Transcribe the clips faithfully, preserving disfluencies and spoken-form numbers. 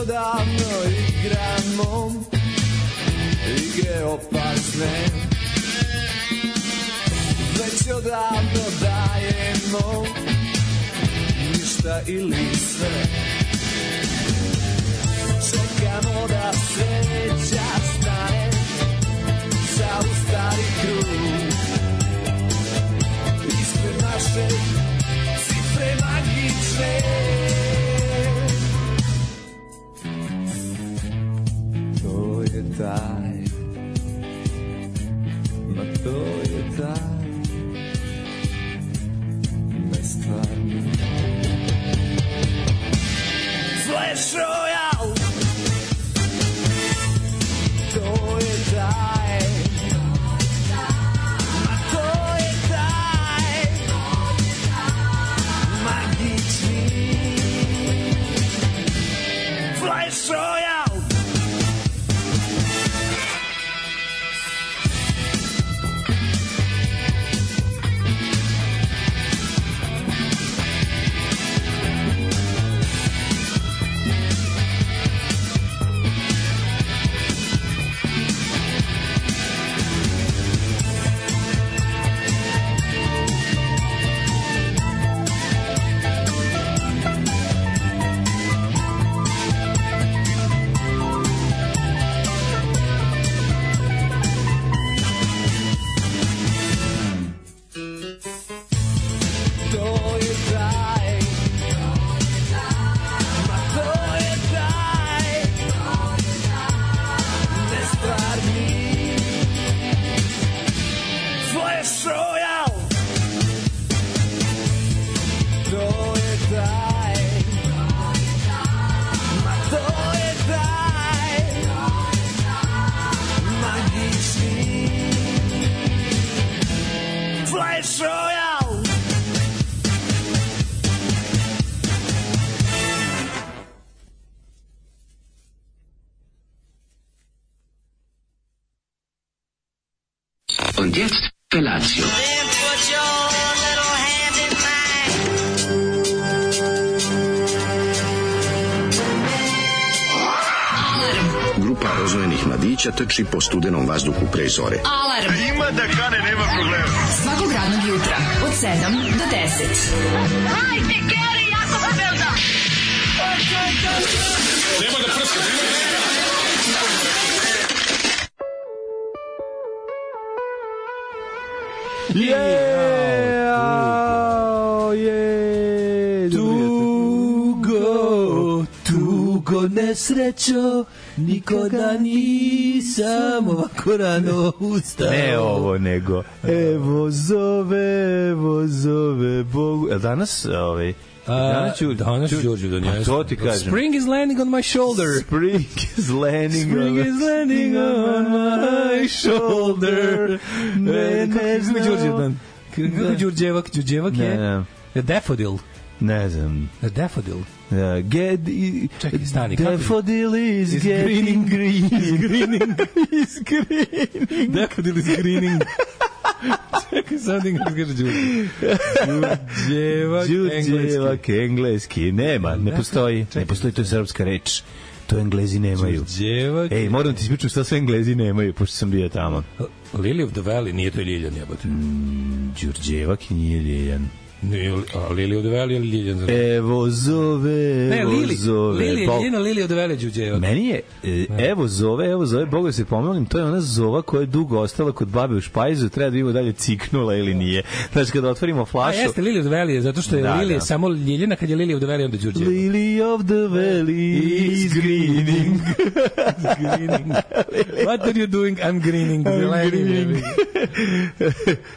odavno igramo igre opasne, već odavno dajemo ništa ili sve. Čekamo da sreća stane, zaustavi krug ispred naše cifre magične. To je taj, ma to je taj nestvarni Flash Royale. To je taj, ma to je taj magični Flash Royale. Und jetzt Felatio. Then put your little hand in mine. Grupa rozvojenih mladića trči po studenom vazduhu pre zore. Alarm. Ima da kane, nema problema. Svakog radnog jutra od sedam do deset. Hajde, Geri, jako se velda. Nema da prska, nema da prska. Yeah, yeah, tugo, tugo nesrećo, nikoda nisam ovako rano ustao. Ne ovo, nego Evo zove, evo zove Bogu. E danas, ovaj, danas ću, danas ću Đorđe donijeti. To ti kažem. Spring is landing on my shoulder. Spring is landing, Spring is landing on my shoulder. Ne, ne znam. Đorđe dan. Kako Đorđevak? Đorđevak je? Daffodil. Ne znam. Daffodil. Uh, get, i, Čekaj, stani. Daffodil is, is getting green. Is greening. Is greening. Daffodil is greening. Čekaj, sad nekako kaže Đurđevak. Đurđevak, engleski. Đurđevak, engleski. Nema, ne postoji. Ne postoji, to je srpska reč. To Englezi nemaju. Đurđevak. Ej, moram ti ispričati šta sve Englezi nemaju, pošto sam bio tamo. Lily of the Valley, nije to Ljiljan, jebote. Mm, Đurđevak nije Ljiljan. Nije, a Lily of the Valley ili Ljiljan? Evo zove, ne, evo Lili, zove. Lili je Ljiljan, Lily of the Valley Đurđevak. Meni je, e, evo zove, evo zove, Boga se pomelim, to je ona zova koja je dugo ostala kod babe u špajzu, treba da vidimo dalje ciknula ili nije. Znači, kada otvorimo flašu... A jeste, Lily of the Valley, zato što je da, Lili da. samo Ljiljana, kad je Lily of the Valley, onda Đurđevak. Lily of the Valley is greening. Greening. What are you doing? I'm greening. I'm greening.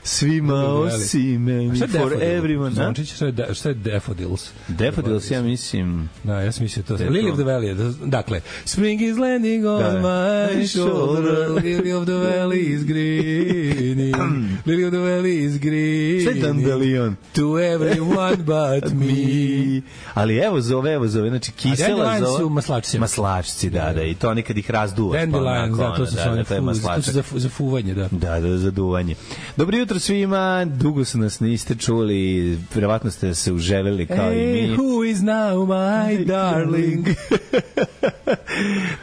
Svima osim meni, for everyone. Zvončić, šta je, da, šta je Daffodils? Daffodils, ja mislim... Da, ja sam mislio to. Lily of the Valley. Dakle, Spring is landing on da. my shoulder. Lily of the Valley is greening. Lily of the Valley is greening. Šta je Dandelion? To everyone but me. Ali evo zove, evo zove, znači kisela zove... su maslačci. Maslačci, da, da, i to nekad ih razduvaš. Dandelion, da, to su da, da, to je maslačak. To su za fuvanje, da. Da, da, za duvanje. Dobro jutro svima, dugo su nas niste čuli, verovatno ste se uželeli kao hey, i mi. Who is now my darling?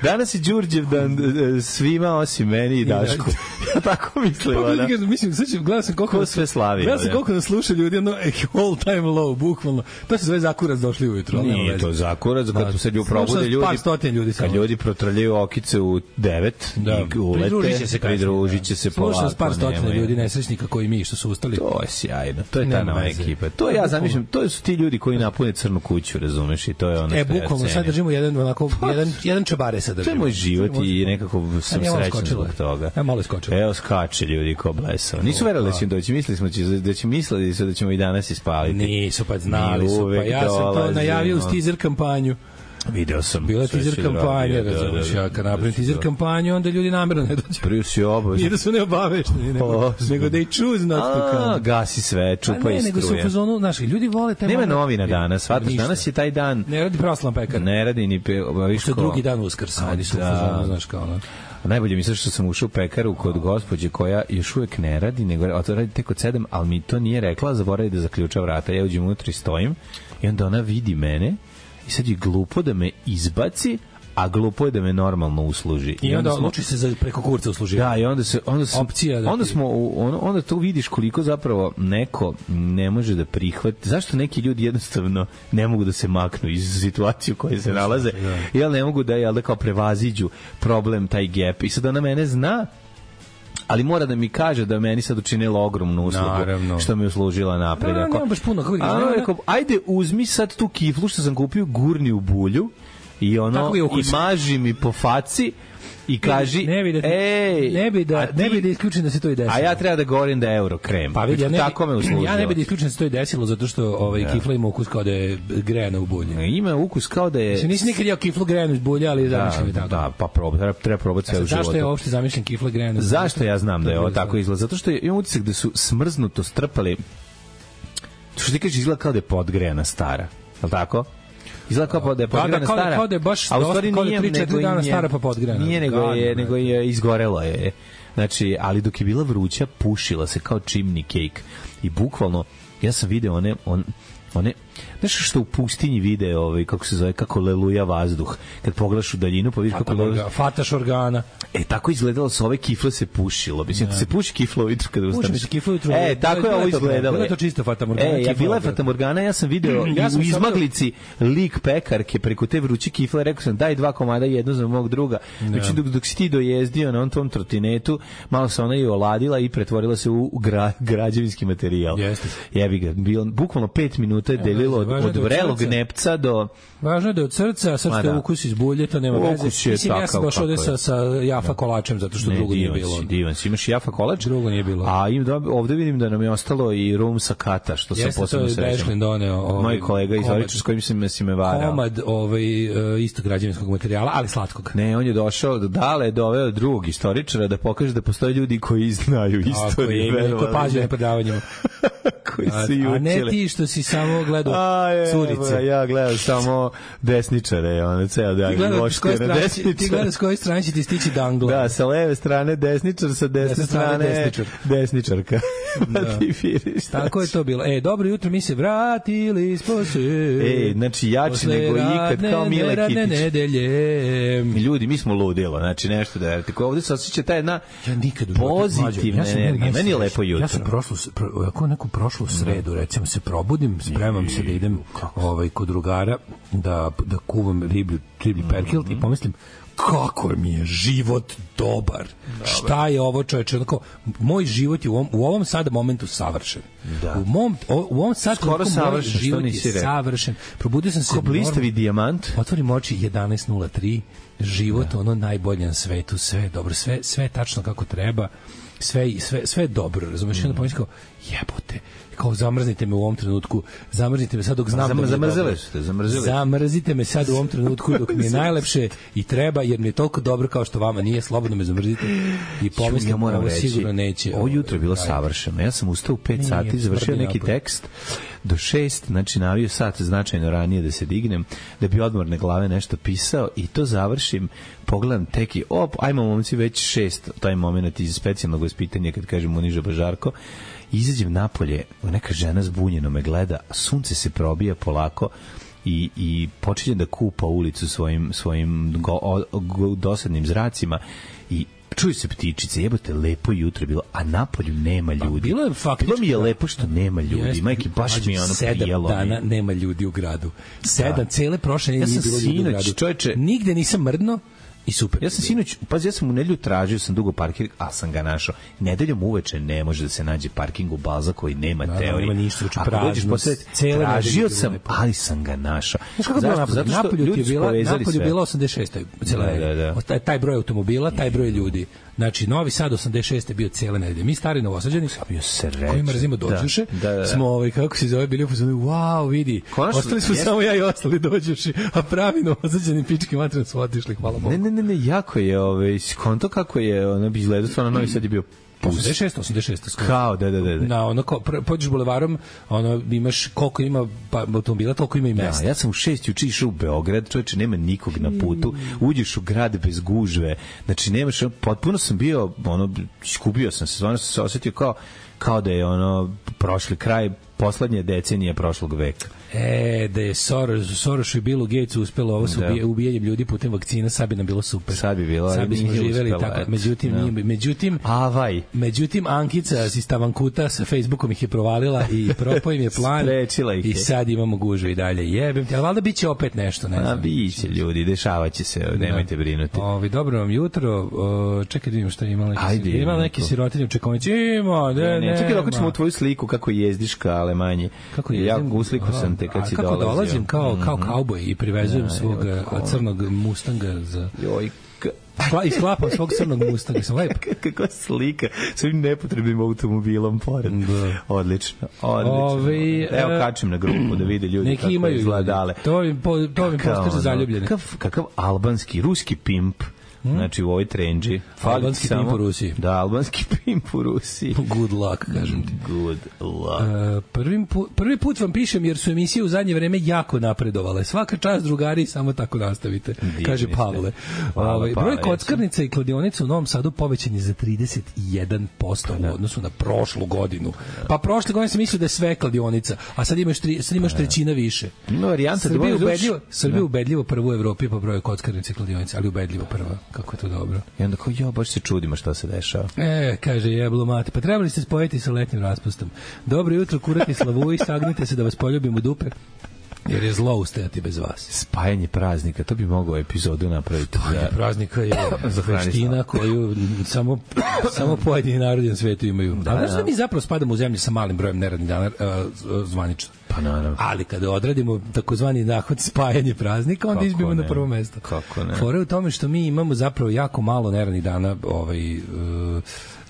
Danas je Đurđev dan svima osim meni i Dašku. Ja tako mislim. Pa, da. Mislim, sad ću, gledam sam koliko... Ko sve slavi. Gledam sam koliko nas sluša ljudi, jedno all time low, bukvalno. To se zove zakurac došli ujutro. Nije to zakurac, kad se ljudi probude ljudi, par stotin ljudi kad ljudi protrljaju okice u devet da. I ulete, pridružit će se, pridružit će se polako. Slušam s par stotina ljudi, nesrećnika koji mi što su ustali. To je sjajno, to je ta nova ekipa. To ja zamišljam, to su ti ljudi koji napune crnu kuću, razumeš, i to je ono. E, bukvalno, sad držimo jedan, onako, jedan, jedan čabare sad držimo. To je moj život i nekako sam srećan zbog toga. Ja malo skočila. Evo skače ljudi ko blesao. Nisu verovali da ćemo doći, mislili smo da će mislili da ćemo i danas ispaliti. Nisu, pa znali su, pa ja sam to najavio uz teaser kampanju. Video sam. Bila teaser kampanja, razumiješ, ja kad napravim teaser kampanju, onda ljudi namjerno ne dođe. Prvi si obavezno. Nije da su neobavešni, nego, nego da i choose not to come. A, gasi sve, čupa i struje. Ne, nego su u fazonu, znaš, ljudi vole te... Nema novina danas, shvataš, danas je taj dan... Ne radi proslavan pekar. Ne radi ni... Što je drugi dan Uskrsa, oni su u fazonu, znaš, kao ono. Najbolje mi se što sam ušao u pekaru kod gospođe koja još uvek ne radi, nego to radi tek od sedam, ali mi to nije rekla, zaboravi da zaključa vrata. Ja uđem unutra i stojim i onda ona vidi mene i sad je glupo da me izbaci, a glupo je da me normalno usluži. I, I onda odluči se za preko kurca usluži. Da, i onda se onda sam, opcija da onda ti... smo onda, onda to vidiš koliko zapravo neko ne može da prihvati. Zašto neki ljudi jednostavno ne mogu da se maknu iz situacije u kojoj se nalaze? Da. Jel ne mogu da jel da kao prevaziđu problem taj gap. I sad ona mene zna, ali mora da mi kaže da meni sad učinila ogromnu uslugu. Naravno. Što mi je uslužila napred. No, no, ne, baš puno. Kako a, rekao, ajde uzmi sad tu kiflu što sam kupio, gurni u bulju i ono i maži mi po faci i kaži ne bi da, ej, ne bi da, ti, ne bi da isključim da se to i desilo. A ja treba da govorim da je euro krem. Pa vidi, ja ne, tako me uslužilo. Ja ne bi da isključim da se to i desilo zato što ovaj ja. Kifla ima ukus kao da je grejana u bulji. Ima ukus kao da je... Znači, nisi nikad jeo kiflu grejanu iz bulja, ali da, zamišljam je tako. Da, pa proba, treba, treba probati sve u životu. Zašto je uopšte zamišljen kifla grejana? Zašto ja znam da je ovo tako izgleda? Zato što imam utisak da su smrznuto strpali... Što ti kažeš, izgleda kao da je podgrejana stara. Je li tako? Izgleda kao da je podgrejana stara. Kao da je baš a u stvari nije tri četiri dana stara pa podgrejana. Nije, nego je, nego je izgorelo je. Znači, ali dok je bila vruća, pušila se kao chimney cake. I bukvalno, ja sam video one... On, one nešto što u pustinji vide, ovaj, kako se zove, kako leluja vazduh. Kad pogledaš u daljinu, pa vidiš kako leluja... Fataš organa. E, tako izgledalo sa ove kifle se pušilo. Mislim, se puši kifla ujutru kada ustaneš. Puši se kifla ujutru. E, tako je ovo izgledalo. Bilo je to čisto fatamorgana. E, ja bila je fatamorgana, ja sam video ja sam u izmaglici lik pekarke preko te vruće kifle, rekao sam daj dva komada, jedno za mog druga. Znači, dok, dok si ti dojezdio na on tom trotinetu, malo se ona i oladila i pretvorila se u gra, građevinski materijal. Jeste. Jebi ga, bilo, bukvalno pet minuta je delilo od, od vrelog nepca do... Važno je da je od srca, sad što je ukus iz bulje, to nema veze. Mislim, ja sam došao ovde sa, sa jafa kolačem, zato što ne, drugo nije bilo. Si, divan si, imaš jafa kolač? Drugo nije bilo. A im, ovde vidim da nam je ostalo i rum sa kata, što sam posebno srećan. Jeste, to je doneo. Ovaj, moj kolega iz Oriča s kojim si me, si me varao. Komad ovaj, isto građevinskog materijala, ali slatkog. Ne, on je došao, dale, doveo drugog istoričara da pokaže da postoje ljudi koji znaju istoriju. Tako je, koji pažnju na predavanjima. Koji su jučili. A ne ti što si samo gledao curice. Ja gledam samo desničare, ono ceo dan. Ti gledaš s koje strane će ti stići dangla. Da, sa leve strane desničar, sa desne strane desničar. Desničarka. Da. Ti viriš. Tako je to bilo. E, dobro jutro, mi se vratili spose. E, znači jači nego ikad, kao Mile Kitić. Nedelje. Ljudi, mi smo ludilo, znači nešto da je. Ovde se osjeća ta jedna ja nikad pozitivna energija. Meni je lepo jutro. Ja sam prošlo, ako neku prošlu sredu, recimo se probudim, spremam se da idem ovaj, kod drugara da, da kuvam riblju, riblji perkilt i pomislim kako mi je život dobar. Dobar. Šta je ovo, čoveče? Onako, moj život je u ovom, u ovom sada momentu savršen. Da. U, mom, o, u ovom sad skoro savršen, moj život je savršen. Probudio sam se... Ko blistavi dijamant. Otvorim oči jedanaest nula tri. Život, da. Ono najbolje na svetu. Sve je dobro. Sve, sve tačno kako treba. Sve, sve, sve je dobro. Razumeš? Mm. Onda pomislim kao, jebote, kao zamrznite me u ovom trenutku, zamrznite me sad dok znam Zam, da zamrzili ste, zamrzili. Zamrzite me sad u ovom trenutku dok mi je najlepše i treba, jer mi je toliko dobro kao što vama nije, slobodno me zamrzite i pomislim, ja moram ovo reći, sigurno neće. Ovo jutro je bilo savršeno. Ja sam ustao u pet nije, sati, završio neki napad. Tekst, do šest, znači navio sat značajno ranije da se dignem, da bi odmorne glave nešto pisao i to završim, pogledam teki, op, ajmo momci već šest, taj moment iz specijalnog vaspitanja kad kažem Uniža Bažarko, izađem napolje, neka žena zbunjeno me gleda, sunce se probija polako i, i počinje da kupa ulicu svojim, svojim go, o, go, dosadnim zracima i čuju se ptičice, jebote, lepo jutro je bilo, a napolju nema ljudi. Bilo je faktički... Bilo mi je lepo što nema ljudi. Majke, baš mi je ono prijelo. Sedam dana nema ljudi u gradu. Sedam, da. Cele prošle ja nije bilo ljudi u gradu. Čovječe, nigde nisam mrdno i super. Ja sam sinoć, pazi, ja sam u nedelju tražio, sam dugo parking, a sam ga našao. Nedeljom uveče ne može da se nađe parking u Balza koji nema da, teorije. Nema ništa, uče prazno. Tražio sam, lepo. Ali sam ga našao. Znaš kako bilo napolju? Napolju ti je bila, napolju bila osamdeset šest. Da, da, da. Taj, taj broj automobila, taj broj ljudi. Znači, Novi Sad osamdeset šest je bio cijele nedelje. Mi stari Novosađani, koji mrzimo dođuše, da, da, da. smo, ovaj, kako se zove, bili u fazonu, wow, vidi, konačno, ostali smo jes... samo ja i ostali dođuši, a pravi Novosađani pički materina su otišli, hvala Bogu. Ne, ne, ne, ne, jako je, ovaj, konto kako je, ono bi izgledao, stvarno Novi Sad je bio osamdeset šest, osamdeset šest skoro. Kao, da, da, da. da. Na, ono, ko, pođeš bulevarom, ono, imaš koliko ima pa, automobila, toliko ima i mesta. Ja, ja sam u šest juče išao u Beograd, čovječe, nema nikog na putu, uđeš u grad bez gužve, znači nemaš, potpuno sam bio, ono, iskupio sam se, stvarno sam se osjetio kao, kao da je, ono, prošli kraj, poslednje decenije prošlog veka. E, da je Soros, Sorosu i Billu Gatesu uspelo ovo sa ubije, ubijanjem ljudi putem vakcina, sad bi nam bilo super. Sad bi bilo, sad bismo živeli uspela, tako. Međutim, no. nije, međutim, Avaj. međutim, Ankica iz Stavankuta sa Facebookom ih je provalila i propao im je plan i sad imamo gužu i dalje. Jebem ti, ali valjda bit će opet nešto. Ne znam. A biće ljudi, dešavaće se, nemojte brinuti. Ovi, dobro vam jutro, o, čekaj da vidimo šta je imala neki, imala neki sirotinje u čekovnici. Ima, ne, ne, čekaj, dok ćemo u tvoju sliku kako jezdiš ka Alemanje. Kako jezdim? Ja usliku sam te kad si kako dolazio. dolazim kao, kao kauboj i privezujem svog crnog Mustanga za... Joj, i sklapam svog crnog Mustanga, sam lep. Kakva slika, s ovim nepotrebnim automobilom pored. Da. Odlično, odlično. Ove, Evo kačim na grupu da vide ljudi neki kako imaju izgledale. To im, po, to im postaže zaljubljene. Kakav, kakav albanski, ruski pimp. Hmm? Znači u ovoj trendži. Albanski pimp u Rusiji. Da, albanski pimp u Rusiji. Good luck, kažem ti. Good luck. Uh, prvi, pu, prvi put vam pišem jer su emisije u zadnje vreme jako napredovale. Svaka čast drugari, samo tako nastavite. Divni kaže Pavle. Ovaj broj kockarnica i kladionica u Novom Sadu povećan je za trideset jedan posto u odnosu na prošlu godinu. Pa prošle godine sam mislio da je sve kladionica, a sad imaš tri, sad imaš trećina više. No, varijanta Srbija da ubedljivo, Srbija ubedljivo prvo u Evropi po broju kockarnica i kladionica, ali ubedljivo prva. Kako je to dobro. I onda kao, jo, baš se čudimo šta se dešava. E, kaže, jeblo mate, pa trebali ste spojiti sa letnjim raspustom. Dobro jutro, kurati slavuji, sagnite se da vas poljubim u dupe, jer je zlo ustajati bez vas. Spajanje praznika, to bi mogao epizodu napraviti. Spajanje praznika je veština koju samo, samo pojedini narodi na svetu imaju. Da, ali znaš da mi zapravo spadamo u zemlji sa malim brojem neradnih dana uh, zvanično. Pa naravno. Ali kada odradimo takozvani nahod spajanje praznika, onda izbijemo na prvo mesto. Kako ne? Fora je u tome što mi imamo zapravo jako malo neradnih dana, ovaj, uh,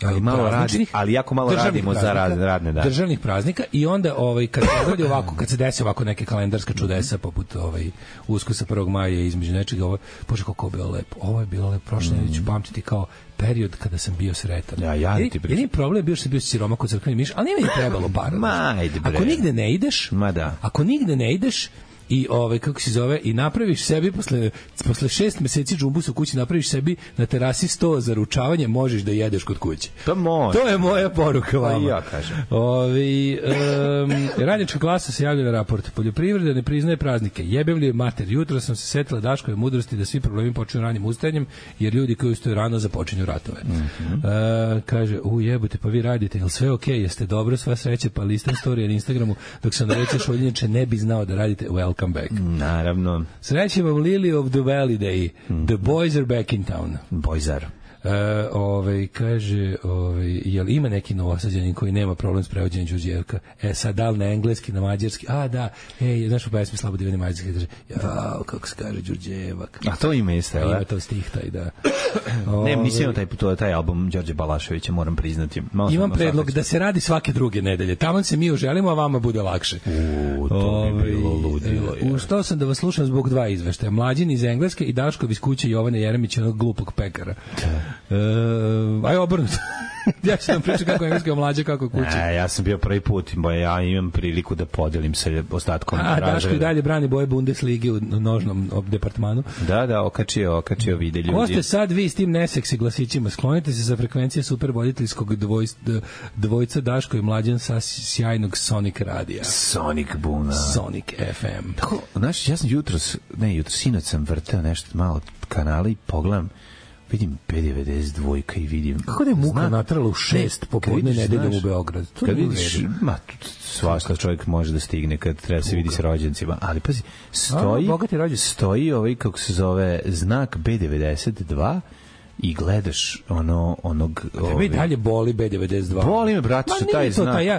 ali malo radi, ali jako malo radimo za rad, radne dane. Državnih praznika i onda ovaj kad se radi ovako, kad se desi ovako neke kalendarska čudesa poput ovaj Uskrsa prvog maja između nečega, ovo bože kako je bilo lepo. Ovo je bilo lepo, prošle nedelje ću pamtiti kao period kada sam bio sretan. Ja, ja ti pričam. Jedini problem je bio što sam bio siroma kod crkveni miš, ali nije mi trebalo para. Ma, ajde bre. Ako nigde ne ideš, ma da. Ako nigde ne ideš i ovaj kako se zove i napraviš sebi posle posle šest meseci džumbusa u kući napraviš sebi na terasi sto za ručavanje, možeš da jedeš kod kuće. To može. To je moja poruka vama. Pa ja kažem. Ovi um, radnička klasa se javlja na raport. Poljoprivreda ne priznaje praznike. Jebem li mater, jutro sam se setila Daškove mudrosti da svi problemi počinju ranim ustajanjem, jer ljudi koji ustaju rano započinju ratove. Mm-hmm. Uh, kaže, u jebote, pa vi radite, jel sve okej, okay? Jeste dobro, sva sreće, pa listam storije na Instagramu, dok sam narećao šoljenče ne bi znao da radite. Welcome back. Naravno. Sreće vam Lily of the Valley Day. Mm-hmm. The boys are back in town. Boys are. Uh, ovaj, kaže, ovaj, jel ima neki Novosađanin koji nema problem s prevođenjem Đurđevka? E, sad, da li na engleski, na mađarski? A, da, ej, znaš u pesmi Slabo divani mađarski, kaže, jao, kako se kaže Đurđevak. A to ima isto, ima to stih taj, da. Ne, nisam imao taj, to, taj album Đorđe Balaševića, moram priznati. Malo imam predlog da se radi svake druge nedelje. Tamo se mi uželimo, a vama bude lakše. U, to bi bilo ludilo. U što sam da vas slušam zbog dva izveštaja. Mlađin iz Engleske i Daškov iz kuće Jovane Jeremića, onog glupog pekara. Uh, aj obrnuto. Ja ću vam pričati kako je engleski omlađa, kako je kući. E, ja sam bio prvi put, bo ja imam priliku da podelim sa ostatkom razreda. A, Daško i dalje brani boje Bundesligi u nožnom departmanu. Da, da, okačio, okačio vide ljudi. Ko ste sad vi s tim neseksi glasićima? Sklonite se sa frekvencije supervoditeljskog dvoj, dvojca Daško i Mlađan sa sjajnog Sonic radija. Sonic Buna. Sonic F M. Tako, znaš, ja sam jutros, ne, jutros, sinoć sam vrteo nešto malo kanala i pogledam, vidim P devedeset dva i vidim... Kako da je muka zna, natrala u šest popodne nedeljom u Beograd? To kad vidiš, ma, svašta čovjek može da stigne kad treba se vidi s rođencima, ali pazi, stoji, A, stoji ovaj, kako se zove, znak B devedeset dva i gledaš ono, onog... Tebe i dalje boli B devedeset dva. Boli me, brate, što taj znak... Taj, ja,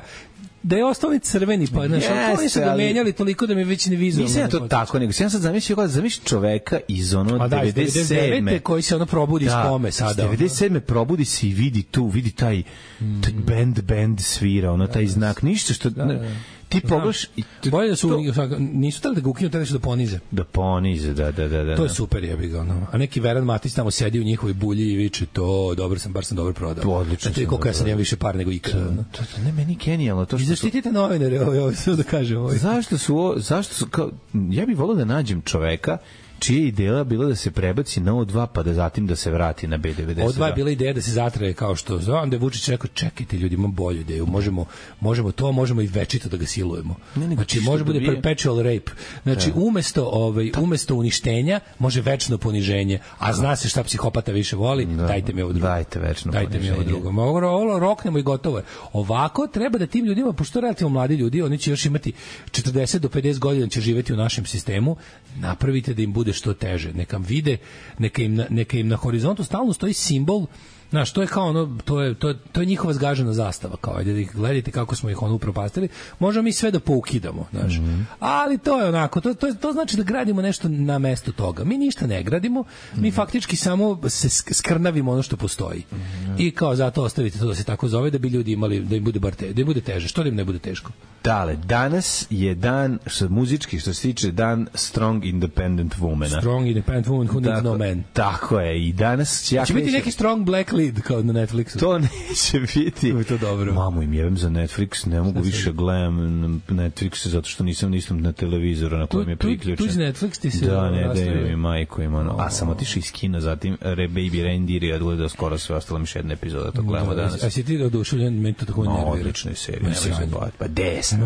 da je ostao ovaj crveni, pa znaš, yes, oni su ga menjali toliko da mi već ne vizualno. Nisam ja to tako, nego sam sad zamislio kako da zamisliš čoveka iz ono da, devedeset sedme koji se ono probudi da, iz kome sada. devedeset sedme probudi se i vidi tu, vidi taj, mm. taj band, band svira, ono, taj znak, ništa što... Da, da. Ti pogledaš i bolje da su to, nisu tali da ga ukinu, tali su da ponize. Da ponize, da, da, da, da. To je super, jebi ga, ono. A neki Veran Matić tamo sedi u njihovoj bulji i viče to, dobro sam, bar sam dobro prodao. Odlično. Znači, koliko ja sam imam više par nego ikada. To, to, to ne, meni genijalno. To što I zaštitite novinare, ovo, ovo, sve da kažem. Ovo. Zašto su, zašto su, kao, ja bih volio da nađem čoveka čija je ideja bila da se prebaci na O dva pa da zatim da se vrati na B devedeset dva. O dva je bila ideja da se zatraje kao što znam da je Vučić rekao čekajte ljudi, imam bolju ideju, možemo, možemo to, možemo i večito da ga silujemo. Ne, znači može bude perpetual rape. Znači da. umesto, ovaj, umesto uništenja može večno poniženje, a zna se šta psihopata više voli, da. dajte mi ovo drugo. Dajte večno dajte poniženje. mi ovo drugo. Ovo, ovo roknemo i gotovo je. Ovako treba da tim ljudima, pošto relativno mladi ljudi, oni će još imati četrdeset do pedeset godina će živeti u našem sistemu, napravite da im bude što teže. Neka vide, neka im, neka im na horizontu stalno stoji simbol. Znaš, to je kao ono, to je, to je, to je njihova zgažena zastava, kao ajde da ih gledajte kako smo ih ono upropastili, možemo mi sve da poukidamo, znaš. Mm -hmm. Ali to je onako, to, to, to znači da gradimo nešto na mesto toga. Mi ništa ne gradimo, mm -hmm. mi faktički samo se skrnavimo ono što postoji. Mm -hmm. I kao zato ostavite to da se tako zove, da bi ljudi imali, da im bude bar te, da im bude teže, što da im ne bude teško. Dale, danas je dan, što muzički, što se tiče dan Strong Independent Womana. Strong Independent Woman who needs no man. Tako je, i danas... Ja će biti neki Strong Black Lead kao na Netflixu. To neće biti. To je to dobro. Mamu im jebem za Netflix, ne mogu više gledam Netflix zato što nisam nisam na televizoru na kojem je priključen. Tu je Netflix ti se... Da, ne, da je mi majko ima ono. A sam otišao iz kina, zatim Re Baby Reindeer i odgledao skoro sve, ostalo mi još jedna epizoda, to gledamo danas. A si ti oduševljen, meni to tako nervira. Odlična je serija. Pa desno.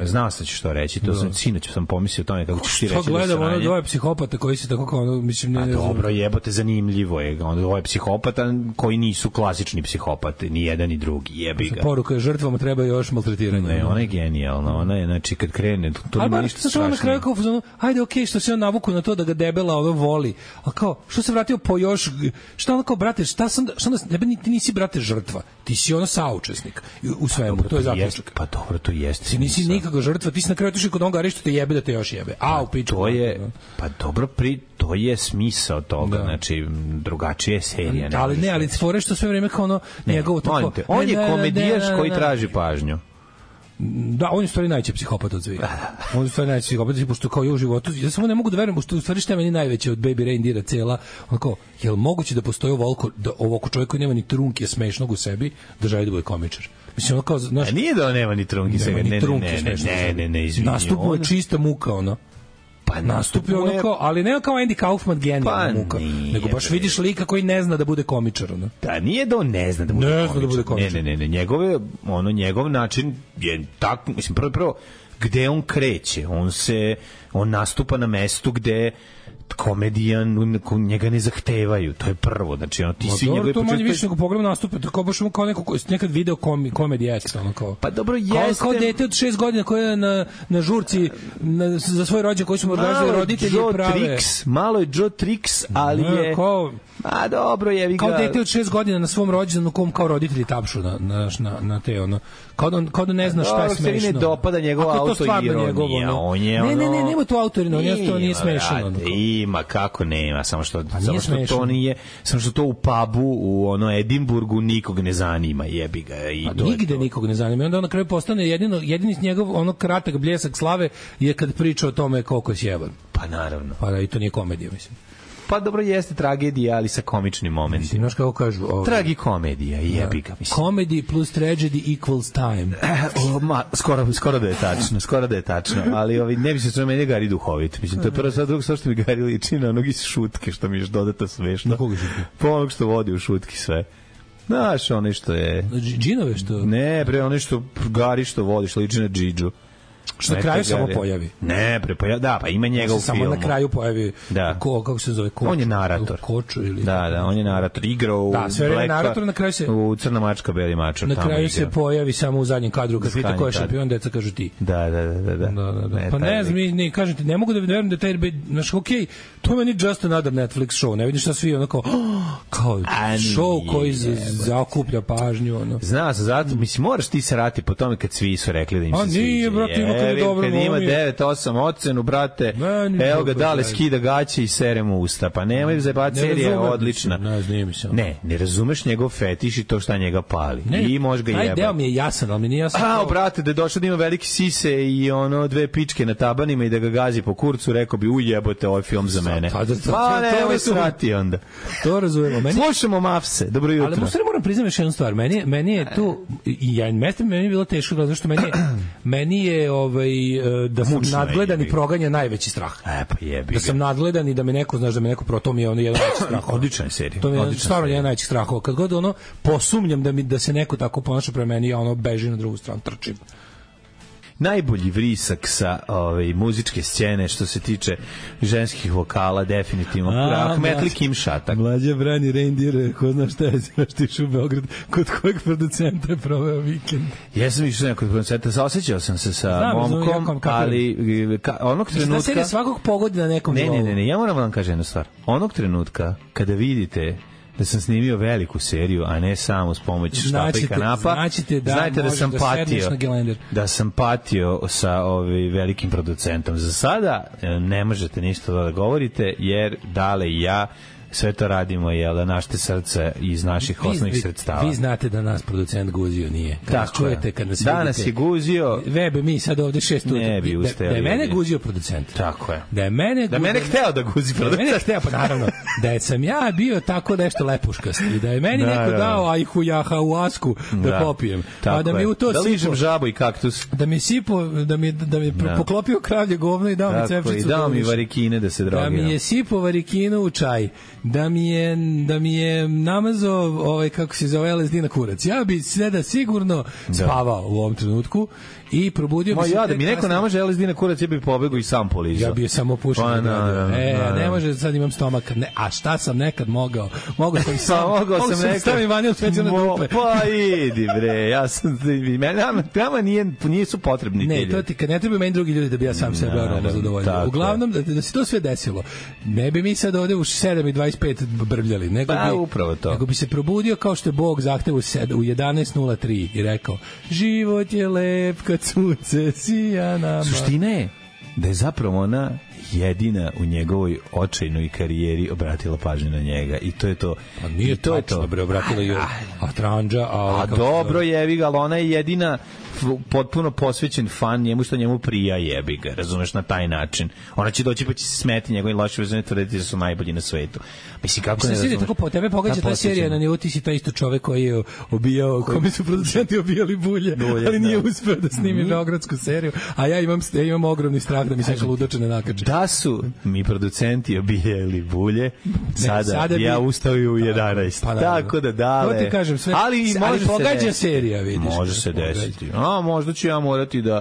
Znao sam ću što reći, to sam sinoć sam pomislio o tome kako ćeš ti reći. Što gledam ono dvoje psihopata koji se tako kao ono, mislim ne. Dobro, jebote, zanimljivo je. Ono dvoje psihopata koji nisu klasični psihopati, ni jedan ni drugi, jebi ga. Poruka je žrtvama treba još maltretiranje. Ne, ona je genijalna, ona je, znači, kad krene, to nema ništa strašnije. Ali na kraju kao, ajde, okej, okay, što se on navuku na to da ga debela ono voli, a kao, što se vratio po još, šta ono kao, brate, šta sam, šta onda, ti nisi, brate, žrtva, ti si ono saučesnik u svemu, pa, dobro, to je zaključak. Pa dobro, to jeste. Ti nisi nikakva žrtva, ti si na kraju otišao kod onoga što te jebe da te još jebe. A, u piču. To je, pa dobro, pri, to je smisao toga, da. Znači, drugačija je serija. Ne, ali ne, ali fore što sve vreme kao ono njegovo tako. Te, on je komedijaš koji traži pažnju. Da, on je u stvari najveći psihopat od svih. On je u stvari najveći psihopat, pošto kao je u životu, ja samo ne mogu da verujem, pošto u stvari šta je meni najveće od Baby Reindeera cela, onako, je li moguće da postoji ovoliko, da ovako čovjek koji nema ni trunke smešnog u sebi, da želi da bude komičar? Mislim, ono kao, znaš... A nije da on nema ni trunke u sebi, ne, ne, ne, ne, ne, ne, izvinio. Nastupu je čista muka, ono. Pa nastupio ono kao, ali ne kao Andy Kaufman genijalna pa muka, nego baš vidiš lika koji ne zna da bude komičar, ono. Da, nije da on ne zna da bude, ne komičar. Zna da bude komičar. Ne, ne, ne, ne, njegove, ono, njegov način je tako, mislim, prvo, prvo, gde on kreće, on se, on nastupa na mestu gde komedijan njega ne zahtevaju, to je prvo, znači ono ti Ma svi dobro, njegove to manje više nego pogledam nastupe, to kao baš kao neko ko nekad video komi, komedi X, ono kao. Pa dobro, jeste. Kao, kao dete od šest godina koje je na, na žurci na, za svoj rođendan koji smo organizovali roditelji Joe prave. Tricks, malo je Joe Tricks, ali ne, je kao, a dobro je, kao dete od šest godina na svom rođendanu kom kao roditelji tapšu na na na, na te ono. Kao da, kao da ne zna šta je smešno. Ako se ne dopada njegova autoironija, on je ono... Ne, ne, ne, nema tu autoironija, on je to nije smešno. Ima, kako nema, samo što, samo što to nije, samo što to u pubu u ono Edinburgu nikog ne zanima, jebi ga. I a nigde nikog ne zanima. I onda on na kraju postane jedino, jedini njegov ono kratak bljesak slave je kad priča o tome koliko je sjeban. Pa naravno. Pa da, i to nije komedija, mislim. pa dobro jeste tragedija, ali sa komičnim momentima. Znaš kako kažu? Ovo... Tragikomedija, jebi ga, mislim. Comedy plus tragedy equals time. O, ma, skoro, skoro da je tačno, skoro da je tačno, ali ovi, ne bi se što meni Gari duhovit. Mislim, to je prvo sad drugo što mi Gari liči na onog iz Šutke, što mi još dodata smešno. Na koga Šutke? Po onog što vodi u Šutki sve. Znaš, ono što je... Džinove što... Ne, pre, ono što Gari što vodi, što liči na Džidžu. Što na kraju samo pojavi. Ne, pre, pojavi, da, pa ima njega u filmu. Samo na kraju pojavi, da. Ko, kako se zove? Koč, on je narator. Koču ili... Da, da, on je narator. Igrao u da, sve Blacka, narator, na kraju se... u Crna mačka, Beli mačar. Na kraju se pojavi samo u zadnjem kadru, kad pita ko je šampion, deca kažu ti. Da, da, da. da, da. da, da, da. Ne, pa ne znam, ne, kažem ti, ne mogu da verujem da taj, znaš, okej, okay, to je meni just another Netflix show, ne vidiš šta svi onako, oh, kao show koji zaokuplja pažnju, ono. Zna se, zato, mislim, moraš ti se rati po tome kad svi su rekli da im se sviđa. A nije, brate, ima kada dobro, devet osam ocenu, brate. Evo ga, dale skida gaće i sere mu usta. Pa nemoj zajebati, serija je odlična. Ne, znam se. Ne, ne razumeš njegov fetiš i to šta njega pali. Ne, i može ga jebati. Taj deo mi je jasan, ali mi nije jasan. A, brate, da je došao da ima veliki sise i ono dve pičke na tabanima i da ga gazi po kurcu, rekao bi, uj, jebote, ovaj film za mene. Pa ne, ovo se rati onda. To razumemo. Meni... Slušamo Mafse, dobro jutro. Ali možda moram priznam još jednu stvar. Meni, meni je tu, i ja, meni, meni je bilo teško, zato što meni je, meni je ovaj, da sam nadgledan i proganja najveći strah. E, pa jebi. Da sam nadgledan i da me neko, znaš, da me neko pro, to mi je ono jedan najveći strah. Odlična je serija. To mi je stvarno jedan najveći strah. Kad god ono posumnjam da mi da se neko tako ponaša prema meni, ja ono beži na drugu stranu, trčim. Najbolji vrisak sa ove muzičke scene što se tiče ženskih vokala definitivno Ahmetli Kim Šatak. Mlađa brani reindeer, ko zna šta je, znaš ti u Beograd, kod kojeg producenta je proveo vikend. Jesam išao kod producenta, saosećao sam se sa Znam, momkom, znam, ali ka, onog trenutka... Da serija svakog pogodi na nekom ne, ne, ne, ne, ja moram vam kažem jednu stvar. Onog trenutka kada vidite da sam snimio veliku seriju, a ne samo s pomoć štapa i kanapa. Značite da, znajte da sam da patio, da sam patio sa ovaj velikim producentom. Za sada ne možete ništa da govorite, jer Dale i ja sve to radimo, jel da, našte srce iz naših osnovnih vi, sredstava. Vi znate da nas producent guzio nije. Kad tako čujete, kad nas danas vidite, je guzio. Vebe, mi sad ovde šest utra. Ne bi da, da je mene guzio producent. Tako je. Da je mene, da mene hteo da guzi producent. Da je mene hteo, pa naravno. Da je sam ja bio tako nešto lepuškast i da je meni da, neko dao ajhu jaha u asku da, da popijem. Pa da mi u to da ližem žabu i kaktus. Da mi sipo, da mi, da mi da. poklopio kravlje govno i dao mi cepčicu. I dao mi varikine da se drogiram. Da mi je sipo varikinu u čaj. Da mi je da mi je namazao ovaj kako se zove el es de na kurac. Ja bi sada sigurno spavao u ovom trenutku i probudio bi se. Ja da mi neko namaže el es de na kurac, ja bih pobegao i sam polizao. Ja bih samo pušio. Pa, na, na, e, na, na. ne može, sad imam stomak. Ne, a šta sam nekad mogao? Mogao sam i sam. mogao sam, sam nekad. Stavim vanil specijalne dupe. Pa idi bre, ja sam meni nama nije nisu potrebni ne, to ti kad ne treba meni drugi ljudi da bi ja sam sebe normalno zadovoljio. Uglavnom da, da se to sve desilo. Ne bi mi sad ovde u sedam i dvadeset pet brvljali, nego pa, bi upravo to. Nego bi se probudio kao što je Bog zahtevu u jedanaest nula tri i rekao: život je lep kad sunce sija nama. Suština je da je zapravo ona jedina u njegovoj očajnoj karijeri obratila pažnju na njega i to je to. Pa nije to je to. Bre, obratila je a Tranđa, a, a dobro jebi ga, ali ona je jedina potpuno posvećen fan njemu što njemu prija, jebi ga, razumeš, na taj način. Ona će doći pa će se smeti njegovim lošim vezama, tvrditi da su najbolji na svetu. Mislim, kako ne razumeš? Tako po tebe pogađa ta serija na nivou, ti si taj isto čovek koji je obijao, kome su producenti obijali bulje, bulje ali nije da. uspeo da snimi beogradsku seriju, a ja imam, ja imam ogromni strah da mi se ludače ne nakače. Da su mi producenti obijali bulje, sada, ne, sada bi ja ustao u jedanaest. Pa, tako da dale. To ti kažem, sve, ali, ali pogađa serija, vidiš. Može se desiti. A možda ću ja morati da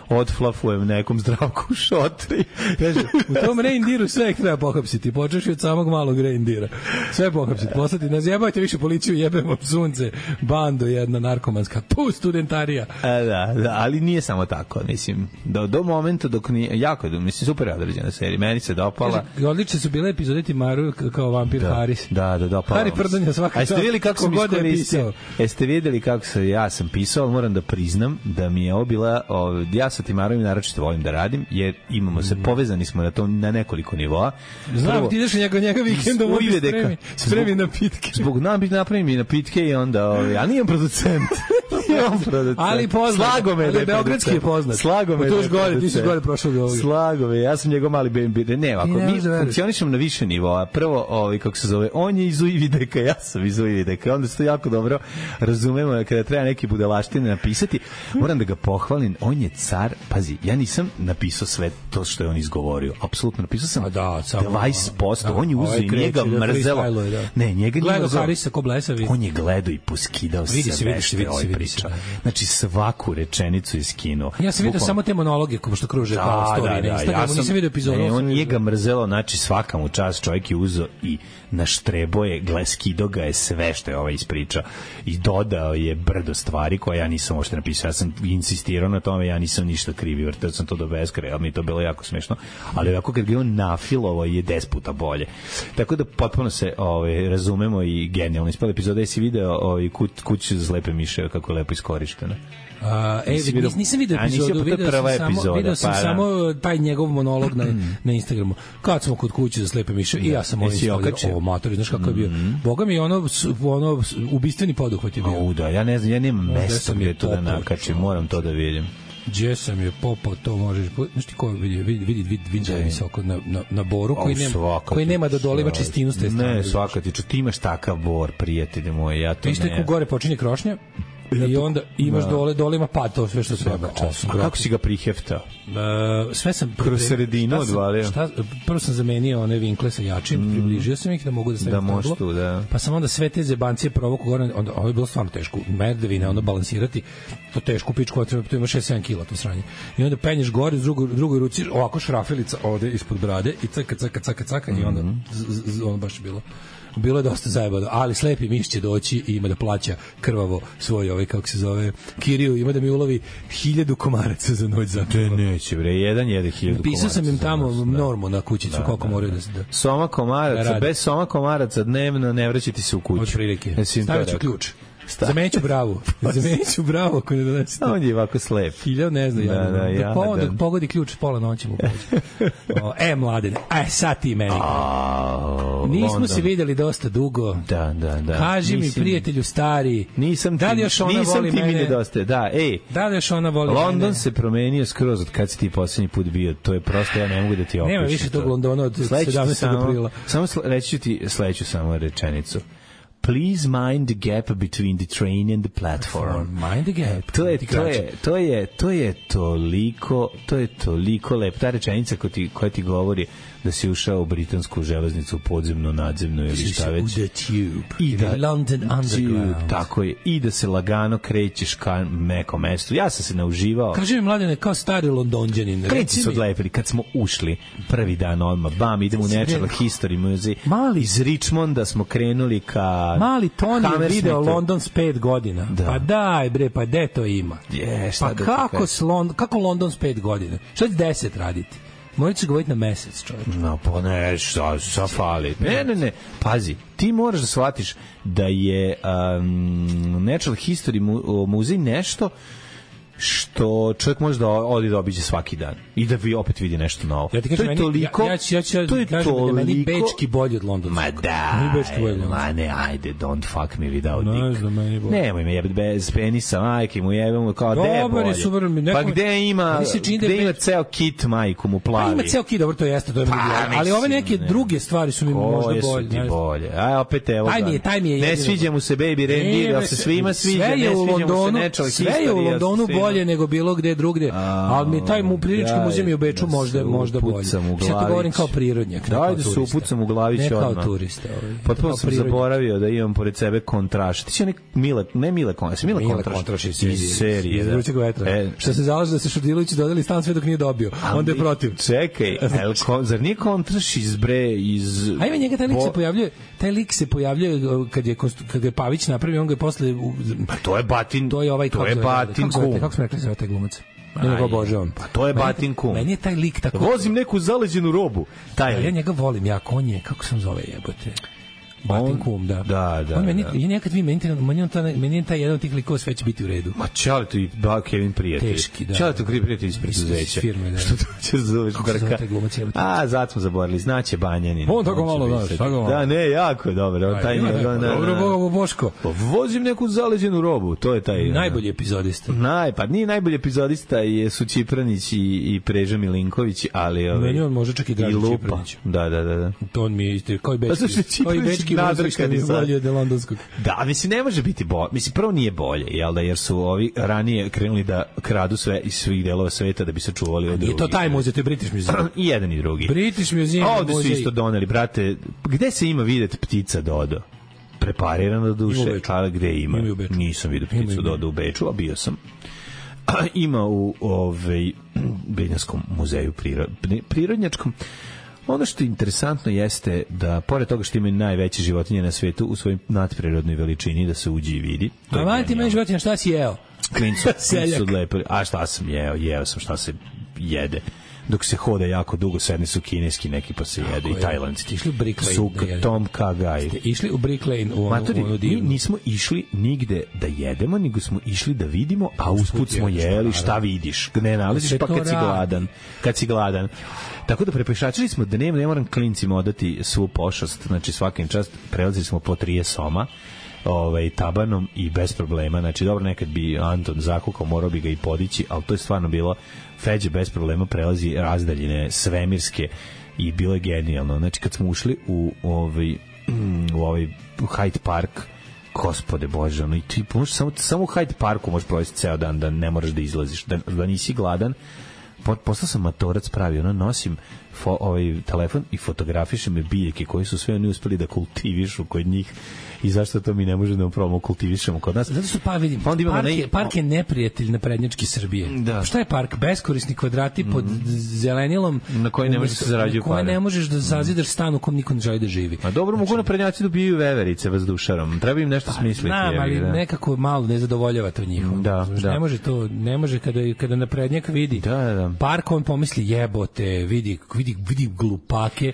odflafujem nekom Zdravku u šotri. Kaže, u tom reindiru sve treba pohapsiti. Počeš od samog malog reindira. Sve pohapsiti. Poslati, ne zjebajte više policiju, jebemo sunce, bando jedna narkomanska. Tu studentarija. A, da, da, ali nije samo tako. Mislim, do, do momenta dok nije, jako je, mislim, super određena serija. Meni se dopala. Kaže, odlične su bile epizode Timaru kao vampir da, Haris. Da, da, dopala. Hari Prdanja svaka. A jeste vidjeli kako sam iskoristio? Jeste vidjeli kako se ja sam pisao, ali moram da priznam da mi je ovo bila, ja sa Timarom naročito volim da radim, jer imamo se, povezani smo na to na nekoliko nivoa. Znam, ti ideš njega, njega vikendom ovdje spremi, spremi napitke. Zbog nam biti napravim i napitke i onda, a nijem producent. on producent. Ali poznat. Slagome ali da je beogradski je poznat. Slagome. To još gore, ti si gore prošao do ovoga. Slagome, ja sam njegov mali B and B. Ne, ovako, mi funkcionišemo na više nivoa. Prvo, ovaj, kako se zove, on je iz Uvideka, ja sam iz Uvideka. Onda se to jako dobro razumemo kada treba neki budalaštine napisati. Moram da ga pohvalim, on je car. Pazi, ja nisam napisao sve to što je on izgovorio. Apsolutno, napisao sam da, dvadeset posto. On je uzeo i njega mrzelo. Ne, njega nije mrzelo. Harisa ko blesavi. On je gledao i poskidao vidi se, vidi se, vidi se, vidi se. Znači, svaku rečenicu iz kino. Ja sam vidio samo te monologe kao što kruže kao story na Instagramu, ja nisam vidio epizodu. Ne, on nije ga mrzelo, znači svaka mu čast, čovjek je uzeo i naštrebo je, skido ga je sve što je ovaj ispričao i dodao je brdo stvari koje ja nisam uopšte napisao. Ja sam insistirao na tome, ja nisam ništa krivi, vrtao sam to do beskraja, ali mi je to bilo jako smešno, ali ovako kad ga on nafilovo je deset puta bolje. Tako da potpuno se ovaj, razumemo i genijalno ispala epizoda. Jesi video ovaj, kuću za slepe miše kako je lepo iskorištena? Uh, e, nis, nisam vidio epizodu, vidio sam, samo, vidio sam pa, samo taj njegov monolog na, na Instagramu. Kad smo kod kuće za slepe miše, i ja sam ovdje stavio ovo matori, znaš kako je bio. Boga mi ono, ono ubistveni poduhvat je bio. O, da, ja ne znam, ja nemam mesto gdje to da nakačim, moram to da vidim. Gdje sam je popao, to možeš... Znaš ti ko vidi, vidi, vidi, vidi, vidi visoko na, na, na boru, koji nema, koji nema da doliva čistinu s te strane. Ne, svaka ti, ti imaš takav bor, prijatelji moji, ja to ne... Isto je ko gore počinje krošnja, i onda imaš da. dole, dole ima pad, to sve što treba. A kako si ga priheftao? Uh, sve sam... Kroz sredinu odvalio? Šta, prvo sam zamenio one vinkle sa jačim, mm. približio sam ih da mogu da stavim da možeš tu, da. Pa sam onda sve te zebancije provoku gore, onda, ovo je bilo stvarno teško, merdevine, onda balansirati, to teško pičku, to ima šest sedam kila to sranje. I onda penješ gore, u drugoj, drugoj ruci, ovako šrafilica ovde ispod brade i caka, caka, caka, caka, mm. i onda, z, z, ono baš je bilo. Bilo je dosta zajebano, ali slepi miš će doći i ima da plaća krvavo svoj ovaj, kako se zove, kiriju, ima da mi ulovi hiljadu komaraca za noć za to. Neće, bre, jedan jede hiljadu komaraca. Pisao sam im tamo noć, normu na kućicu, da, koliko da, moraju da se da. Soma komaraca, da bez soma komaraca dnevno ne vraćati se u kuću. Od prilike. Stavit ću ključ. Zamenit ću bravu. Zamenit ću bravu ako ne donese. On je ovako slep. Hiljao ne zna. Da, ja, da, ja, da, da, da pogodi ključ pola noći mu pođe. E, mladene, aj sad ti meni. Oh, nismo London. Se videli dosta dugo. Da, da, da. Kaži nisam, mi, prijatelju stari, nisam da li još ona nisam voli ti mene? Mi nedostaje. Da, ej. Da li još ona voli London mene? se promenio skroz od kad si ti poslednji put bio. To je prosto, ja ne mogu da ti opišem. Nema više tog Londona od sedamnaestog aprila. Samo reći ću ti sledeću samo rečenicu. Please mind the gap between the train and the platform. Mind the gap. To je to je to je to je toliko to je toliko lep ta rečenica koja ti koja ti govori da si ušao u britansku železnicu, podzemnu, nadzemnu ili šta već. The tube. I da, London Underground. Tako je. I da se lagano krećeš ka mekom mestu. Ja sam se nauživao. Kaži mi, mladene, kao stari Londonđanin. Preci su odlepili. Kad smo ušli prvi dan odmah, bam, idemo u Natural History Museum. Mali. Iz Richmonda smo krenuli ka... Mali Tony je video London s pet godina. Da. Pa daj, bre, pa gde to ima? Je, šta pa da kako, s Lond- kako London s pet godina? Šta će deset raditi? Morat ću govoriti na mesec, čovječ. No, pa ne, šta, šta fali? Ne, ne, ne, pazi, ti moraš da shvatiš da je um, Natural History mu, muzej nešto što čovjek može da odi da obiđe svaki dan i da vi opet vidi nešto novo. Ja ti kažem, to je toliko, ja, ja ću, ja ću, to je kažem toliko, da je meni bečki bolji od londonskog. Ma da, ma ne, ajde, don't fuck me without no, dick. Ne, nemoj me jebati bez penisa, majke mu jebamo, kao gde je bolje. Super, pa gde ima, gde ima ceo kit majku mu plavi. Pa ima ceo kit, dobro, to jeste, to je pa, mislim, ali ove neke ne. druge stvari su mi Koje možda bolje. Koje su ti bolje? Aj, opet evo taj mi je, taj mi je ne sviđa mu se Baby Reindeer, da se svima sviđa, ne sviđa mu se Natural History. Sve je u Londonu bolje nego bilo gde drugdje, ali mi taj mu prilički muzej u Beču možda možda bolje. Ja to govorim kao prirodnjak, da, da se upucam u glavić odmah. Ne kao turista. Potpuno sam zaboravio da imam pored sebe Kontraš. Ti si onek Mile, ne Mile Kontraš, Mile Kontraš iz serije. Iz Vrućeg vetra. E, što se zalaže da se Šudilović dodeli stan sve dok nije dobio. Onda je protiv. Čekaj, zar nije Kontraš iz bre, iz... Ajme, njega taj lik se pojavljuje, taj lik se pojavljuje kad je, kad je Pavić napravio, on ga je posle... Pa to je Batin, to je ovaj, to je Batin kum. Kako smo rekli za taj glumac? Ja njega obožavam. Pa to je Batin kum. Meni je taj lik tako... Vozim neku zaleđenu robu. Taj ja, ja njega volim, ja, on je, kako sam zove jebote? Batin kum, da. Da, da. On meni, da. ja nekad vi meni, meni, on ta, meni je taj jedan od tih likova sve će biti u redu. Ma čali tu i ba Kevin prijatelj. Teški, da. Čali tu Kevin prijatelj iz preduzeća. Firme, da. Što to će zoveš brka? A, zato smo zaboravili, znaće Banjanin. On tako malo, da, tako malo. Da, ne, jako je dobro. On taj nije, dobro, Boga, Boško. Vozim neku zaleđenu robu, to je taj. Najbolji epizodista. Naj, pa nije najbolji epizodista je su Čipranić i, i Preža Milinković, ali ovaj. Meni on može čak i Draža Čipranić. Da, da, da, da. To on mi je isto kao i bečki. Kao i bečki nadrkani bolje od londonskog. Da, mislim ne može biti bolje. Mislim prvo nije bolje, jel da, jer su ovi ranije krenuli da kradu sve iz svih delova sveta da bi se čuvali od drugih. I to taj muzej, to je British Museum. I jedan i drugi. British Museum. Ovde su isto doneli, brate, gde se ima videti ptica Dodo? Preparirano do duše, ali gde ima? Ima Nisam vidio pticu Dodo u Beču, a bio sam. Ima u ovaj Benjaskom muzeju prirod, prirodnjačkom. Ono što je interesantno jeste da, pored toga što imaju najveće životinje na svetu u svojoj nadprirodnoj veličini, da se uđe i vidi. A vani ti meni životinja, šta si jeo? Klincu, klincu lepo. A šta sam jeo? Jeo sam šta se jede. Dok se hoda jako dugo, sedne su kineski neki pa se jede i tajlandski. Išli u Brick Lane. Suk, Tom Kagaj. Ste išli u Brick Lane u ono, Matori, ono divno. Mi nismo išli nigde da jedemo, nego smo išli da vidimo, a usput smo jeli šta vidiš. Ne nalaziš pa kad si gladan. Kad si gladan. Tako da prepešačili smo da nema, ne moram klincima odati svu pošast, znači svakim čast prelazili smo po trije soma ovaj, tabanom i bez problema, znači dobro nekad bi Anton zakukao, morao bi ga i podići, ali to je stvarno bilo, Feđe bez problema prelazi razdaljine svemirske i bilo je genijalno, znači kad smo ušli u ovaj, u ovaj u Hyde Park, gospode Bože, ono, i ti možeš samo, samo u Hyde Parku možeš provesti ceo dan da ne moraš da izlaziš, da, da nisi gladan. Postao sam matorac pravi, ono, nosim fo, ovaj telefon i fotografišem me biljke koji su sve oni uspeli da kultivišu kod njih i zašto to mi ne može da upravo kultivišemo kod nas. Zato su pa vidim, pa park, ne... je, park je neprijatelj na prednjački Srbije. Da. Šta je park? Beskorisni kvadrati mm. pod zelenilom na koji ne možeš da se zarađuju pare. Na koje ne možeš da zazidaš stan u kom niko ne želi da živi. A dobro, znači, mogu na prednjaci dobijaju veverice vazdušarom. Treba im nešto pa, smisliti. Znam, ali da. Nekako malo ne zadovoljava to njihovo. Da, znači, da. Ne može to, ne može kada, kada na prednjak vidi da, da. Park, on pomisli jebote, vidi, vidi, vidi glupake,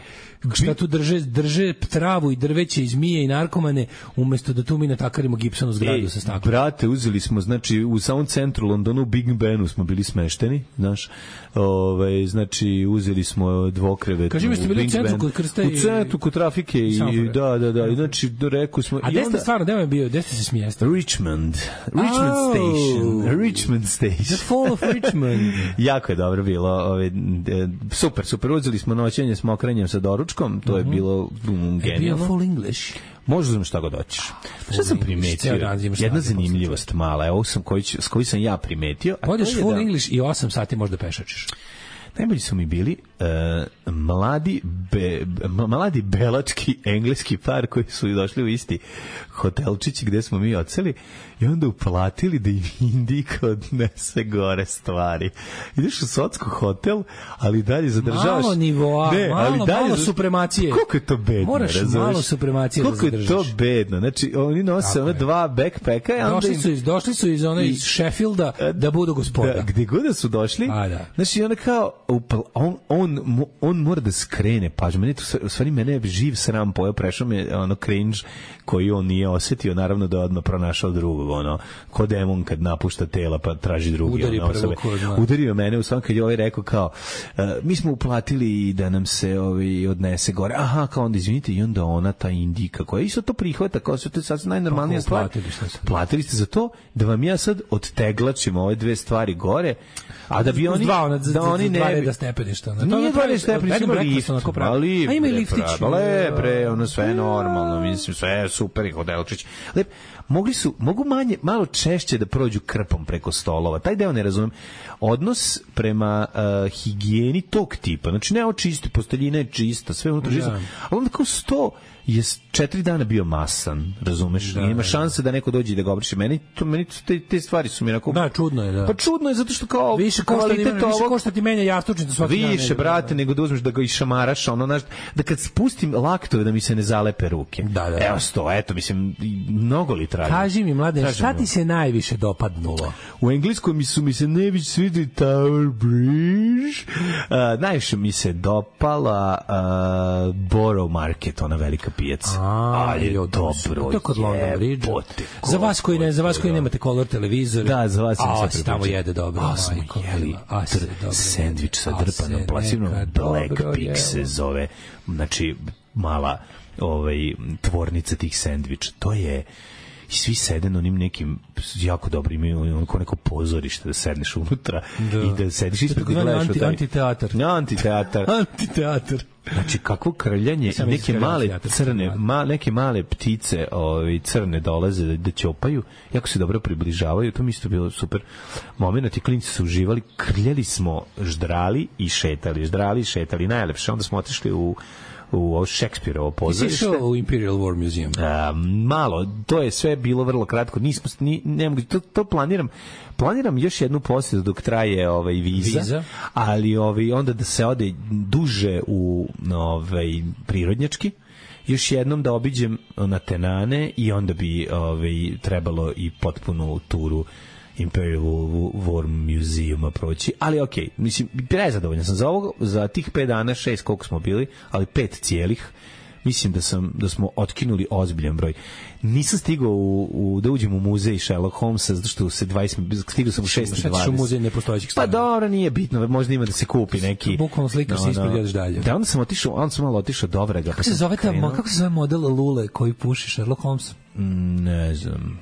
šta tu drže, drže travu i drveće i zmije i narkomane, umesto da tu mi natakarimo gipsonu zgradu. Ej, sa staklom. Brate, uzeli smo, znači, u samom centru Londonu, u Big Benu smo bili smešteni, znaš, ove, znači, uzeli smo dvokrevet. Kaži mi ste bili u centru kod Krsta i... U centru kod trafike i, i da, da, da, i znači, rekao smo... A gde ste stvarno, gde vam je bio, gde ste se smijeste? Richmond. Richmond oh, Station. Richmond Station. The Fall of Richmond. Jako je dobro bilo, ove, super, super, uzeli smo noćenje s mokrenjem sa doručkom, to je bilo um, genijalno. Je bio full English. Možda znam šta god hoćeš. Šta sam primetio? Jedna zanimljivost mala, evo sam koji, s koji sam ja primetio. Odeš full da... English i osam sati možda pešačiš. Najbolji su mi bili uh, mladi, be, mladi belački engleski par koji su došli u isti hotelčić gde smo mi odseli i onda uplatili da im Indika odnese gore stvari. Ideš u Socko hotel, ali dalje zadržavaš... Malo nivoa, ne, malo, ali dalje malo supremacije. Koliko je to bedno, moraš razumeš? Malo supremacije koliko da zadržaš. Koliko je to bedno. Znači, oni nose one dva backpacka. I došli, im... su iz, došli su iz one iz Sheffielda da budu gospoda. Da, gde god da su došli, a, da. Znači, ona kao, on, on, on mora da skrene pažnju. Meni to, u stvari, mene je živ sram pojao, prešao me ono cringe koji on nije osetio, naravno da je odmah pronašao drugog, ono, ko demon kad napušta tela pa traži drugi. Udari ono, prvo ko zna. Udario mene u svom kad je ovaj rekao kao, uh, mi smo uplatili da nam se ovaj, odnese gore. Aha, kao onda izvinite, i onda ona, ta Indika, koja isto to prihvata, kao se to je sad najnormalnija stvar. Platili ste, platili ste za to da vam ja sad odteglačim ove dve stvari gore, a da bi oni dva, ona, da oni ne bi da stepeništa. Na nije dva stepeništa, ima lift, ali a ima liftić. Lebre, ono sve normalno, mislim sve super i hotelčić. Lep, mogli su, mogu manje, malo češće da prođu krpom preko stolova. Taj deo ne razumem. Odnos prema uh, higijeni tog tipa. Znači, ne očisti, posteljina je čista, sve unutra čisto. Ali onda kao sto je četiri dana bio masan, razumeš? Da, i ima šanse da neko dođe i da ga obriše. Meni, to, meni te, te stvari su mi onako... Da, čudno je, da. Pa čudno je zato što kao... Više košta, ima, ovog, više košta ti menja jastučnicu svaki dan. Više, brate, nego da uzmeš da ga išamaraš, ono, znaš, da kad spustim laktove da mi se ne zalepe ruke. Da, da. Evo sto, eto, mislim, mnogo li traži. Kaži mi, mlade, šta ti se najviše dopadnulo? U engleskom mi su mi se najviše svidili Tower Bridge. Uh, najviše mi se dopala Borough Market, ona velika pijaca. A, ali je jo, dobro. To je kod London Bridge. Za vas koji ne, za vas koji nemate color televizor. Da, za vas a, sam se tamo jede dobro. A, smo jeli sendvič sa drpanom plasinom, Black Pig se zove. Znači, mala ovaj, tvornica tih sendviča. To je i svi sede na onim nekim jako dobri, imaju onako neko pozorište da sedneš unutra da. I da sediš ispred i gledaš anti, taj... Antiteatar. Antiteatar. Antiteatar. Znači, kakvo krljanje, neke male crne, ma, neke male ptice ovi, crne dolaze da, da ćopaju, jako se dobro približavaju, to mi isto bilo super moment, i klinci su uživali, krljali smo, ždrali i šetali, ždrali i šetali, najlepše, onda smo otišli u u Šekspirovo pozorište. Jesi išao u Imperial War Museum? A, malo, to je sve bilo vrlo kratko. Nismo, ni, ne mogu, to, to planiram. Planiram još jednu posjetu dok traje ovaj viza, viza. ali ovaj onda da se ode duže u ovaj prirodnjački. Još jednom da obiđem na Tenane i onda bi ovaj trebalo i potpunu turu Imperial War Museuma proći, ali okej, okay, mislim, prezadovoljan sam za ovo, za tih pet dana, šest koliko smo bili, ali pet cijelih, mislim da sam da smo otkinuli ozbiljan broj. Nisam stigao u, u da uđem u muzej Sherlock Holmesa zato što se dvadeset stigao sam u šest i dvadeset. U muzej nepostojećih stvari. Pa dobro, nije bitno, možda ima da se kupi neki. Bukvalno slikaš se ispred ideš dalje. Da, onda sam otišao, onda sam malo otišao do Vrega. Kako se zove ta, kako se zove model Lule koji puši Sherlock Holmes? Mm, ne znam.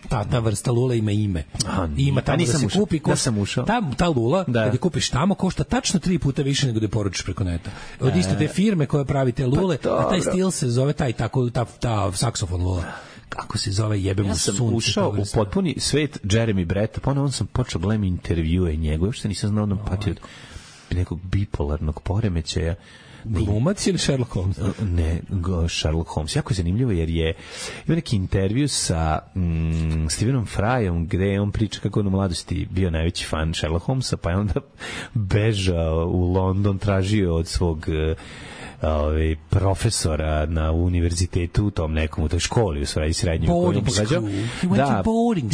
Ta, ta vrsta lula ima ime. Aha, ima tamo da se ušao. kupi. Košta, da sam ušao. Ta, ta lula, da. kad je kupiš tamo, košta tačno tri puta više nego da je poručiš preko neta. Od iste te firme koja pravi te lule, pa, a taj stil se zove taj, tako, ta, ta saksofon lula. Kako se zove, jebe mu ja sam sunce. Ušao u potpuni svet Jeremy Bretta, pa on sam počeo gledam intervjue njegove, uopšte nisam znao da on pati od nekog bipolarnog poremećaja. Glumac ili Sherlock Holmes? Ne, Sherlock Holmes. Jako je zanimljivo jer je ima neki intervju sa mm, Stephenom Fryom gde on priča kako on u mladosti bio najveći fan Sherlock Holmesa, pa je onda bežao u London, tražio od svog ovaj profesora na univerzitetu u tom nekom u toj školi u svojoj srednjoj koju pohađao. Da,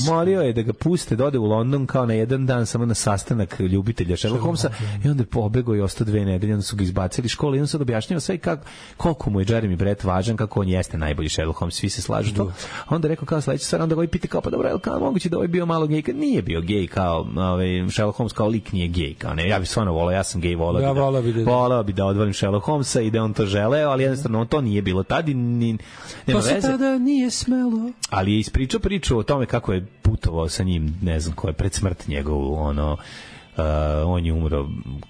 molio je da ga puste da ode u London kao na jedan dan samo na sastanak ljubitelja Sherlock Holmesa i onda je pobegao i ostao dve nedelje, onda su ga izbacili iz škole i on sad objašnjava sve kako, koliko mu je Jeremy Brett važan, kako on jeste najbolji Sherlock Holmes, svi se slažu to. A onda rekao kao sledeća stvar, onda ga pita kao pa dobro, je li kao moguće da ovaj bio malo gej, kad nije bio gej kao ovaj Sherlock Holmes kao lik nije gej, kao ne, ja bih stvarno voleo, ja sam gej, voleo ja bi da, voleo bi da odvolim Sherlock Holmesa i da on to želeo, ali jednostavno on to nije bilo tad i ni, nema to se veze. Tada nije smelo. Ali je ispričao priču o tome kako je putovao sa njim, ne znam ko je, pred smrt njegovu, ono, uh, on je umro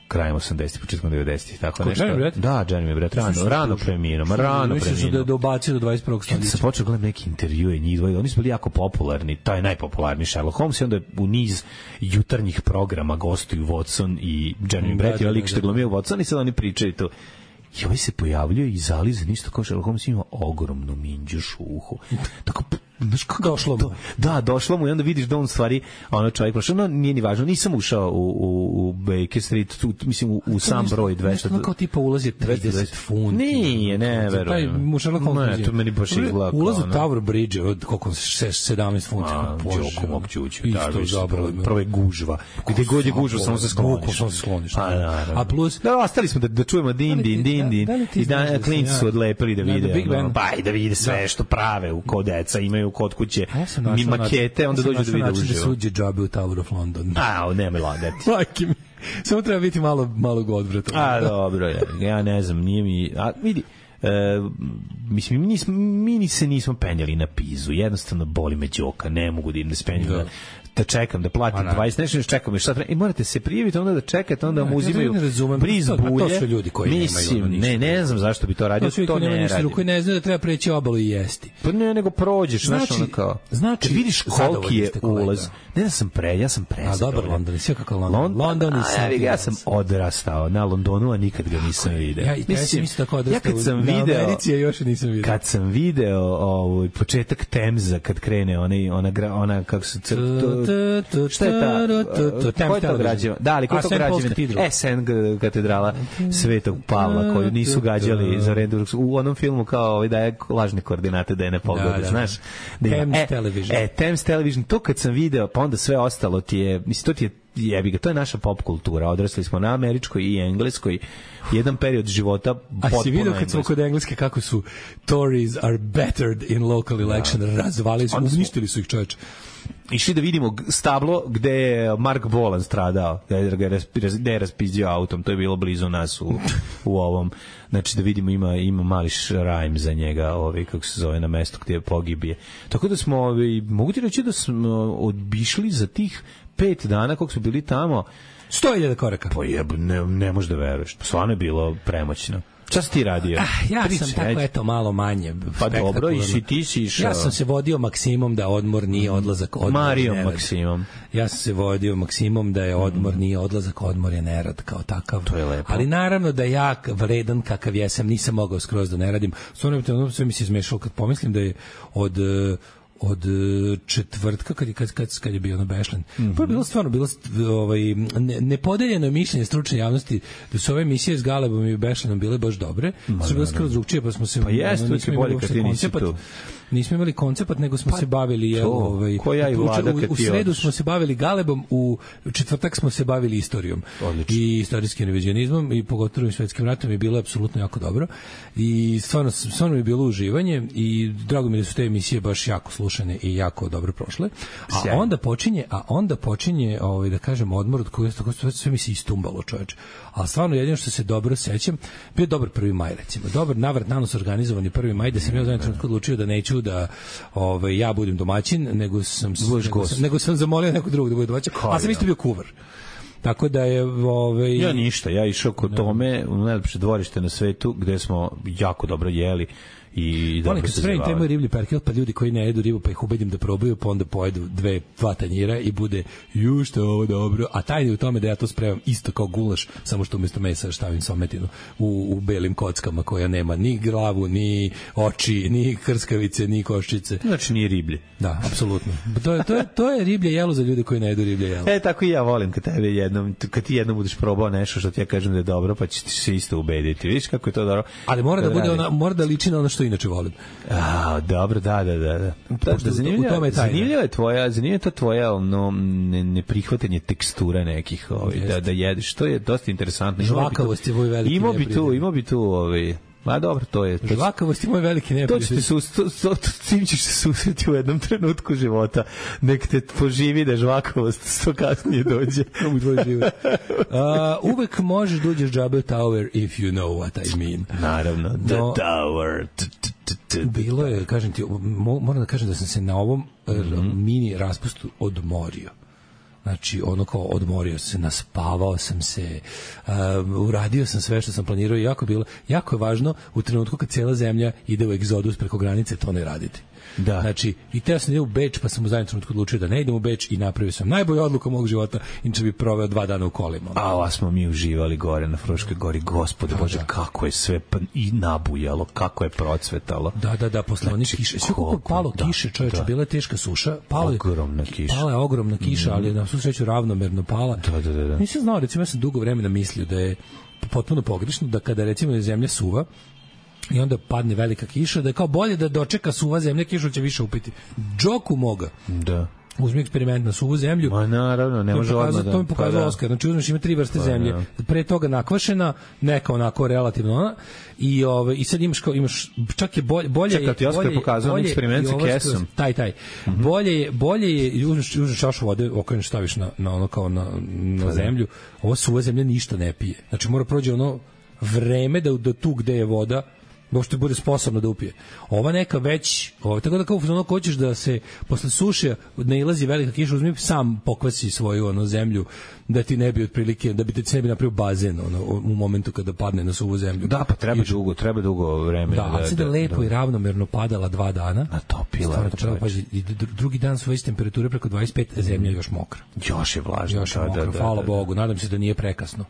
krajem osamdesetih, početkom devedesetih, tako ko, nešto. Jeremy Brett? Da, Jeremy Brett, rano, rano preminuo, ma rano preminuo. Mislim da je dobacio do dvadeset prvog stoljeća. Sam počeo gledam neki intervjue njih dvoje, oni su bili jako popularni, taj najpopularniji Sherlock Holmes i onda u niz jutarnjih programa gostuju Watson i Jeremy Brett, i lik što je glumio Watson i sad oni pričaju to. I ovaj se pojavljuje i zalizan isto kao Sherlock Holmes, ima ogromnu minđuš u uhu. Tako, znaš kako došlo mu. Da, došlo mu i onda vidiš da on stvari, ono čovjek prošao, no nije ni važno, nisam ušao u, u, u Baker Street, tu, mislim u, u sam broj dvesta. Nešto kao tipa ulaz je trideset funti. Nije, ne, verujem. Taj mu Sherlock Holmes. Ne, to meni baš izgleda. Ulaz u Tower Bridge od koliko sedamnaest funti. Đoko mog čuću. Isto zabralo. Prvo je gužva. Gde god je gužva, samo se skloniš. Samo se skloniš. A plus... Da, ostali smo da, da čujemo din, din, din, din. I da klinci su odlepili da vide. Pa i da vide sve što prave u kod deca, imaju kod kuće mi makete, onda dođu da vide uživo. Da suđe džabe u Tower of London. A, nemoj lagati. Majke mi. Samo treba biti malo, malo godvrata. A, dobro, ja, ja ne znam, nije mi... A, vidi, e, mislim, mi, nismo, mi se nismo penjali na Pizu, jednostavno boli me đoka, ne mogu da im da spenjam da. da čekam, da platim dvadeset, nešto još čekam, šta treba, i morate se prijaviti, onda da čekate, onda vam uzimaju briz bulje. To su ljudi koji mislim, nemaju ne, ne znam zašto bi to radio, to, to ne radim. Koji ne znaju da treba preći obalu i jesti. Pa ne, nego prođeš, znači, znaš ono kao, znači, kad vidiš koliki je ulaz, ne da sam pre, ja sam pre. A dobar London, sve kako London. London, London i ja sam odrastao na Londonu, a nikad ga nisam video. Ja, ja sam isto tako odrastao. Ja kad sam video, Americi, ja još nisam video. Kad sam video ovaj početak Temza, kad krene onaj, ona, ona, kako se šta je ta, ko je to građeva? Da, ali ko je to građeva? S N katedrala Svetog Pavla, koju nisu gađali za redu u onom filmu kao ovaj daje lažne koordinate da je ne pogode, znaš? Thames Television. E, Thames Television, to kad sam video, pa onda sve ostalo ti je, mislim, to ti je jebi ga, to je naša pop kultura. Odrasli smo na američkoj i engleskoj. Jedan period života potpuno. A si vidio kad smo kod engleske kako su Tories are bettered in local election, da. Razvalili su, uništili su ih, čoveče. Išli da vidimo stablo gde je Mark Bolan stradao, gde je raspizdio autom, to je bilo blizu nas u, u ovom, znači da vidimo ima, ima mali šrajm za njega, ovaj, kako se zove, na mestu gde je pogibije. Tako da smo, ovaj, mogu ti reći da smo odbišli za tih pet dana kog su bili tamo sto hiljada koraka. Pa jeb, ne, ne možeš da veruješ, stvarno je bilo premoćno. Šta si ti radio? Ah, ja Priče, sam tako, ajde. eto, malo manje. Pa dobro, i si ti si išao. Ja sam se vodio Maksimom da odmor nije odlazak, odmor Marijom nerad. Maksimom. Ja sam se vodio Maksimom da je odmor nije odlazak, odmor je nerad kao takav. To je lepo. Ali naravno da ja vredan kakav jesam nisam mogao skroz da ne radim. Stvarno ono sve mi se izmešalo kad pomislim da je od od četvrtka kad je kad kad kad je bio na Bešlen. Mm-hmm. Pa je bilo stvarno bilo ovaj ne, nepodeljeno mišljenje stručne javnosti da su ove emisije s Galebom i Bešlenom bile baš dobre. Ma, su bile skroz drugčije, pa smo se pa jeste, ono, nismo bolje kad ti nisi tu. Nismo imali koncept, nego smo pa, se bavili je ovaj ko ja i Vlada u, u sredu odlič. Smo se bavili Galebom, u četvrtak smo se bavili istorijom. Odlično. I istorijskim revizionizmom i pogotovo svetskim ratom je bilo apsolutno jako dobro. I stvarno stvarno je bilo uživanje i drago mi je da su te emisije baš jako slušane i jako dobro prošle. A Sjajno. onda počinje, a onda počinje ovaj da kažem odmor od kojeg tako sve, sve mi se istumbalo, čoveče. A stvarno jedino što se dobro sećam, bio dobar prvi maj recimo. Dobar navrat nanos organizovani prvi maj da sam ja zajedno odlučio da neću da ovaj ja budem domaćin, nego sam nego sam, nego sam zamolio nekog drugog da bude domaćin. A sam isto bio kuvar. Tako da je ovaj ja ništa, ja išao kod no. Tome u najlepše dvorište na svetu gde smo jako dobro jeli i da se spremim taj moj riblji perkel, pa ljudi koji ne jedu ribu pa ih ubedim da probaju, pa onda pojedu dve, dva tanjira i bude ju što je ovo dobro, a tajni u tome da ja to spremam isto kao gulaš, samo što umjesto mesa stavim sometinu u, u belim kockama koja nema ni glavu, ni oči, ni krskavice, ni koščice. Znači nije riblje. Da, apsolutno. To je, to je, to je riblje jelo za ljude koji ne jedu riblje jelo. E, tako i ja volim kad tebe jednom, kad ti jednom budeš probao nešto što ti ja kažem da je dobro, pa ćeš se isto ubediti. Vidiš kako je to dobro. Ali mora da bude ona, mora da liči na ono što inače volim. A, dobro, da, da, da. da. da, da zanimljiva, zanimljiva je tvoja, zanimljiva je to tvoja ono, ne, neprihvatanje tekstura nekih, ovaj, da, da jedeš. To je dosta interesantno. Žvakavost je moj veliki imao bi tu, imao bi tu, ovaj, ma dobro, to je... To žvakavost je moj veliki neprijatelj. To ćeš se, to, to, tim ćeš se susreti u jednom trenutku života. Nek te poživi da žvakavost što kasnije dođe. u tvoj život. Uh, uvek možeš da uđeš Jabba Tower if you know what I mean. Naravno, the no, tower. Bilo je, kažem ti, moram da kažem da sam se na ovom mm-hmm. mini raspustu odmorio. Znači, ono kao odmorio se, naspavao sam se, uh, uradio sam sve što sam planirao i jako, bilo, jako je važno u trenutku kad cijela zemlja ide u egzodus preko granice, to ne raditi. Da. Znači, i teo sam da idem u Beč, pa sam u zadnjem trenutku odlučio da ne idem u Beč i napravio sam najbolju odluku mog života, inače bi proveo dva dana u kolima. A ova smo mi uživali gore na Fruškoj gori, gospode da, Bože, da. Kako je sve i nabujalo, kako je procvetalo. Da, da, da, posle znači, onih kiše. Sve kako je palo da, kiše, čoveče, da. Bila je teška suša. Pala je, ogromna kiša. Pala je ogromna kiša, mm. ali je na svu sreću ravnomerno pala. Da, da, da, da. Nisam znao, recimo, ja sam dugo vremena mislio da je potpuno pogrešno, da kada recimo je zemlja suva, i onda padne velika kiša, da je kao bolje da dočeka suva zemlja, kišu će više upiti. Džoku moga. Da. Uzmi eksperiment na suvu zemlju. Ma naravno, ne može odmah da. To mi pokazao pa, Oskar. Znači uzmeš ima tri vrste pa, zemlje. Da. Pre toga nakvašena, neka onako relativno ona i ovaj i sad imaš kao imaš čak je bolje bolje Čekaj, ti Oskar pokazao eksperiment sa kesom. Taj taj. Mm-hmm. Bolje je bolje je uzmeš uzmeš čašu vode, okreneš staviš na na ono kao na na zemlju. Ovo suva zemlja ništa ne pije. Znači mora prođe ono vreme da do tu gde je voda možete bude sposobno da upije. Ova neka već, ovo, tako da kao ono hoćeš da se posle suše nailazi velika kiša, uzmi sam pokvasi svoju ono zemlju da ti ne bi otprilike, da bi te ne bi napravio bazen ono, u momentu kada padne na suvu zemlju. Da, pa treba Kiša. dugo, treba dugo vreme. Da, ali da, da lepo da. I ravnomerno padala dva dana. Natopila. Pa, drugi dan svoje temperature preko dvadeset pet, zemlja još mokra. Još je vlažna. Još je mokra, da, da, hvala da, da. Bogu, nadam se da nije prekasno.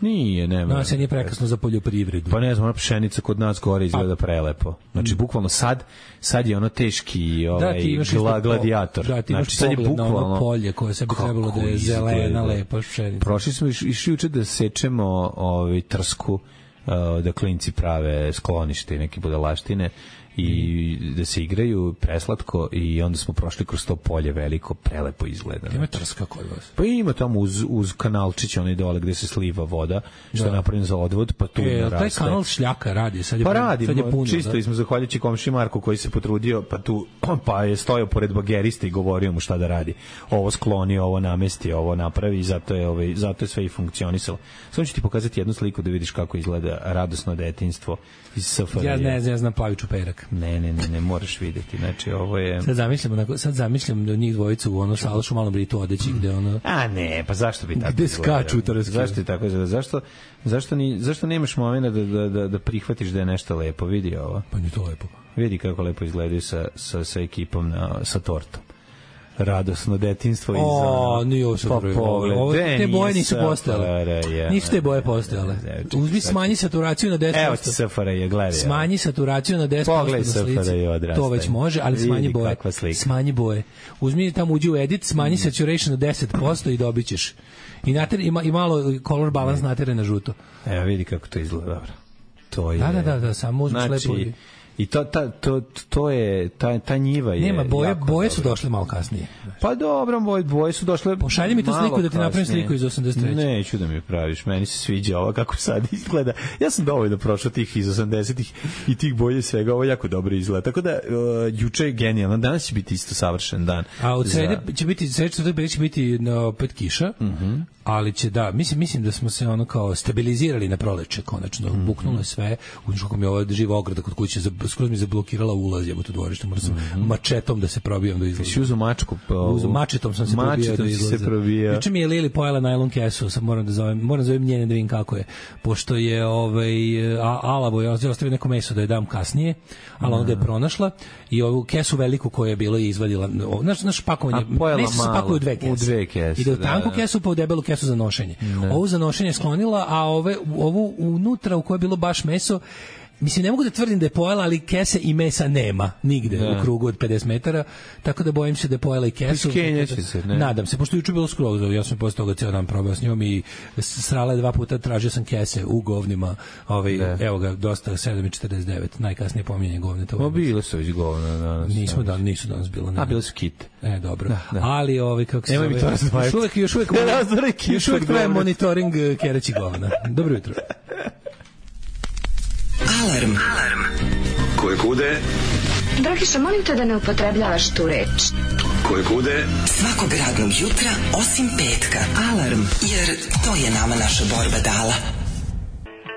Nije, nema. No, se nije prekasno za poljoprivredu. Pa ne znam, ona pšenica kod nas gore izgleda prelepo. Znači, bukvalno sad, sad je ono teški ovaj, da, gla, gladijator. Da, ti imaš znači, sad je bukvalno, na ono polje koje se bi trebalo da je zelena, lepa pšenica. Prošli smo išli juče da sečemo ovaj, trsku, uh, da klinci prave sklonište i neke budalaštine i da se igraju preslatko i onda smo prošli kroz to polje veliko, prelepo izgleda. Ima trska kod vas? Pa ima tamo uz, uz kanalčić onaj dole gde se sliva voda, što je napravljen za odvod, pa tu e, naraste. Taj kanal šljaka radi, sad je, pa radi, sad je puno. Čisto da? Smo zahvaljujući komši Marku koji se potrudio, pa tu pa je stojao pored bagerista i govorio mu šta da radi. Ovo skloni, ovo namesti, ovo napravi i zato je, ovaj, zato je sve i funkcionisalo. Samo ću ti pokazati jednu sliku da vidiš kako izgleda radosno detinjstvo iz S F R J. Ja ne znam, ja znam Paviću Perak. Ne, ne, ne, ne moraš videti. Znači, ovo je... Sad zamišljam, onako, sad zamišljam da njih dvojicu u ono Salašu Malom Britu odeći gde ono... A ne, pa zašto bi tako gde skaču to zašto je tako izgleda? Zašto, zašto, ni, zašto nemaš momena da, da, da, da prihvatiš da je nešto lepo? Vidi ovo. Pa nije to lepo. Vidi kako lepo izgledaju sa, sa, sa ekipom, na, sa tortom. Radosno detinjstvo iz o, nije ovo pa pogled, ovo, te boje nisu postojale. Ja. Nisu te boje postojale. Uzmi smanji saturaciju na deset posto. Evo ti S F R J, gledaj. Smanji saturaciju na deset posto na slici. To već može, ali smanji boje. Smanji boje. Uzmi tamo, uđi u edit, smanji saturation na deset posto i dobit ćeš. I, nater, i, ma, i malo color balance natere na žuto. Evo vidi kako to izgleda, dobro. To je... Da, da, da, da samo uzmi znači, lepo. I to, ta, to, to je, ta, ta njiva je... Nema, boje, boje su dobro. Došle malo kasnije. Pa dobro, boje, boje su došle pošalji mi tu sliku da ti napravim sliku iz osamdeset treće. Neću da mi praviš, meni se sviđa ovo kako sad izgleda. Ja sam dovoljno prošao tih iz osamdesetih i tih boje svega, ovo jako dobro izgleda. Tako da, uh, juče je genijalno, danas će biti isto savršen dan. A od srede za... će biti, srede će biti na opet kiša, uh-huh. ali će da, mislim, mislim da smo se ono kao stabilizirali na proleće, konačno, uh-huh. buknulo je sve, u kako mi je ova živa ograda kod kuće, skroz mi zablokirala ulaz, jebote u dvorište, moram sam mm-hmm. mačetom da se probijam do izlaza. Si uzeo mačku? Pa, Uzo, mačetom sam se probijao do izlaza. Se probija. Juče mi je Lili pojela najlon kesu, sad moram da zovem, moram da zovem njene da vidim kako je, pošto je ovaj, a, alavo, ja ostavio neko meso da je dam kasnije, ali onda je pronašla i ovu kesu veliku koju je bilo i izvadila, znaš, naš pakovanje, meso se pakuje u dve kese. U dve kese. Ide u tanku da, kesu pa u debelu kesu za nošenje. Da. Ovu za nošenje sklonila, a ove, ovu unutra u kojoj je bilo baš meso, mislim, ne mogu da tvrdim da je pojela, ali kese i mesa nema nigde da. U krugu od pedeset metara, tako da bojim se da je pojela i kesu. Iskenjeće se, ne? Nadam se, pošto juče bilo skroz, ja sam posle toga cijel dan probao s njom i srala je dva puta, tražio sam kese u govnima, ovaj, evo ga, dosta, sedam četrdeset devet, najkasnije pominjanje govne. To o, bile su već govne danas. Nismo dan, nisu danas bilo. Ne. A, bile su kit. E, dobro. Da, da. Ali, ovaj, kako se zove, još uvek, još uvek, još uvek traje monitoring kereći govna. Dobro jutro. Alarm. Alarm. Koje kude? Dragiša, molim te da ne upotrebljavaš tu reč. Koje kude? Svakog radnog jutra, osim petka. Alarm, jer to je nama naša borba dala.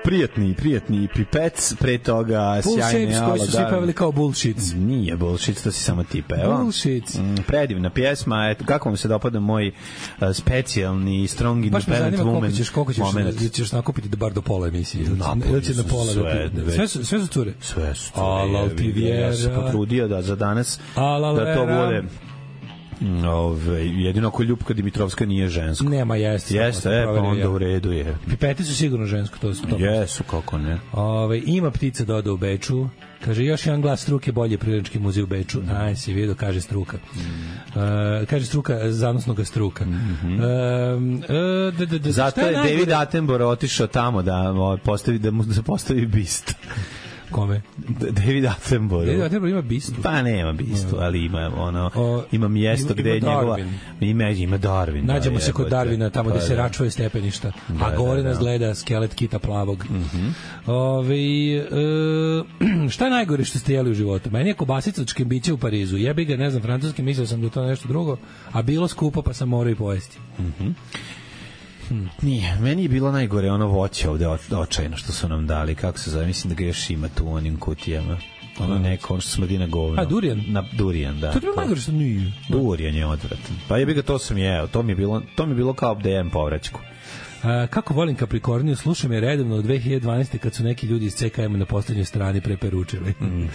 Prijatni, prijatni pipec, pre toga Bull sjajne shapes koji su svi pevali kao bullshits. Nije bullshit, to si samo ti peva. Bullshits. Mm, predivna pjesma, eto, kako vam se dopada moj uh, specijalni strong independent woman koliko ćeš, koliko ćeš, ćeš, ćeš nakupiti da bar do pola emisije. Ili će na pola sve, da sve, su, sve su cure? Sve su cure. Alal ti vjera. Ja sam potrudio da za danas Alal da to bude... Ove, jedino ako Ljupka Dimitrovska nije žensko. Nema, jeste. Jeste, e, pa onda u redu je. Pipete su sigurno žensko, to su to. Jesu, kako ne. Ove, ima ptica doda u Beču. Kaže, još jedan glas struke, bolje Prirodnjački muzej u Beču. Mm. Aj, si vidio, kaže struka. Mm. Uh, kaže struka, zanosnoga struka. Mm-hmm. Uh, uh, d, d, d, Zato je, je David Attenborough otišao tamo da, postavi, da mu da se postavi bist. Kome? David Attenborough. David Attenborough ima bistu. Pa nema bistu, ali ima ono o, ima mjesto gde je njegova ima ima Darwin. Nađemo se kod Darwina tamo gde se račuje stepeništa, a gore nas gleda skelet kita plavog. Mhm. Ovaj e, šta je najgore što ste jeli u životu? Meni je kobasica od škembića u Parizu. Jebi ga, ne znam, francuski, mislio sam da to nešto drugo, a bilo skupo pa sam morao i pojesti. Mhm. Hmm. Nije, meni je bilo najgore ono voće ovde očajno što su nam dali, kako se zove, mislim da ga još ima tu u onim kutijama. Ono neko, ono što smrdi na govno. A, durijan? Na durijan, da. To je bilo najgore što nije. Durijan je odvratan. Pa je bi ga, to sam jeo, to mi je bilo, to mi je bilo kao da jem povraćku. A, kako volim Kaprikorniju, slušam je redovno od dve hiljade dvanaeste kad su neki ljudi iz C K M na poslednjoj strani preperučili. Mm-hmm.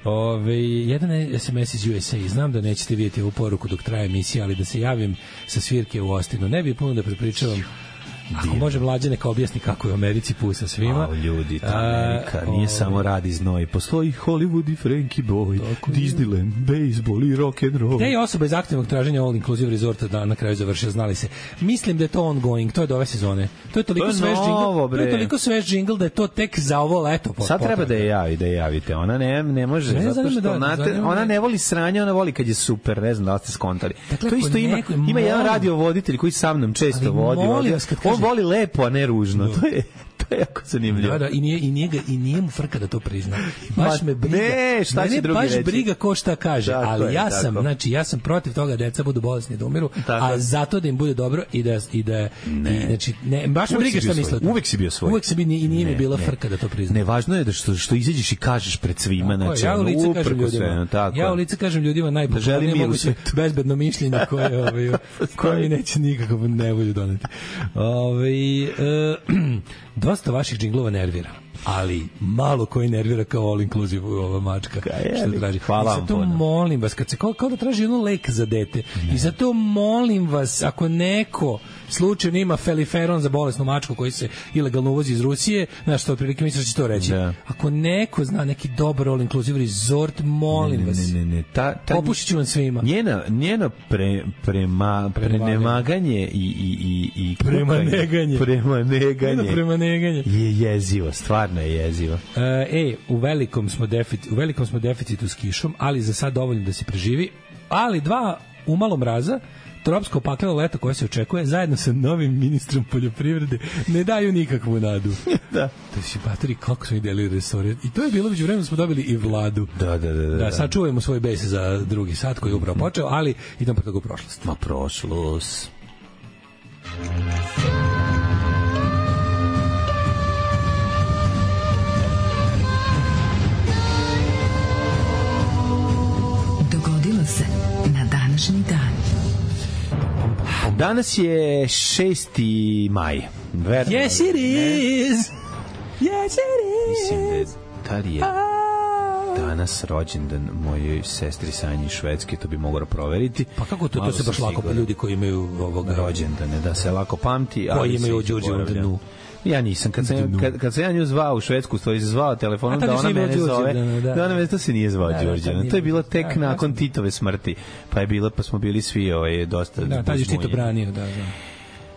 Ove, jedan S M S iz U S A, znam da nećete vidjeti ovu poruku dok traje emisija, ali da se javim sa svirke u Ostinu. Ne bi puno da prepričavam. Ako može mlađe neka objasni kako je u Americi pusa svima. A, ljudi, ta Amerika a, nije o... samo rad i znoj. Postoji Hollywood i Frankie Boy, tako Disneyland, baseball i rock and roll. Gde je osoba iz aktivnog traženja all inclusive resorta da na kraju završio, znali se. Mislim da je to ongoing, to je do ove sezone. To je toliko to je svež džingl, to je toliko svež džingl da je to tek za ovo leto. Sad treba da je javi, da je javite. Ona ne, ne može, ne, zato što da, onate, ona ne voli sranje, ona voli kad je super, ne znam da ste skontali. Dakle, to isto ima, neko, ima jedan radiovoditelj koji sa mnom često vodi. vodi. On voli lepo, a ne ružno. No. To je to je jako zanimljivo. Da, da, i nije i nije ga, i nije mu frka da to prizna. Baš me briga. Ne, šta će drugi baš reći? briga ko šta kaže, tako ali je, ja sam, tako. znači ja sam protiv toga da deca budu bolesni da umiru, tako. A zato da im bude dobro i da i da ne. znači ne, baš me briga šta misle. Uvek si bio svoj. Uvek si bio i nije mi bila ne. frka da to prizna. Ne, važno je da što što izađeš i kažeš pred svima, znači ja u lice kažem ljudima. Sve, tako. Ja u lice kažem ljudima najbolje moguće bezbedno mišljenje koje ovaj koje mi neće nikako nevolju doneti. Ovaj e, dosta vaših džinglova nervira, ali malo koji nervira kao all inclusive ova mačka. Što traži. Hvala vam. I zato molim vas, kad se kao, kao da traži ono lek za dete. Ne. I zato molim vas, ako neko slučajno ima feliferon za bolesnu mačku koji se ilegalno uvozi iz Rusije, znaš što otprilike misliš da će to reći. Ne. Ako neko zna neki dobar all inclusive resort, molim ne, ne, vas. Ne, ne, ne. Ta, ta, Popušit ću vam svima. Njena, njena pre, prema, prenemaganje i, i, i, i premaneganje. Premaneganje. Premaneganje. Je jezivo, stvarno je jezivo. Uh, e, u velikom smo deficit, u velikom smo deficitu s kišom, ali za sad dovoljno da se preživi. Ali dva umalo mraza, tropsko pakleno leto koje se očekuje, zajedno sa novim ministrom poljoprivrede, ne daju nikakvu nadu. Da. Da si batori, kako smo ideli resore. I to je bilo, među vremenu smo dobili i vladu. Da, da, da. Da, da sad čuvajmo svoj bes za drugi sat koji je upravo počeo, ali idemo po toga u prošlost. Ma prošlost. Dogodilo se na današnji dan. Danas je šesti maj. Verno, yes it is. Yes it is. Mislim da je tad je danas rođendan mojoj sestri Sanji iz Švedske, to bi mogao proveriti. Pa kako to, to se baš lako, ljudi koji imaju ovog rođendane, da se lako pamti, koji imaju Đurđevu danu. Ja nisam, kad sam, kad, kad sam ja nju zvao u Švedsku, to je zvao telefonom da ona mene zove, da, da ona mene, to se nije zvao Đurđevan, to je bilo tek da, nakon Titove smrti, pa je bilo, pa smo bili svi ovaj, dosta da, tad je Tito branio, da, da.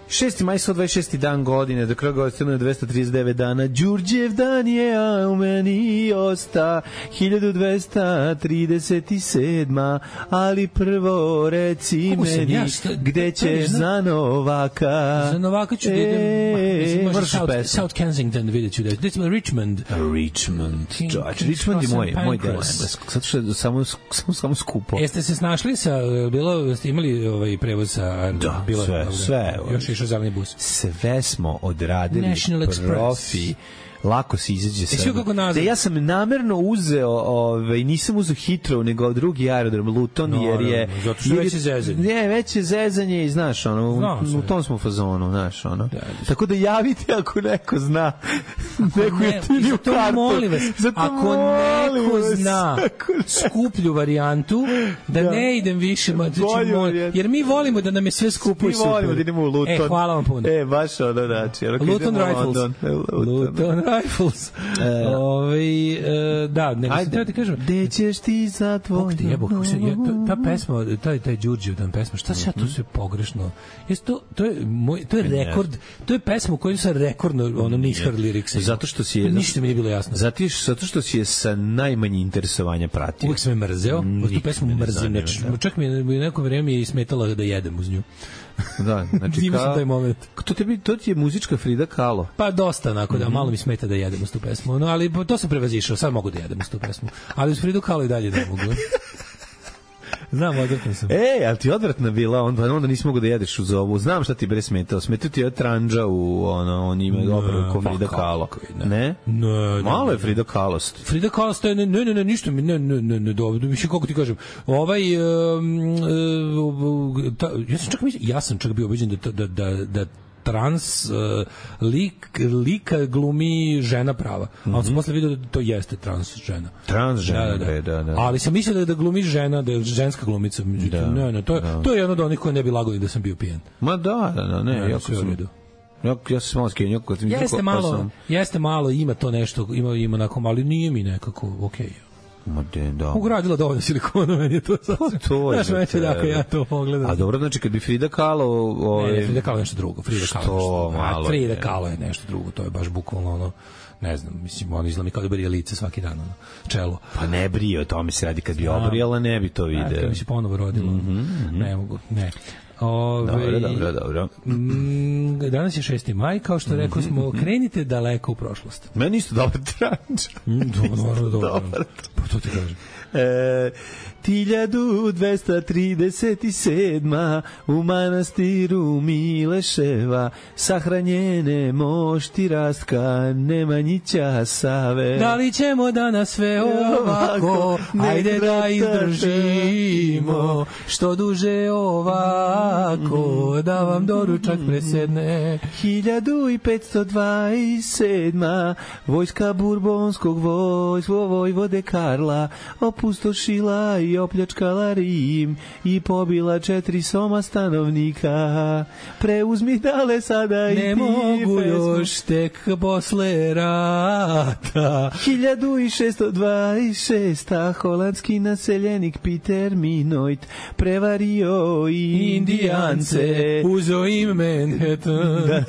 šesti maj, sto dvadeset šesti dan godine, do kraja godine dvesta trideset devet dana. Đurđev dan je, a u meni osta hiljadu dvesta trideset sedma ali prvo reci Kako meni ja, šta, gde ćeš za Novaka. Za Novaka ću da idem, e, South, South Kensington, vidjet ću da je Richmond. Richmond, George. Richmond je moj, moj deo engleskog, zato što je samo, samo, samo skupo. Jeste se snašli sa, bilo, ste imali ovaj prevoz sa... Da, bilo, sve, sve. Još išao zeleni bus. Sve smo odradili, National profi. Express. Lako se izađe sa. Da ja sam namerno uzeo, ovaj nisam uzeo Heathrow nego drugi aerodrom Luton no, jer je no, zato što već je zezanje. Ne, već je zezanje i znaš ono, u, u tom smo fazonu, znaš ono. Da, tako da javite ako neko zna neku ne, jeftiniju kartu. Molim vas, ako neko vas, zna skuplju varijantu, da, da ne idem više, ma, znači, mol, jer mi volimo da nam je sve skupo i super. Mi volimo da idemo u Luton. E, hvala vam puno. E, baš ono, znači. Luton Rifles. Luton Rifles. E, Ove, e, da, nego sam teo ti kažem. Gde ćeš ti za tvoj... Ti jebo, kako se, je, ta pesma, taj, taj Đurđevdan pesma, šta se ja tu sve pogrešno? Jesi to, to je, moj, to je rekord, to je pesma u kojoj sam rekordno, ono, nishar liriksa. Zato što si je... Ništa mi nije bilo jasno. Zato, zato što si je sa najmanje interesovanja pratio. Uvijek sam je mrzeo, tu pesmu mrzim, čak mi je neko vreme i smetala da jedem uz nju. Da, znači kao taj moment. To tebi to ti je muzička Frida Kahlo. Pa dosta onako da, malo mi smeta da jedem uz tu pesmu. No, ali to sam prevazišao, sad mogu da jedem uz tu pesmu. Ali uz Fridu Kahlo i dalje ne mogu. Znam, odvrtan sam. E, ali ti odvratna bila, onda, onda nisi mogu da jedeš uz ovu. Znam šta ti bre smetao. Smetao ti je tranđa u, ono, on ima dobro ko Frida Kahlo. Ne? Ne? Ne, malo je Frida Kahlo. Frida Kahlo stoje, ne, ne, ne, ništa mi, ne, ne, ne, ne, dobro, više kako ti kažem. Ovaj, um, uh, ta, ja sam čak mislim, ja sam čak bio ubeđen da, da, da, da trans uh, lik, lika glumi žena prava. Mm-hmm. Ali sam posle vidio da to jeste trans žena. Trans žena, da, da, da. da, da. Ali sam mislio da, da glumi žena, da je ženska glumica. Međutim, da, ne, ne, to, je, da. to je jedno od onih koji ne bi lagali da sam bio pijen. Ma da, da, da, ne, ne jako sam... vidio. Ja, ja se malo skenio. Kad jeste malo, sam... jeste malo, ima to nešto, ima, ima onako, ali nije mi nekako okej. Okay. Ma de, da. Ugradila dovoljno silikona, meni je to sasvim. To je. Znaš, već jako ja to pogledam. A dobro, znači kad bi Frida Kahlo... Ove... Ne, ne, Frida Kahlo je nešto drugo. Frida Kahlo što malo. Frida Kahlo je nešto drugo, to je baš bukvalno ono, ne znam, mislim, on izgleda mi kao da brije lice svaki dan, ono, čelo. Pa ne brije, o tome se radi, kad bi obrijala, ne bi to video. Kad bi se ponovo rodilo, mm -hmm. ne mogu, ne. Ove, dobro, dobro, dobro. Mm, danas je šesti maj, kao što rekao smo, krenite daleko u prošlost. Meni isto dobar tranč. Dobro, dobro. Pa to ti kažem. E, hiljadu dvesta trideset sedma u manastiru Mileševa sahranjene mošti Rastka Nemanjića Save. Da li ćemo danas sve ovako, ajde da izdržimo, što duže ovako, da vam doručak presedne. hiljadu petsto dvadeset sedma vojska burbonskog vojsko vojvode Karla opustošila i opljačkala Rim i pobila četiri soma stanovnika. Preuzmi dale sada i ne ti mogu pesmu. Još tek posle rata. hiljadu šeststo dvadeset šesta holandski naseljenik Peter Minoit prevario i indijance. Uzo im Manhattan. Da.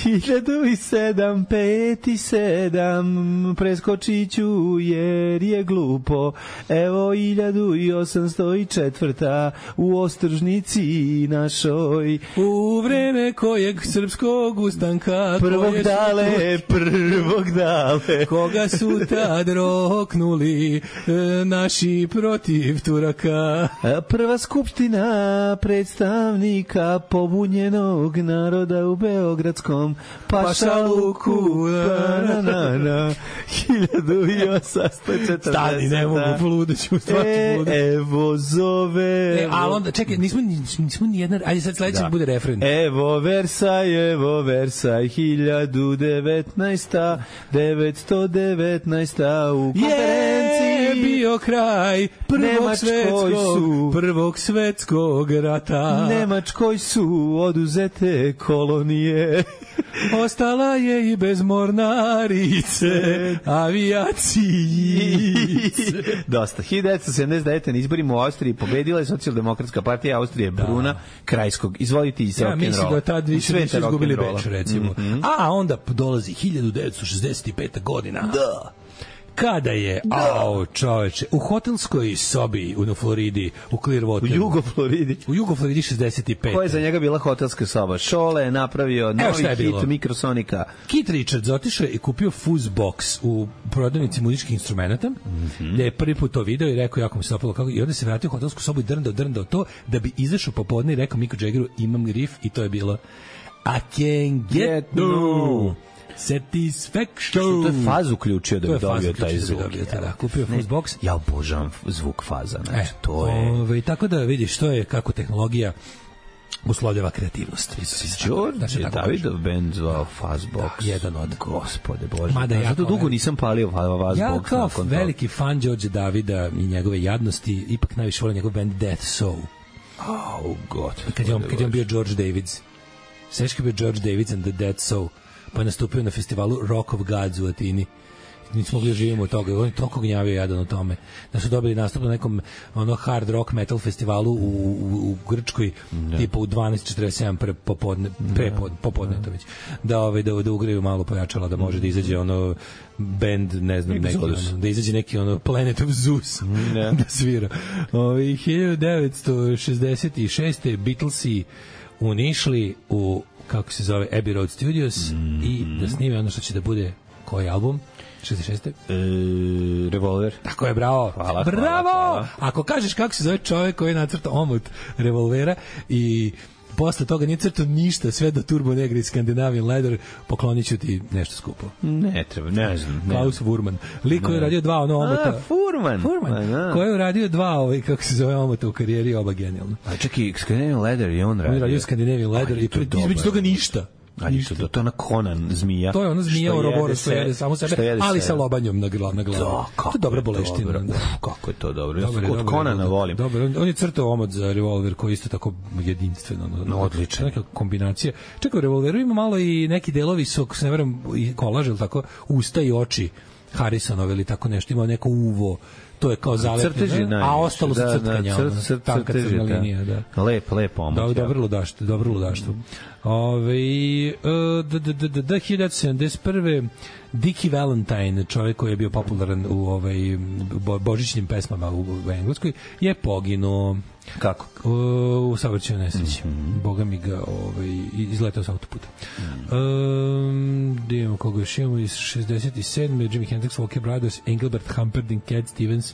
hiljadu sedam pet sedam preskočit ću jer je glupo. Evo hiljadu osamsto četvrta u Ostržnici našoj. U vreme kojeg srpskog ustanka prvog dale, prvog dale. Koga su tad roknuli naši protiv Turaka. Prva skupština predstavnika pobunjenog naroda u Beogradskom pašaluku. Na, na, na, hiljadu osamsto četrdeset. Stani, ne mogu, poludeću, stvarno poludeću. E, evo zove. E, ali onda, čekaj, nismo, nismo ni jedna, ajde sad sledeći da bude refren. Evo Versaj, evo Versaj, hiljadu devetnaesta, devetsto devetnaesta u konferenciji. Je bio kraj prvog svetskog, prvog svetskog rata. Nemačkoj su oduzete kolonije. Ostala je i bez mornarice, avijacijice. Dosta. hiljadu devetsto sedamdeset devete na izborima u Austriji pobedila je socijaldemokratska partija Austrije Bruna da. Krajskog. Izvolite iz rock'n'rolla. Ja mislim da tad više nisu izgubili Beč, recimo. Mm -hmm. A onda dolazi hiljadu devetsto šezdeset peta godina. Da. Kada je, ao čoveče, u hotelskoj sobi u Floridi, u Clearwateru. U Jugo-Floridi. U Jugo-Floridi šezdeset pet. Koja je za njega bila hotelska soba? Šole je napravio novi hit bilo? Mikrosonika. Keith Richards otišao i kupio fuzz box u prodavnici muzičkih instrumenta, mm -hmm. gde je prvi put to video i rekao jako mi se opalo kako, i onda se vratio u hotelsku sobu i drndao, drndao to, da bi izašao popodne i rekao Miku Jaggeru imam riff i to je bilo I can get no Satisfaction. To je faz uključio da bi dobio taj zvuk. Da, da, kupio fuzz box. Ja obožavam zvuk faza. Znači, e, to je... Ove, tako da vidiš, to je kako tehnologija uslovljava kreativnost. Đorđe Davidov band zvao Fuzzbox. Da, jedan od. Gospode Bože. Mada ja zato dugo nisam palio Fuzzbox. Ja kao veliki fan Đorđe Davida i njegove jadnosti, ipak najviše volim njegov band Death Soul. Oh, God. Kad je on, kad je on bio George Davids. Sveći kad je bio George Davids and the Death Soul. Pa je nastupio na festivalu Rock of Gods u Atini. Nismo mogli živimo od toga. On je toliko gnjavio jadan o tome. Da su dobili nastup na nekom ono hard rock metal festivalu u, u, u Grčkoj, ne. tipa u dvanaest četrdeset sedam pre popodne, pre popodne to već. Da, ovaj, da, da ugraju malo pojačala, da može da izađe ono band, ne znam, neki, ono, da izađe neki ono Planet of Zeus ne. da svira. Ovaj, hiljadu devetsto šezdeset šeste Beatlesi unišli u kako se zove Abbey Road Studios mm. i da snime ono što će da bude koji album? šezdeset šeste E, Revolver. Tako je, bravo. Hvala, bravo! Hvala, hvala. Ako kažeš kako se zove čovjek koji je nacrtao omot Revolvera i posle toga nije crtao ništa, sve do Turbo Negra i Scandinavian Leather, poklonit ću ti nešto skupo. Ne treba, ne znam. Klaus Furman. Lik koji je radio dva ono omota. A, Furman. Furman. A, koji je radio dva, ovaj, kako se zove omota u karijeri, oba genijalno. A čekaj, Scandinavian Leather je on radio. On je radio Scandinavian Leather i između toga ništa. Ali to, to, to je ona Conan zmija. To je ona zmija u Roboru što jede samo sebe, ali sa lobanjom na glavu. Da, to je dobra boleština. Da. Kako je to dobro. Ja od Conana volim. Dobro, on je crtao omot za revolver koji isto tako jedinstveno. No, odlično. Neka kombinacija. Čekaj, u revolveru ima malo i neki delovi su, se ne verujem, kolaž ili tako, usta i oči Harrisonove ili tako nešto. Ima neko uvo. To je kao zalepljeno, a ostalo su crtkanja. Da, crt, tanka crna linija, da. Lep, lep omot. Da, dobro ludaštvo, dobro ludaštvo. Ove, hiljadu devetsto sedamdeset prve Dickie Valentine, čovjek koji je bio popularan u ovaj božićnim pesmama u, u Engleskoj, je poginuo. Kako? U, u saobraćajnoj nesreći. Mm-hmm. Boga mi ga ovaj, izletao s autoputa. Mm-hmm. Um, da imamo koga još imamo iz šezdeset sedme Jimi Hendrix, Walker Brothers, Engelbert Humperdinck, Cat Stevens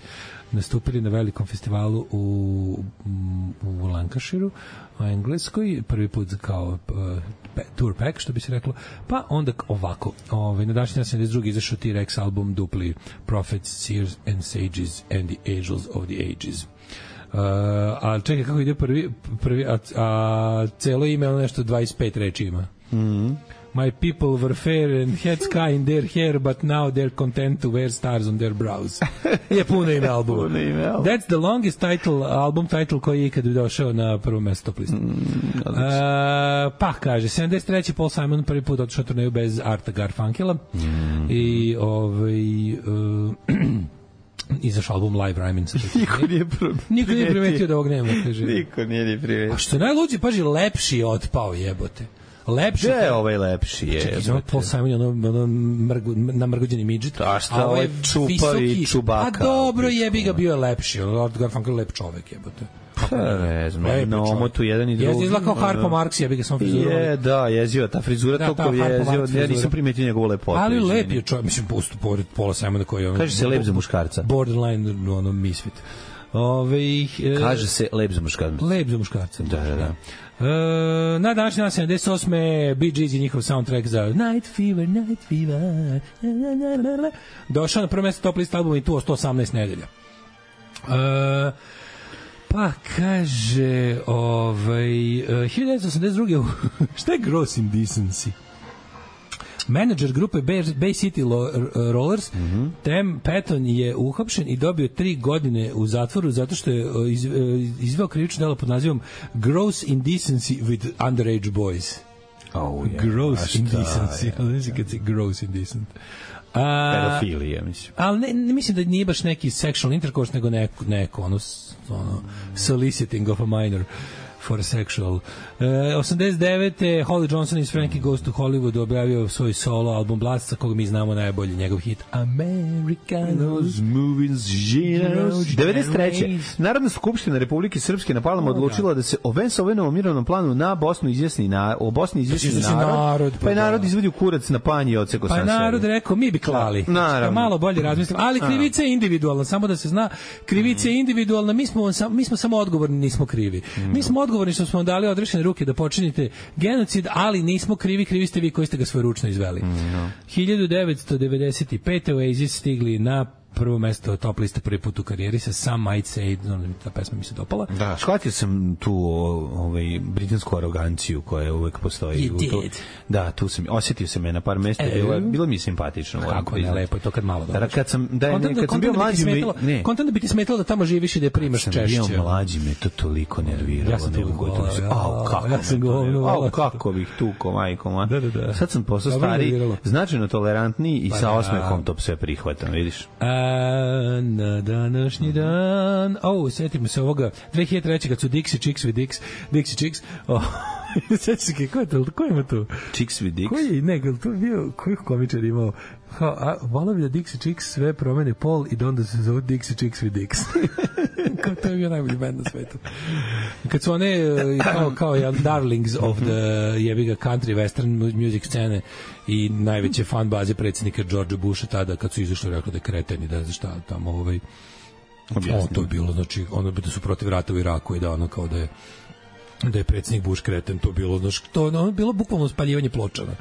nastupili na velikom festivalu u, u Lancashireu u Engleskoj, prvi put kao uh, tour pack, što bi se reklo, pa onda ovako, ovaj, na današnji sedamdeset drugi izašao T-Rex album dupli Prophets, Seers and Sages and the Angels of the Ages. Uh, a čekaj kako ide prvi, prvi a, a celo ime ono nešto dvadeset pet reči ima. Mhm. My people were fair and had sky in their hair, but now they're content to wear stars on their brows. Je puno ime albuma. Puno ime albuma. That's the longest title, album title koji je ikad došao na prvo mesto top listu. Mm, uh, pa, kaže, sedamdeset treće Paul Simon prvi put otišao turneju bez Arta Garfunkela. Mm. I ovaj... Uh, izašao album Live Rhymin. Niko nije primetio. Niko nije primetio da ovog nema, kaže. Niko nije ni primetio. A što je najluđe, paži, lepši je otpao, jebote. Lepši je ovaj lepši je. Čekaj, znači Paul Simon je ono, ono mrgu, namrgođeni midžet. A šta ovaj čupavi čubaka? A dobro, jebi ga, bio je lepši. Art Garfunkel je lep čovek, jebote. Pa ne znam, na omotu jedan i drugi. Jezi izgleda kao Harpo Marx, jebi ga sam frizuru. Je, da, jeziva, ta frizura da, toliko jeziva, ja nisam primetio njegovu lepotu. Ali lep je čovek, mislim, pustu pored Paula Simona koji je ono... Kaže se lep za muškarca. Borderline, ono, misfit. Ove, e, kaže se lep za muškarca. Lep za muškarca. Da, da, da. Uh, na današnji dan sedamdeset osme Bee Gees i njihov soundtrack za Night Fever, Night Fever došao na prvo mjesto top list albuma i tu o sto osamnaest nedelja. Uh, pa kaže ovaj, uh, hiljadu devetsto osamdeset druge šta je Gross Indecency? Menadžer grupe Bay City Rollers, mm-hmm. Tem Patton je uhapšen i dobio tri godine u zatvoru zato što je iz, izveo krivično delo pod nazivom Gross Indecency with Underage Boys. Oh, yeah. Gross Indecency. Znači kad se Gross Indecent. Pedofilija, mislim. Ali ne, ne mislim da nije baš neki sexual intercourse, nego neko, neko ono, ono soliciting of a minor for sexual. Uh, osamdeset devete Holly Johnson iz Frankie Goes to Hollywood objavio svoj solo album Blast, sa koga mi znamo najbolje njegov hit Americanos Movies Genos. devedeset treće Narodna skupština Republike Srpske na Palama odlučila da se o Vensovom mirovnom planu na Bosnu izjasni na o Bosni izjasni narod, narod pa je narod izvadio kurac na panj i odsekao sam pa narod rekao mi bi klali. Pa malo bolje razmislim, ali krivica je individualna, samo da se zna, krivica je individualna, mi smo mi smo samo odgovorni, nismo krivi. Mi smo odgovorni što smo vam dali odrešene ruke da počinite genocid, ali nismo krivi, krivi ste vi koji ste ga svojeručno izveli. Mm, no. hiljadu devetsto devedeset pete Oasis stigli na prvo mesto top liste prvi put u karijeri sa Some Might Say, ta pesma mi se dopala. Da, shvatio sam tu ovaj, britansku aroganciju koja uvek postoji. You tu, da, tu sam, osjetio sam je na par mesta, e, bilo, bilo mi je simpatično. Kako ne, lepo je to kad malo dođeš. Kad sam, da, ne, kad sam bio mlađi, ne. Kontent da bi ti smetalo da tamo živiš i da je primaš češće. Kad sam bio mlađi, me to toliko nerviralo. Ja sam tu gotovo. Au, kako, ja sam govorio, au, kako bih tuko, majko, ma. Da, da, da. Sad sam postao stari, značajno tolerantniji i sa osmehom to sve prihvatam, vidiš. Na današnji dan, o, setimo se ovoga dve hiljade treće kad su Dixie Chicks with Dix, Dixie Chicks, oh, setimo se, ko je to, ko ima to? Chicks with Dix? Koji, ne, to je bio, koji komičar imao? Volao bi da Dixie Chicks sve promene pol i da onda se zove Dixie Chicks with Dix. Kao to je bio najbolji band na svetu. Kad su one kao, kao ja, darlings of the jebiga country western music scene i najveće fan baze predsjednika George Busha tada kad su izašli rekli da je kreten i da znaš šta tamo ovaj o, to je bilo, znači ono bi da su protiv rata u Iraku i da ono kao da je da je predsjednik Bush kreten, to bilo znači to ono bilo bukvalno spaljivanje pločana.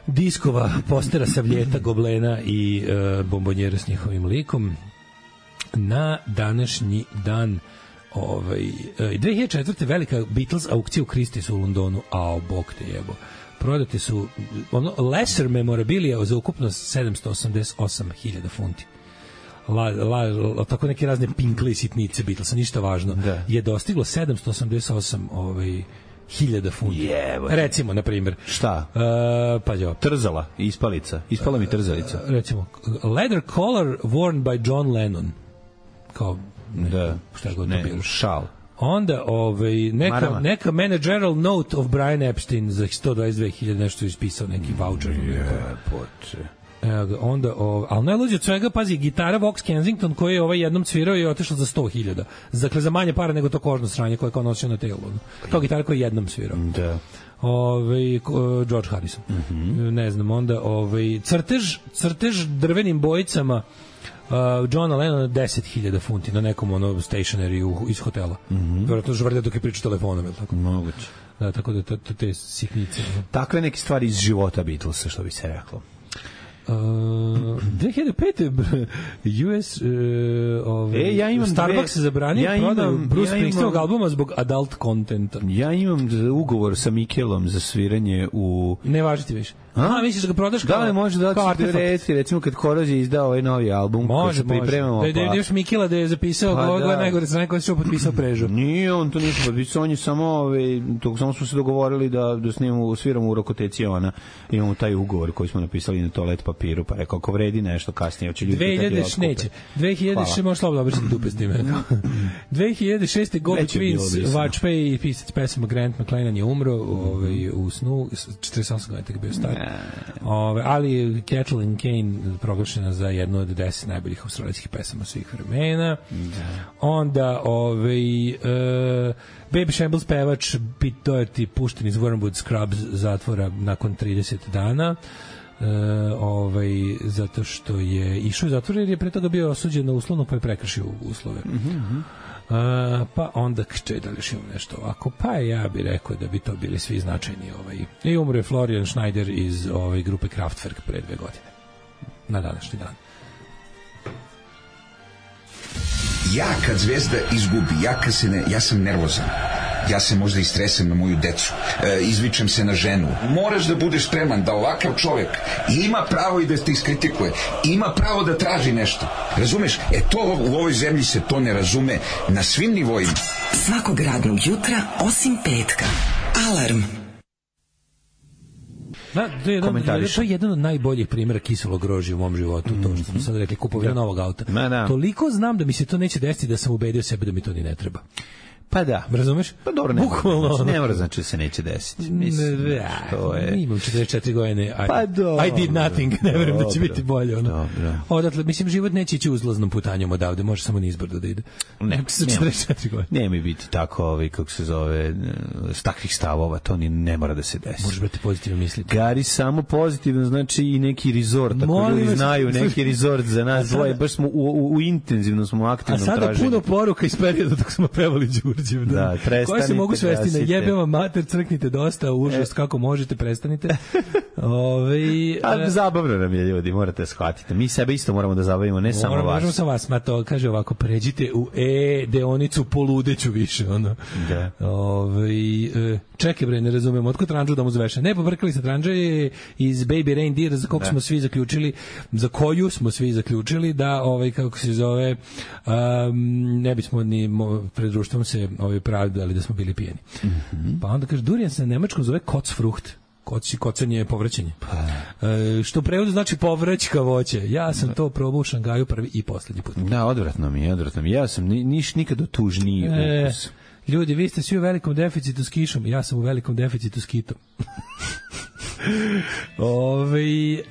Diskova, postera Savljeta, Goblena i e, bombonjera s njihovim likom. Na današnji dan ovaj, e, dve hiljade četvrte velika Beatles aukcija u Christiesu u Londonu, a bog te jebo. prodate su ono, lesser memorabilia za ukupno sedamsto osamdeset osam hiljada funti. La, la, la, tako neke razne pinkle i sitnice Beatlesa, ništa važno, da. Je dostiglo sedamsto osamdeset osam ovaj, hiljada funti. Jevo. Recimo, na primjer. Šta? Uh, pa jo. Trzala, ispalica. Ispala mi trzalica. Uh, recimo, leather collar worn by John Lennon. Kao, ne, da. šta god ne, to bilo. Šal. Onda ovaj, neka, Marama. neka managerial note of Brian Epstein za sto dvadeset dve hiljade, nešto ispisao, neki voucher. Jepote. Evo ga, onda, o, ali najluđe od svega, pazi, gitara Vox Kensington koji je ovaj jednom cvirao i otišla za sto hiljada. Dakle, za manje para nego to kožno sranje koje je kao nosio na telu. To gitara koji je jednom svirao. Da. Ove, George Harrison. Mm -hmm. Ne znam, onda ovaj, crtež, crtež drvenim bojicama uh, Johna Lennona deset hiljada funti na nekom ono stationary iz hotela. Mm -hmm. Vjerojatno žvrde dok je pričao telefonom, je li tako? Moguće. Da, tako da to, to, te sitnice. Takve neke stvari iz života Beatlesa, što bi se reklo. Uh, dve hiljade pete U S uh, ovaj, e, ja imam Starbucks se zabranio ja prodaju Bruce ja Springsteenog albuma zbog adult contenta. Ja imam ugovor sa Mikelom za sviranje u... Ne važi ti više. A, A misliš da ga prodaš kao... Da li može da ti reci, recimo kad Korozija izdao ovaj novi album, može, se pripremamo... Može, može. Da je još Mikela da je zapisao, pa, ovo je najgore strane koja se što potpisao Prežu. Nije, on to nije potpisao, on je samo, ove, to, samo smo se dogovorili da, da snimamo, sviramo u Rokoteci ona, imamo taj ugovor koji smo napisali na toalet papiru, pa rekao, ako vredi nešto kasnije, hoće ljudi... dve hiljade neće. dve hiljade šest može slobodno obršiti dupe s time. dve hiljade šeste Go Betweens, Watchpay i pisac pesama Grant McLennan je umro ovaj, u snu, četrdeset osam godina je bio star. Ove, ali Kathleen Kane proglašena za jednu od deset najboljih australijskih pesama svih vremena. Da. Onda ovaj uh, Baby Shambles pevač Pete Doherty pušten iz Wormwood Scrubs zatvora nakon trideset dana. Uh, ovaj, zato što je išao u zatvor jer je pre toga bio osuđen na uslovno pa je prekršio uslove. Mm-hmm. Uh, pa onda če da li još imam nešto ovako, pa ja bih rekao da bi to bili svi značajni ovaj. I umro je Florian Schneider iz ovaj, grupe Kraftwerk pre dve godine na današnji dan. Ja kad Zvezda izgubi, ja kad se ne, ja sam nervozan. Ja se možda istresem na moju decu, e, izvičem se na ženu. Moraš da budeš spreman da ovakav čovjek ima pravo i da te iskritikuje, ima pravo da traži nešto. Razumeš? E to u ovoj zemlji se to ne razume na svim nivoima. Svakog radnog jutra osim petka. Alarm. Da, to je jedan, to je jedan od najboljih primjera kiselog grožđa u mom životu, mm-hmm. to što smo sad rekli, kupovina novog auta. Ma, da. Toliko znam da mi se to neće desiti da sam ubedio sebe da mi to ni ne treba. Pa da. Razumeš? Pa dobro, ne mora, ne mora znači da se neće desiti. Mislim, ne, to je... Imam četrdeset četiri godine, I, pa dobro, I did nothing, ne verujem da će biti bolje. Ono. Dobro. Odatle, mislim, život neće ići uzlaznom putanjom odavde, može samo nizbrdo da ide. Ne, ne mi biti tako, ovaj, kako se zove, s takvih stavova, to ni ne mora da se desi. Možeš brati pozitivno misliti. Gari samo pozitivno, znači i neki resort, tako ljudi znaju, neki resort za nas dvoje, baš smo u, u, u intenzivno smo aktivno traženju. A sada puno poruka iz perioda dok smo pevali Đurđev. Da, da koje se mogu svesti na jebeva mater, crknite dosta, užas, e. kako možete, prestanite. Ove, A, zabavno nam je, ljudi, morate shvatiti. Mi sebe isto moramo da zabavimo, ne moramo, samo vas. Možemo sam vas, ma to kaže ovako, pređite u E deonicu, poludeću više, ono. Da. Ove, čekaj bre, ne razumemo, otko tranđu da mu zveše? Ne, povrkali se tranđe iz Baby Reindeer, za koga smo svi zaključili, za koju smo svi zaključili da, ovaj, kako se zove, um, ne bismo ni pred društvom se ovaj, pravdali da smo bili pijeni. Mm-hmm. Pa onda kaže, durijan se na nemačkom zove Kotzfrucht. Koci, kocanje je povraćanje. Pa. E, što u prevodu znači povraćka voće. Ja sam da. to probao u Šangaju prvi i poslednji put. Da, odvratno mi je, odvratno mi. Ja sam ni, niš nikad tužniji e, ukus. Ljudi, vi ste svi u velikom deficitu s kišom, ja sam u velikom deficitu s kitom. Ove, e,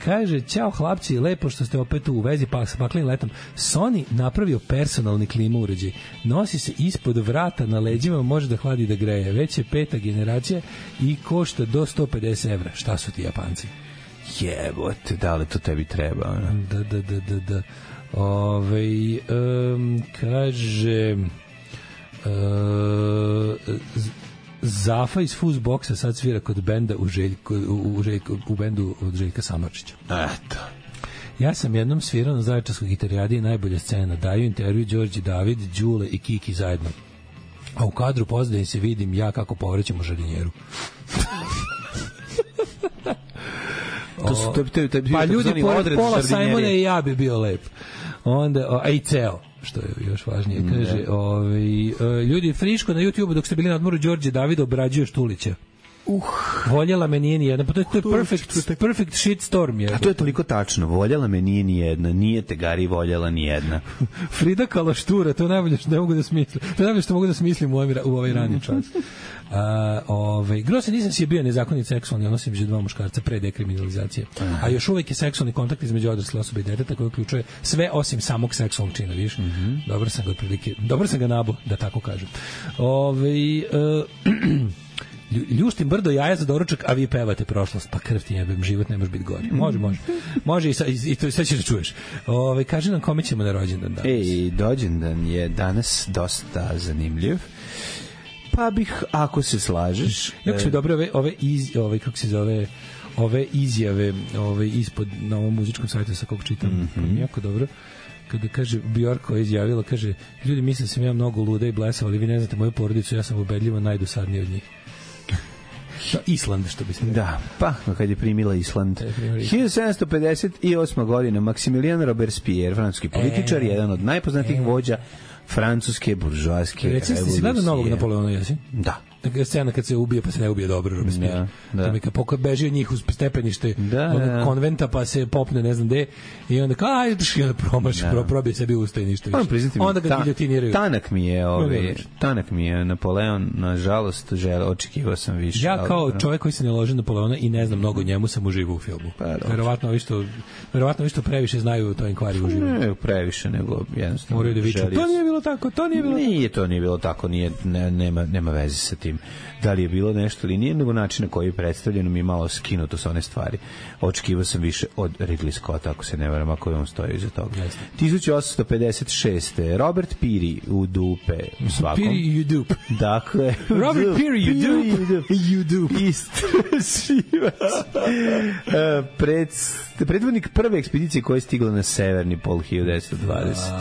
kaže, ćao hlapci, lepo što ste opet u vezi pa s paklim letom. Sony napravio personalni klima uređaj. Nosi se ispod vrata na leđima, može da hladi da greje. Već je peta generacija i košta do sto pedeset evra. Šta su ti Japanci? Jebote, da li to tebi treba? Ne? Da, da, da, da, da. Ove, um, kaže... Uh, Zafa iz Fuzboxa sad svira kod benda u, Željko, u, u, Željko, u bendu od Željka Samardžića. Eto. Ja sam jednom svirao na Zaječarskoj gitarijadi i najbolja scena. Daju intervju Đorđe David, Đule i Kiki zajedno. A u kadru pozadini se vidim ja kako povrećem u žardinjeru. To su, to, to, to, to, pa ljudi pored odred Paula žardinjerije. Simona i ja bi bio lep. Onda, o, a i ceo, što je još važnije, kaže, ovaj, o, ljudi friško na YouTubeu dok ste bili na odmoru Đorđe Davida obrađuje Štulića. Uh, voljela me nije ni jedna, pa to je, to je perfect, perfect shit storm. Je. A to je toliko tačno, voljela me nije ni jedna, nije te Gari voljela ni jedna. Frida Kalaštura, to je najbolje što ne mogu da smislim. To je najbolje što mogu da smislim u ovaj, u ovaj rani čas. Uh, ovaj, Grose nisam si je bio nezakonit seksualni odnos između dva muškarca pre dekriminalizacije. A još uvek je seksualni kontakt između odrasle osobe i deteta koji uključuje sve osim samog seksualnog čina, vidiš? Mm -hmm. Dobro sam ga otprilike, dobro sam ga nabo, da tako kažem. Ovaj uh, ljuštim brdo jaja za doručak, a vi pevate prošlost. Pa krv ti jebem, život ne može biti gori. Može, može. Može i, sa, i, i to sve ćeš da čuješ. Ove, kaži nam kome ćemo na rođendan danas. Ej, rođendan je danas dosta zanimljiv. Pa bih, ako se slažeš... Jako su dobre ove, ove, iz, ove, kako se zove, ove izjave ove, ispod na ovom muzičkom sajtu sa kog čitam. Mm -hmm. Jako dobro. Kada kaže Bjork koja je izjavila, kaže, ljudi misle da sam ja mnogo luda i blesava, ali vi ne znate moju porodicu, ja sam ubedljivo najdosadniji od njih. Da, Island, što bi se rekao. Da, pa, kad je primila Island. hiljadu sedamsto pedeset osma godina, Maximilien Robespierre, francuski političar, e, jedan od najpoznatijih e. vođa francuske buržoaske revolucije. Reci, si gledao novog Napoleona, jesi? Da. Dakle, scena kad se ubije, pa se ne ubije dobro Robespierre. Da, da. Kad poka beži od njih uz stepenište da, da. konventa, pa se popne ne znam gde, i onda kao, aj, i onda promaši, da. probije sebi usta i ništa više. Onda ga giljotiniraju. Tanak mi je, ovaj, tanak mi je Napoleon, nažalost, žele, očekivao sam više. Ja kao ali, čovjek koji se ne loži Napoleona i ne znam mnogo njemu, sam uživao u filmu. Pa, verovatno vi što, verovatno vi što previše znaju to Enquiry uživaju. Ne, previše, nego jednostavno. Moraju da viču, to nije bilo tako, to nije bilo tako. Nije to nije bilo tako, nije, ne, nema, nema veze sa tim. Da li je bilo nešto ili nije, nego način na koji je predstavljeno mi je malo skinuto sa one stvari. Očekivao sam više od Ridley Scotta, ako se ne varam, ako je on stoji iza toga. hiljadu osamsto pedeset šeste Robert Peary u dupe svakom. Peary u dupe. Dakle, Robert Peary u dupe. U dupe. Istraživač. Pred, predvodnik prve ekspedicije koja je stigla na severni pol hiljadu devetsto dvadeset.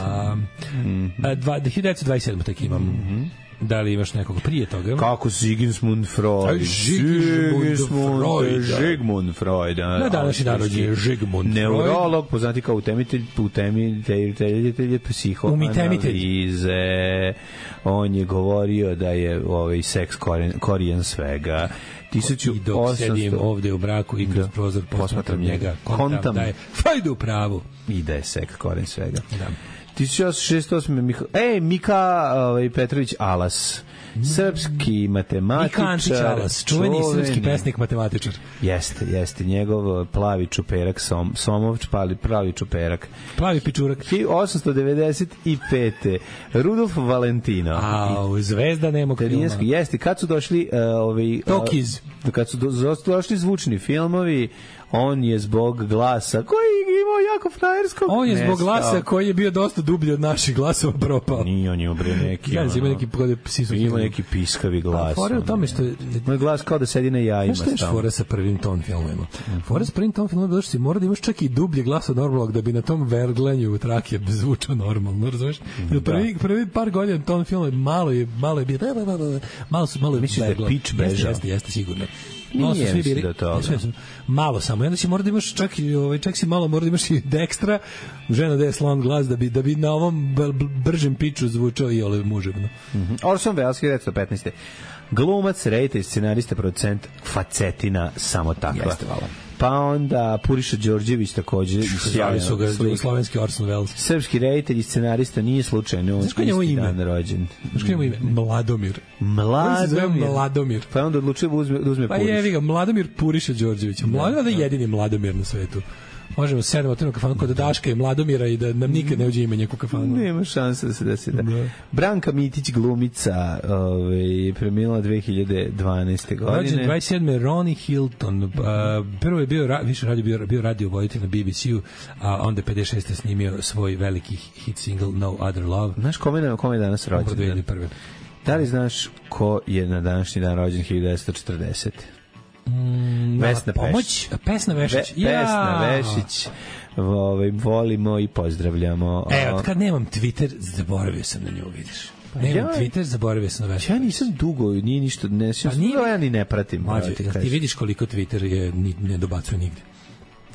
hiljadu devetsto dvadeset sedam tak imam. Mhm. Da li imaš nekog prije toga? Kako Sigmund Freud? Sigmund Freud. Sigmund Freud. Na današnji narod je Sigmund Freud. Neurolog, poznati kao utemitelj, utemitelj psihoanalize. On je govorio da je ovaj seks korijen svega. I dok sedim ovde u braku i kroz prozor posmatram njega, kontam da je Freud u pravu. I da je seks korijen svega. Da. hiljadu osamsto šezdeset osme Miha, ej, Mika ovaj, Petrović Alas, srpski matematičar. Mika Ančić Alas, čuveni srpski pesnik matematičar. Jeste, jeste, njegov plavi čuperak, som, Somovč, pali, pravi čuperak. Plavi pičurak. hiljadu osamsto devedeset pete Rudolf Valentino. Au, zvezda nemog filma. Jeste, kad su došli uh, ovi... Tokiz. Uh, kad su do, došli zvučni filmovi, on je zbog glasa koji imao jako frajerskog. On je nestao. Zbog glasa koji je bio dosta dublji od naših glasova propao. Nije, on je obre neki. Ja, ima neki ima neki piskavi glas. Fora u tome što moj glas kao da sedi na jajima. Šta je fora sa prvim ton filmima? Fora sa prvim ton filmima je što si mora da imaš čak i dublji glas od normalnog da bi na tom verglenju u trake zvučao normalno, razumeš? Da. Prvi prvi par godina ton filma malo je malo je bio malo su malo je mislim da je pitch bežao. Jeste, jeste sigurno. Malo su svi bili, da malo samo. I onda si mora da imaš čak i ovaj čak si malo mora da imaš i Dextra, žena da je slon glas da bi da bi na ovom bržem piču zvučao i ole muževno. Mhm. Orson Welles hiljadu devetsto petnaeste Glumac, reditelj, scenarista, producent, facetina samo takva. Jeste, vala. Pa onda Puriša Đorđević takođe sjajno su ga slovenski Orson Welles. Srpski reditelj i scenarista nije slučajno on isti dan rođen. Znaš kako je ime? Mladomir. Mladomir. Mladomir. Pa onda odlučio da uzme, da uzme pa Puriša. Pa jevi ga, Mladomir Puriša Đorđević. Mladomir je jedini Mladomir na svetu. Možemo sedam otvorimo kafanu kod Daška i Mladomira i da nam nikad ne uđe ime njeku kafanu. Nema šanse da se desi da. da. Branka Mitić, glumica, ovaj, premijela dve hiljade dvanaeste godine. Rođen dvadeset sedme Ronnie Hilton. Uh, prvo je bio, više radio, bio, bio radio voditelj na B B C-u, a onda pedeset šeste snimio svoj veliki hit single No Other Love. Znaš kome, kome je danas rođen? Da li znaš ko je na današnji dan rođen hiljadu devetsto četrdesete Mm, Vesna pomoć, Pesna Vešić. Ve, Pesna Vešić. Ovaj volimo i pozdravljamo. E, od kad nemam Twitter, zaboravio sam na nju, vidiš. Nemam ja, Twitter, zaboravio sam na Vesnu. Ja nisam dugo, nije ništa, ne, pa nije, ja ni ne pratim. Mađe, ti, ti vidiš koliko Twitter je, ni, ne dobacuje nigde.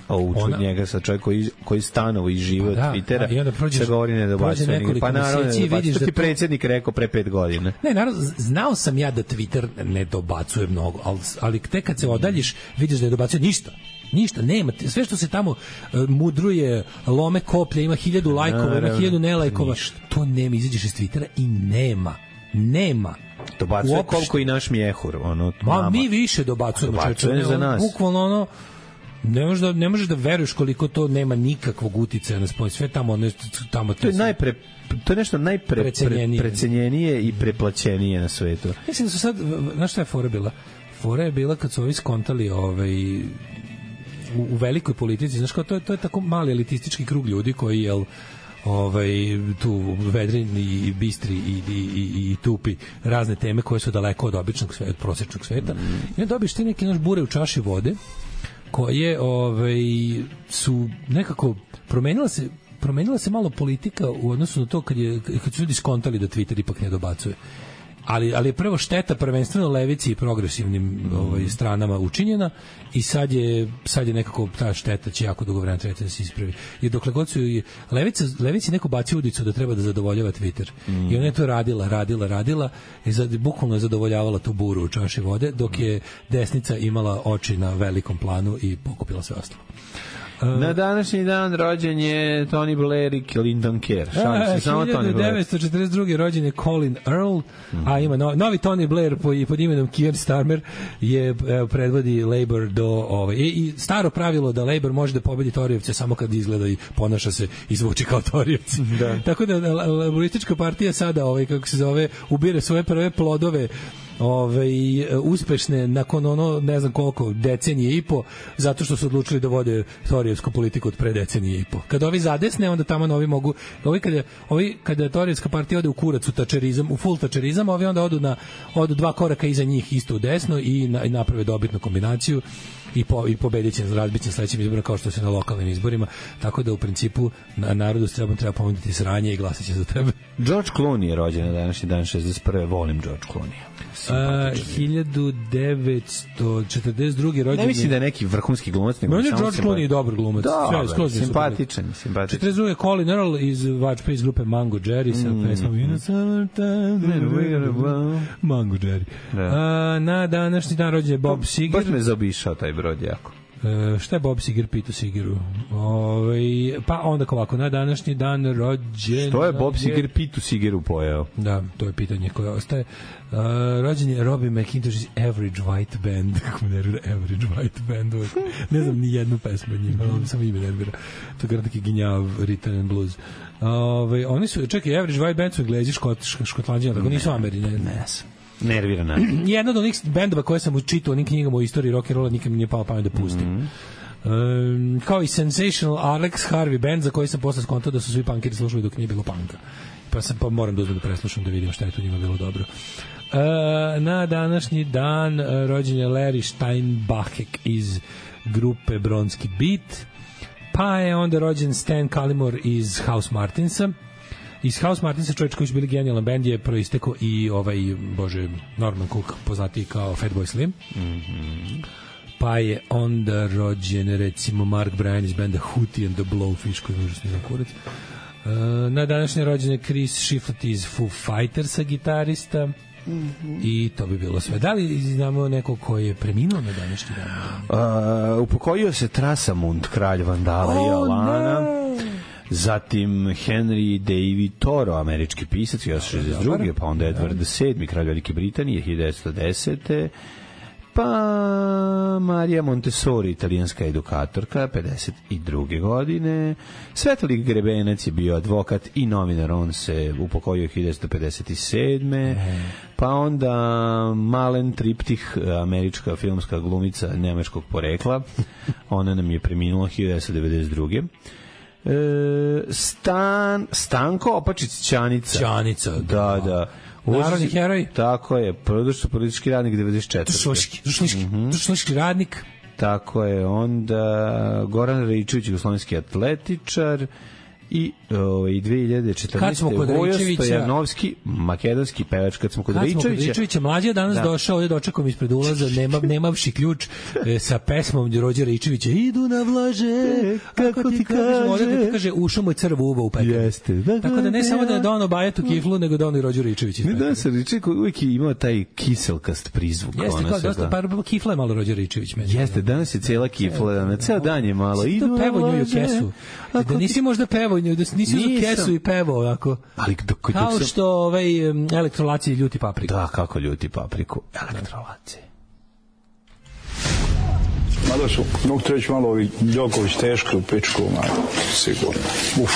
A u Ona- njega sa čovjek koji, koji stanovo i žive od Pa da, Twittera, a i onda prođeš- se govori ne dobacuje. prođe nekoliko Pa naravno ne meseci i dobacuje. vidiš To da ti to- predsjednik rekao pre pet godina. Ne, naravno, z- znao sam ja da Twitter ne dobacuje mnogo, ali, ali tek kad se odaljiš, vidiš da ne dobacuje ništa. Ništa, nema. Sve što se tamo uh, mudruje, lome koplje, ima hiljadu lajkova, ima Naravno, hiljadu nelajkova, ništa. to nema, izađeš iz Twittera i nema. Nema. Dobacuje Uopšte. koliko i naš mjehur. Ono, Ma, nama. mi više dobacujemo. Dobacuje čoveče, za ono, nas. Bukvalno ono, ne možeš da, ne možeš da veruješ koliko to nema nikakvog uticaja na spoj. Sve tamo, ono, tamo To je najpre to je nešto najpre Precenjenije. pre, precenjenije i preplaćenije na svetu. Mislim da su sad, znaš šta je fora bila? Fora je bila kad su ovi skontali ovaj, u, u velikoj politici, znaš kao, to je, to je tako mali elitistički krug ljudi koji, jel, ovaj, tu vedrini i bistri i, i, i, i tupi razne teme koje su daleko od običnog sveta, od prosječnog sveta. I onda dobiš ti neki naš bure u čaši vode koje ovaj, su nekako promenila se promenila se malo politika u odnosu na to kad, je, kad su ljudi skontali da Twitter ipak ne dobacuje. Ali, ali je prvo šteta prvenstveno levici i progresivnim ovaj, stranama učinjena i sad je, sad je nekako ta šteta će jako dugo vremena trebati da se ispravi. I dokle god su i levica, levici neko baci udicu da treba da zadovoljava Twitter. I ona je to radila, radila, radila i sad, bukvalno je zadovoljavala tu buru u čaši vode, dok je desnica imala oči na velikom planu i pokupila sve ostalo. Na današnji dan rođen je Tony Blair i Lyndon Kerr. Šalim se, samo Tony Blair. hiljadu devetsto četrdeset druge rođen je Colin Earl, a ima no, novi Tony Blair pod, pod imenom Keir Starmer je evo, predvodi Labour do ovaj, i, i staro pravilo da Labour može da pobedi Torijevce samo kad izgleda i ponaša se i zvuči kao Torijevci. Da. Tako da laboristička partija sada, ovaj, kako se zove, ubire svoje prve plodove ove, uspešne nakon ono ne znam koliko decenije i po zato što su odlučili da vode torijevsku politiku od pre decenije i po. Kad ovi zadesne onda tamo novi mogu ovi kada ovi kada torijevska partija ode u kurac u tačerizam, u full tačerizam, ovi onda odu na odu dva koraka iza njih isto u desno i, na, i naprave dobitnu kombinaciju i po i pobediće na razbiće sledećim izborima kao što se na lokalnim izborima, tako da u principu na narodu treba treba ponuditi sranje i glasaće za tebe. George Clooney je rođen na današnji dan šezdeset prve. Volim George Clooney. Uh, hiljadu devetsto četrdeset druge rođen. Ne mislim da je neki vrhunski glumac, nego Meni samo George Clooney je dobar glumac. Dobar, Sve, skroz mi je simpatičan, super. simpatičan. četrdeset druge Colin Earl iz Vačpe iz grupe Mango Jerry sa Mm. pesmom In the Summertime Mango Jerry. Da. Uh, na današnji dan rođen je Bob Seger. Baš me zaobišao taj brod jako. Uh, šta je Bob Seger pitao Segeru? Ove, pa onda ovako, na današnji dan rođen... Što je Bob Seger pitu Segeru pojeo? Da, to je pitanje koje ostaje. Uh, rođen je Robbie McIntosh iz Average White Band. Kako me nervira Average White Band. Uvijek. Ne znam ni jednu pesmu od njima, ali samo ime nervira. To je neki ginjav Rhythm and Blues. Ove, oni su, čekaj, Average White Band su Englezi, škot, škotlanđani, tako nisu Ameri. Ne, ne. Nervira nas. Jedna od onih bendova koje sam učitao u onim knjigama o istoriji rock and rolla nikad mi nije palo pamet da pustim. Mm -hmm. um, kao i Sensational Alex Harvey band za koji sam posle skontao da su svi punkiri slušali dok nije bilo punka. Pa sam pa moram da uzmem da preslušam da vidim šta je tu njima bilo dobro. Uh, na današnji dan uh, rođen je Larry Steinbachek iz grupe Bronski Beat. Pa je onda rođen Stan Cullimore iz House Martinsa. Iz House Martinsa, čovječ koji su bili genijalan band, je proistekao i ovaj, bože, Norman Cook, poznatiji kao Fatboy Slim. Mm -hmm. Pa je onda rođen, recimo, Mark Bryan iz benda Hootie and the Blowfish, koji je užasno za kurac. Uh, na današnje rođene Chris Shiflett iz Foo Fightersa, gitarista. Mm -hmm. I to bi bilo sve. Da li znamo neko ko je preminuo na današnji dan? Uh, upokojio se Trasamund, kralj Vandala oh, i Alana. Ne. Zatim Henry David Thoreau, američki pisac, hiljadu devetsto šezdeset druge. Pa onda Edward sedmi, kralj Velike Britanije, hiljadu devetsto desete. Pa Marija Montessori, italijanska edukatorka, pedeset druge godine. Svetolik Grebenac je bio advokat i novinar, on se upokojio hiljadu devetsto pedeset sedme. Pa onda Malen Triptih, američka filmska glumica nemačkog porekla, ona nam je preminula hiljadu devetsto devedeset druge. E, Stan, Stanko Opačić Ćanica. Ćanica, da, da. da. Narodni heroj. Tako je, produčno politički radnik devedeset četvrte. Društvenički mm -hmm. radnik. Tako je, onda Goran Raičević, jugoslovenski atletičar i ovaj dve hiljade četrnaeste. Kad smo kod Vojo Ričevića- Stojanovski, makedonski pevač, kad smo kod Kad smo kod Ričevića. Ričevića, mlađi je danas Da. došao, ovdje dočekom ispred ulaza, nema, nemavši ključ, e, sa pesmom Rođe Ričevića, idu na vlaže, kako ti kažem, ovdje da ti kaže, ušao mu je crv uva u pekari. Jeste. Tako da ne samo da je donao Bajetu kiflu, nego donao i Rođu Ričević iz Ne pekare. da se Riček uvijek je imao taj kiselkast prizvuk. Jeste, ono kao sve, dosta, da. pa kifla je malo Rođe Ričević. Meni. Jeste, danas je cijela kifla, na ceo dan je malo. To Idu pevao nju i vlaže, kesu. ako Da nisi ti- možda pevao nju, da nisi uzeo Nisam. kesu i pevao ovako. Ali dok, dok Kao sam- što ovaj em, elektrolaci ljuti papriku. Da, kako ljuti papriku. Elektrolaci. Mada su, mogu te reći malo ovi Đoković teško u pičku, ma, sigurno. Uf.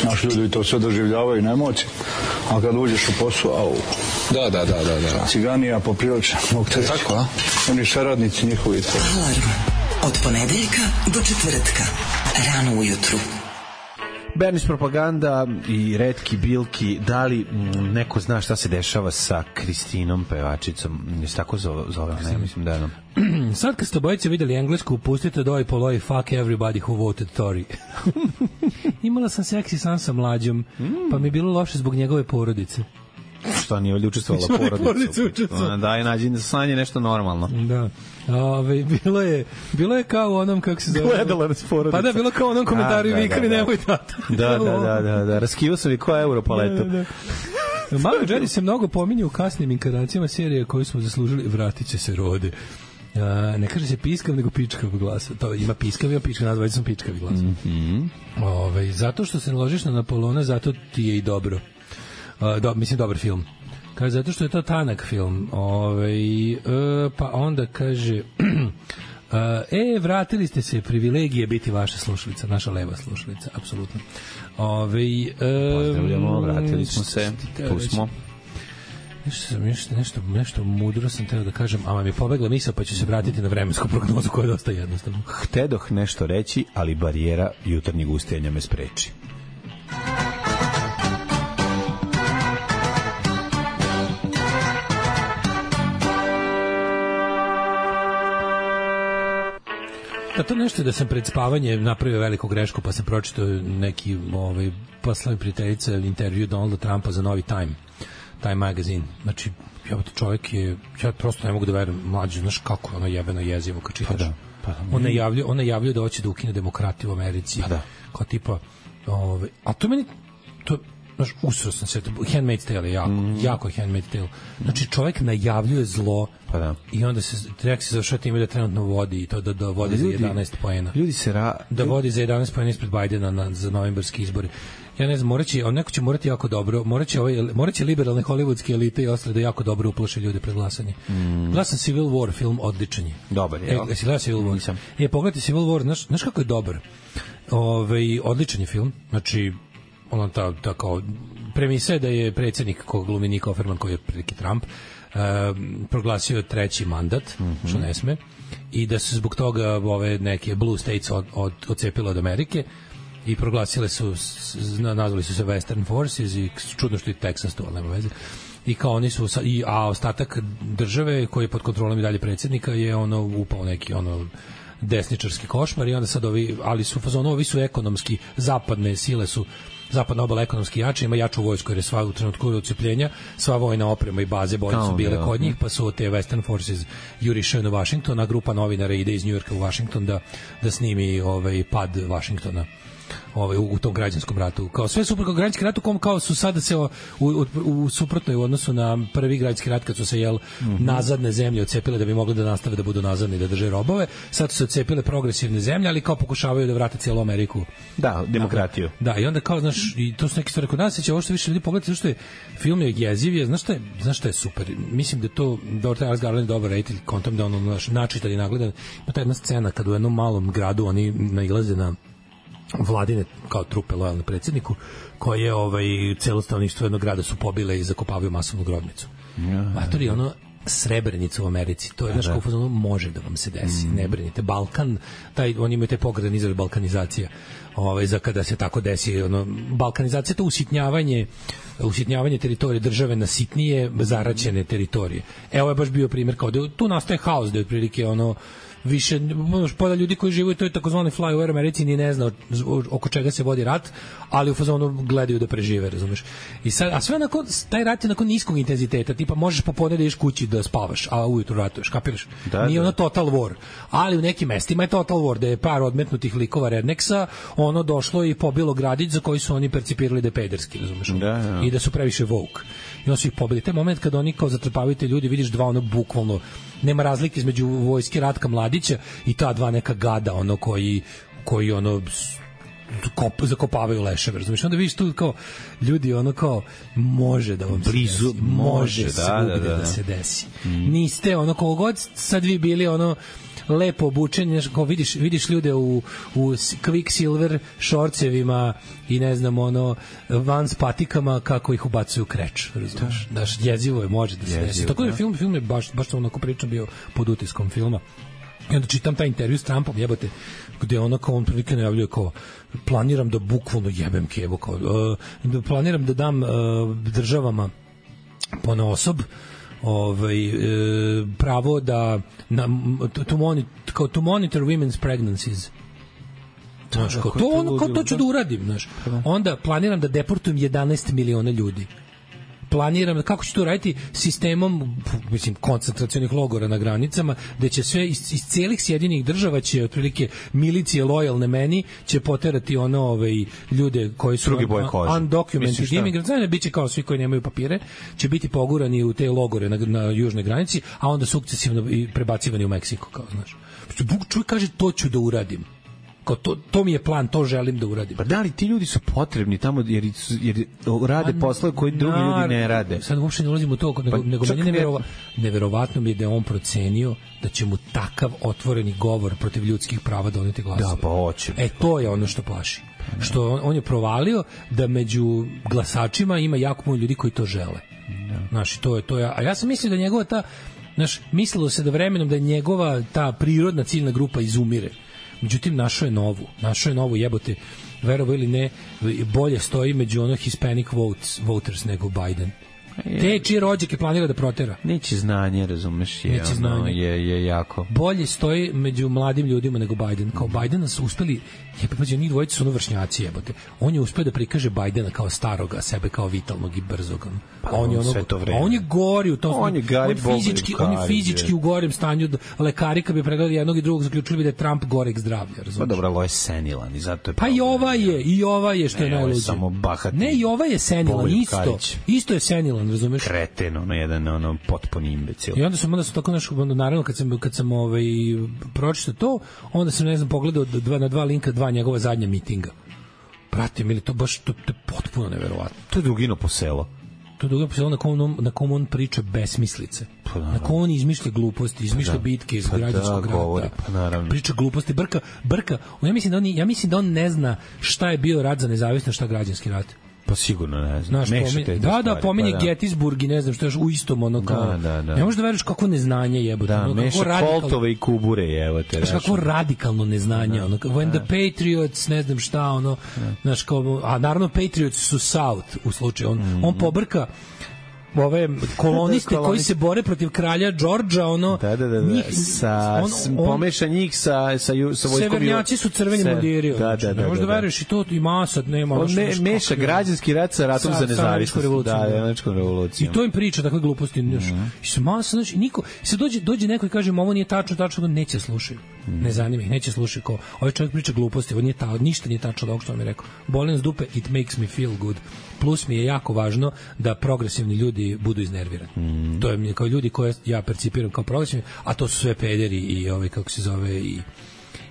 Naši ljudi to sve doživljavaju na emociji, a kad uđeš u posao, au. Da, da, da, da, da. Ciganija poprilično, mogu te reći. Tako, a? Oni saradnici njihovi to. Alarm od ponedeljka do četvrtka. Rano ujutru. Bernić propaganda i retki bilki, da li mm, neko zna šta se dešava sa Kristinom pevačicom, ne se tako zove, zove ne, mislim da je ono. Sad kad ste obojice videli englesku, pustite doj poloj fuck everybody who voted Tory. Imala sam seksi san sa mlađom, pa mi je bilo loše zbog njegove porodice. Šta nije ovdje učestvovala Svoje porodice porodicu. učestvovala. Ona daje nađi sanje nešto normalno. Da. Ove, bilo je bilo je kao u onom kako se zove. Gledala nas porodica. Pa da, bilo kao u onom komentaru i Da, da, vikali da, da. nemoj tata. Da, da, da, da, da. Raskivao sam i ko euro paletu. Da, da, da. Malo Jerry se mnogo pominje u kasnim inkarnacijama serije koju smo zaslužili, vratit će se rode. A, ne kaže se piskav, nego pičkav glas. To ima piskav, ima pičkav, nazvali sam pičkavi glas. Mm -hmm. Ove, zato što se naložiš na Napoleona, zato ti je i dobro. A, do, mislim, dobar film. Kaže, zato što je to tanak film. Ove, e, pa onda kaže... e, vratili ste se, privilegije biti vaša slušalica, naša leva slušalica, apsolutno. Ove, e, Pozdravljamo, vratili smo se, tu smo. Nešto, sam, nešto, nešto, nešto mudro sam teo da kažem, a vam je pobegla misao, pa ću se vratiti na vremensku prognozu koja je dosta jednostavna. Htedoh nešto reći, ali barijera jutarnjeg ustajanja me spreči. A to nešto da sam pred spavanje napravio veliku grešku, pa sam pročitao neki ovaj, poslao prijateljica intervju Donalda Trumpa za Novi Time, Time magazine. Znači, ja, čovjek je, ja prosto ne mogu da verujem, mlađe, znaš kako ono jebeno jezivo kad čitaš. Pa da, pa da. On najavljuje, on najavljuje da hoće da ukine demokratiju u Americi. Pa da. Kao tipa, ovaj, a to meni, to, znaš, usro sam se, Handmaid's Tale je jako, mm. jako je Handmaid's Tale. Znači, čovjek najavljuje zlo, pa da. I onda se, treba se završava time da trenutno vodi i to da, da vodi ljudi, za jedanaest poena. Ljudi se ra... Da vodi za jedanaest poena ispred Bajdena na, za novembarski izbori. Ja ne znam, moraće, on neko će morati jako dobro, moraće, ovaj, moraće liberalne hollywoodske elite i ostale da jako dobro uplaše ljude pred glasanje. Mm. Glasan Civil War film, odličan je. Dobar je. E, jesi gledao Civil War? Nisam. E, pogledajte Civil War, znaš, znaš kako je dobar? Ove, odličan je film, znači, ono ta, ta kao, premisa je da je predsjednik kog glumi Nick Offerman, koji je prilike Trump, um, proglasio treći mandat, mm-hmm. što ne sme, i da se zbog toga ove neke blue states od, od, odcepile od Amerike i proglasile su, nazvali su se Western Forces i čudno što i Texas to, ali nema veze. I kao oni su, i, a ostatak države koji je pod kontrolom i dalje predsjednika je ono upao neki ono desničarski košmar i onda sad ovi, ali su fazonu, ovi su ekonomski, zapadne sile su zapadna obala ekonomski jača, ima jaču vojsku jer je sva u trenutku odcepljenja, sva vojna oprema i baze bolje su bile kod njih, pa su te Western Forces jurišaju na Washington, a grupa novinara ide iz Njujorka u Washington da, da snimi ovaj pad Washingtona ovaj, u, u tom građanskom ratu. Kao sve super kao građanski rat u kom kao su sada se u, u, u suprotnoj u odnosu na prvi građanski rat kad su se jel mm-hmm. nazadne zemlje odcepile da bi mogli da nastave da budu nazadne i da drže robove. Sad su se odcepile progresivne zemlje, ali kao pokušavaju da vrate cijelu Ameriku. Da, demokratiju. Da, i onda kao, znaš, i to su neke stvari kod nas, će ovo što više ljudi pogledati, zašto je film je jeziv, je, znaš šta je, znaš šta je super? Mislim da je to, dobro, taj Garland je dobar reditelj, kontam da ono, naš, načitan i nagledan. Ima ta jedna scena kad u jednom malom gradu oni nailaze na vladine kao trupe lojalne predsjedniku koje ovaj celo stanovništvo jednog grada su pobile i zakopavaju masovnu grobnicu. Matori, ono Srebrenica u Americi, to je znaš kako ono može da vam se desi, mm. ne brinite. Balkan, taj, oni imaju te pogredan izraz balkanizacija, ovaj, za kada se tako desi, ono, balkanizacija to usitnjavanje usitnjavanje teritorije države na sitnije zaraćene teritorije. Evo je baš bio primjer kao da tu nastaje haos, da je otprilike ono više pola ljudi koji žive u toj takozvanoj flyover Americi ni ne zna oko čega se vodi rat, ali u fazonu gledaju da prežive, razumeš. I sad, a sve nakon, taj rat je nakon niskog intenziteta, tipa možeš popodne da ideš kući da spavaš, a ujutru ratuješ, kapiraš? Da, nije da. Ono total war, ali u nekim mestima je total war, da je par odmetnutih likova redneksa, ono došlo i pobilo gradić za koji su oni percipirali da je pederski, razumeš. Da, da. I da su previše woke. I on su ih pobili. Taj moment kada oni kao zatrpavaju te ljudi, vidiš dva ono bukvalno, nema razlike između vojske Ratka Mladića i ta dva neka gada ono koji koji ono kop, zakopavaju leševe, razumiješ? Onda vidiš tu kao ljudi ono kao može da vam blizu se desi, može, može da, da, da, da. da se desi. Mm. Niste ono kao god sad vi bili ono lepo obučeni, kao vidiš, vidiš ljude u, u Quicksilver šorcevima i ne znam ono Vans patikama kako ih ubacuju u kreč, razumiješ? Da. Daš, jezivo je, može da se jezivo, desi. Tako da film, film je baš, baš sam onako pričam bio pod utiskom filma. I onda čitam taj intervju s Trumpom, jebote, gde ona kao on prilike najavljuje kao planiram da bukvalno jebem kevo, kao, uh, da planiram da dam uh, državama ponaosob ovaj, uh, pravo da na, to, monitor, kao, to monitor women's pregnancies. Znaš, kao, to, ono, kao, to ću da uradim, znaš. Onda planiram da deportujem jedanaest miliona ljudi. Planiram, kako će to raditi sistemom, mislim, koncentracionih logora na granicama, gde će sve iz, iz cijelih Sjedinjenih država će otprilike milicije lojalne meni će poterati ono ovaj ljude koji su un, undocumented immigrants, znači biće kao svi koji nemaju papire, će biti pogurani u te logore na, na južnoj granici, a onda sukcesivno i prebacivani u Meksiko, kao znaš. Čuj kaže to ću da uradim. To, to mi je plan, to želim da uradim. Pa da li ti ljudi su potrebni tamo jer, jer rade pa, poslove koji drugi nar, ljudi ne rade? Sad uopšte ne ulazimo u to, nego, pa, nego meni neverova, neverovatno mi je da je on procenio da će mu takav otvoreni govor protiv ljudskih prava doneti glasove. Da, pa hoće. E, to je ono što plaši. Pa, što on, on je provalio da među glasačima ima jako puno ljudi koji to žele. Da. Znaš, to je, to je, a ja sam mislio da njegova ta, znaš, mislilo se da vremenom da je njegova ta prirodna ciljna grupa izumire. Međutim, našo je novu. Našo je novu, jebote, verovo ili ne, bolje stoji među ono Hispanic votes, voters nego Biden. Te čije rođake planira da protera. Neće znanje, razumeš, je, Neće ono, znanje. je, je jako. Bolje stoji među mladim ljudima nego Biden. Kao Bidena su uspeli, jebote, njih dvojice su ono vršnjaci, jebote. On je uspeo da prikaže Bidena kao staroga, sebe kao vitalnog i brzog. Pa on je ono, a on je gori u tom. On je gari on fizički, on je fizički u gorem stanju. Lekari kad bi pregledali jednog i drugog zaključili bi da je Trump goreg zdravlja, razumeš? Pa dobro, ovo je senilan i zato je. Pa i ova je, i ova je što je najluđe. Samo bahati. Ne, i ova je senilan isto. Isto je senilan, razumeš? Kreten, ono jedan ono potpuni imbecil. I onda sam onda sam tako nešto, naravno kad sam kad sam ovaj pročitao to, onda sam ne znam pogledao dva na dva linka dva njegova zadnja mitinga. Brate, mi to baš to, to je potpuno neverovatno. To je Dugino po selo. To je Dugino po selo na kom on, na kom on priča besmislice. Pa, na kom on izmišlja gluposti, izmišlja pa, bitke iz pa, građanskog da, rata. Pa, naravno. Priča gluposti, brka, brka. Ja mislim da on ja mislim da on ne zna šta je bio rat za nezavisnost, šta građanski rat. Pa sigurno ne znam. Znaš, pominje, da, stvari, da, pominje pa, da. Gettysburg i ne znam što je u istom ono kao. Da, da, da. Ne možeš da veruješ kako neznanje jebote. Da, ono, meša koltove i kubure jebote. Znaš kako radikalno neznanje. Da, ono, when da. the Patriots, ne znam šta, ono, da. Znaš, kao, a naravno Patriots su South u slučaju. On, mm-hmm. on pobrka ove koloniste koji se bore protiv kralja Đorđa, ono da, da, da, da. Njih, sa on, on, pomeša njih sa sa sa vojskom. Severnjaci su crveni se, mundiri. Da, da, da. Možda da, da. veruješ i to i masa nema. On me, meša građanski rat sa ratom sa, za nezavisnost. Da, američkom revolucijom. I to im priča takve gluposti, znaš. Mm-hmm. I se masa, znači niko se dođe dođe neko i kaže ovo nije tačno, tačno, neće slušaju. Mm. Ne zanima ih, neće slušati ko. Ovaj čovjek priča gluposti, on nije ta, ništa nije tačno dok što mi je rekao. Boli nas dupe, it makes me feel good. Plus mi je jako važno da progresivni ljudi budu iznervirani. Mm. To je mi kao ljudi koje ja percipiram kao progresivni, a to su sve pederi i ovaj kako se zove i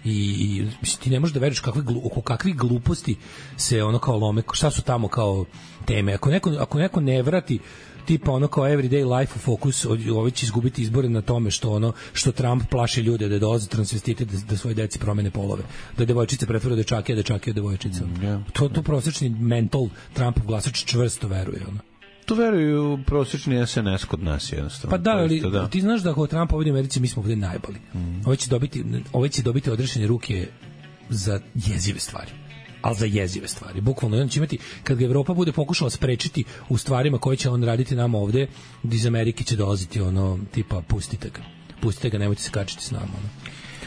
i, i mislim, ti ne možeš da veruješ kakve oko kakvih gluposti se ono kao lome, šta su tamo kao teme. Ako neko ako neko ne vrati tipa ono kao everyday life u fokus, ovaj će izgubiti izbore na tome što ono što Trump plaši ljude da dolaze transvestiti da, da svoje deci promene polove, da devojčice pretvore u dečake, a dečake u devojčice. Mm, yeah. To to prosječni mental Trumpov glasač čvrsto veruje ono. To veruju prosječni S N S kod nas jednostavno. Pa da, ali da. Ti znaš da ako Trump ovdje u Americi mi smo ovdje najbolji. Mm. Ovaj će dobiti ovaj će dobiti odrešene ruke za jezive stvari. ali za jezive stvari. Bukvalno, on će imati, kad ga Evropa bude pokušala sprečiti u stvarima koje će on raditi nama ovde, iz Amerike će dolaziti ono, tipa, pustite ga. Pustite ga, nemojte se kačiti s nama. Ono.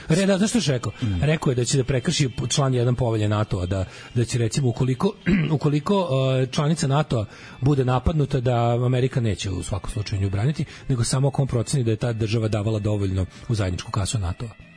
Reda, znaš što je rekao? Mm. Rekao je da će da prekrši član jedan povelje NATO-a, da, da će recimo ukoliko, ukoliko uh, članica NATO-a bude napadnuta, da Amerika neće u svakom slučaju nju braniti, nego samo ako on proceni da je ta država davala dovoljno u zajedničku kasu NATO-a.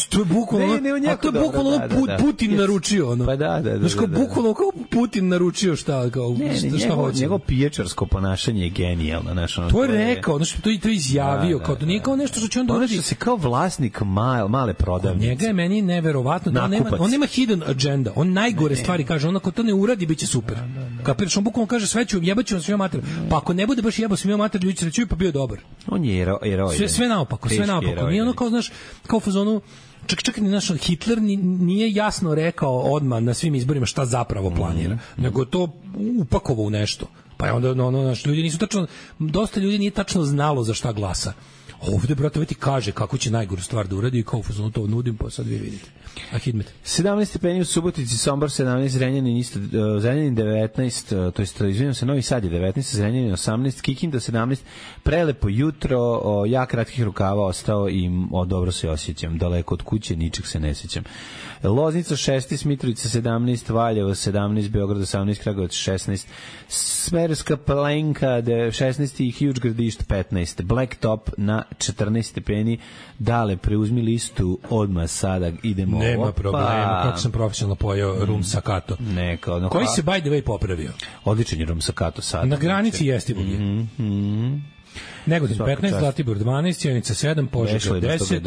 To je bukvalno, ne, ne, a to je bukvalno da, da, da. Putin yes. naručio ono. Pa da, da, da. Znaš kao da, da. bukvalno kao Putin naručio šta kao ne, ne, šta, šta njegov, hoće. Njegovo pijačarsko ponašanje je genijalno, znaš, ono. To je rekao, znači to je to izjavio, da, da, kao to nije kao nešto što će on doraditi. Se kao vlasnik male male prodavnice. Njega je meni neverovatno da on nema, on nema hidden agenda. On najgore ne, stvari kaže, on ako to ne uradi biće super. Da, da, da. Kapiraš, on bukvalno kaže sve ću jebaću svima mater. Pa ako ne bude baš jebao svima mater, ljudi će reći pa bio dobar. On je heroj. Sve sve naopako, sve naopako. Nije ono kao znaš, kao u fazonu čak čak ni naš Hitler nije jasno rekao odmah na svim izborima šta zapravo planira, mm-hmm. nego to upakovao u nešto. Pa je onda ono, ono, naš, ljudi nisu tačno, dosta ljudi nije tačno znalo za šta glasa. Ovde, brate, ovaj ti kaže kako će najgoru stvar da uradi i kao fuzonu to nudim, pa sad vi vidite. A Hidmet. sedamnaest stepeni u Subotici, Sombor sedamnaest, Zrenjanin isto, uh, Zrenjanin devetnaest, uh, to jest, izvinjam se, Novi Sad je devetnaest, Zrenjanin osamnaest, Kikinda sedamnaest, prelepo jutro, uh, ja kratkih rukava ostao i o, dobro se osjećam, daleko od kuće, ničeg se ne sjećam. Loznica šesnaest, Mitrovica sedamnaest, Valjevo sedamnaest, Beograd osamnaest, Kragujevac šesnaest, Smederevska Palanka šesnaest i Huge Gradišt petnaest, Blacktop na četrnaest stepeni. Dale, preuzmi listu odmah sada, idemo. Nema problema, kako sam profesionalno pojao rum sakato. Neka, ono, koji se by the way popravio. Odličan je rum sakato sad. Na granici Jestivogije. Mm -hmm. Negodin petnaest, Zlatibor dvanaest, Sjenica sedam, Požega deset,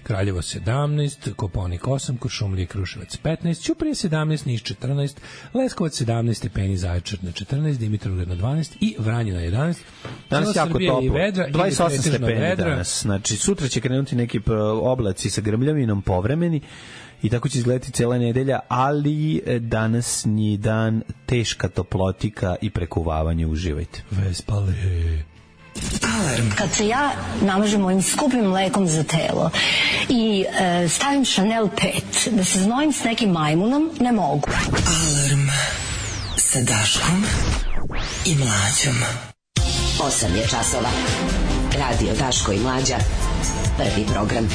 Kraljevo sedamnaest, Koponik osam, Kuršumlija, Kruševac petnaest, Ćuprija sedamnaest, Niš četrnaest, Leskovac sedamnaest stepeni, Zaječar na četrnaest, Dimitrovgrad na dvanaest i Vranje na jedanaest. Danas jako toplo, dvadeset osam stepeni danas. Znači, sutra će krenuti neki oblaci sa grmljavinom povremeni i tako će izgledati cela nedelja, ali danas nije dan, teška toplotika i prekuvavanje, uživajte. Vespale. Alarm. Kad se ja namažem ovim skupim mlekom za telo i e, stavim Chanel pet, da se znojim s nekim majmunom, ne mogu. Alarm sa Daškom i Mlađom. osam je časova. Radio Daško i Mlađa. Prvi program.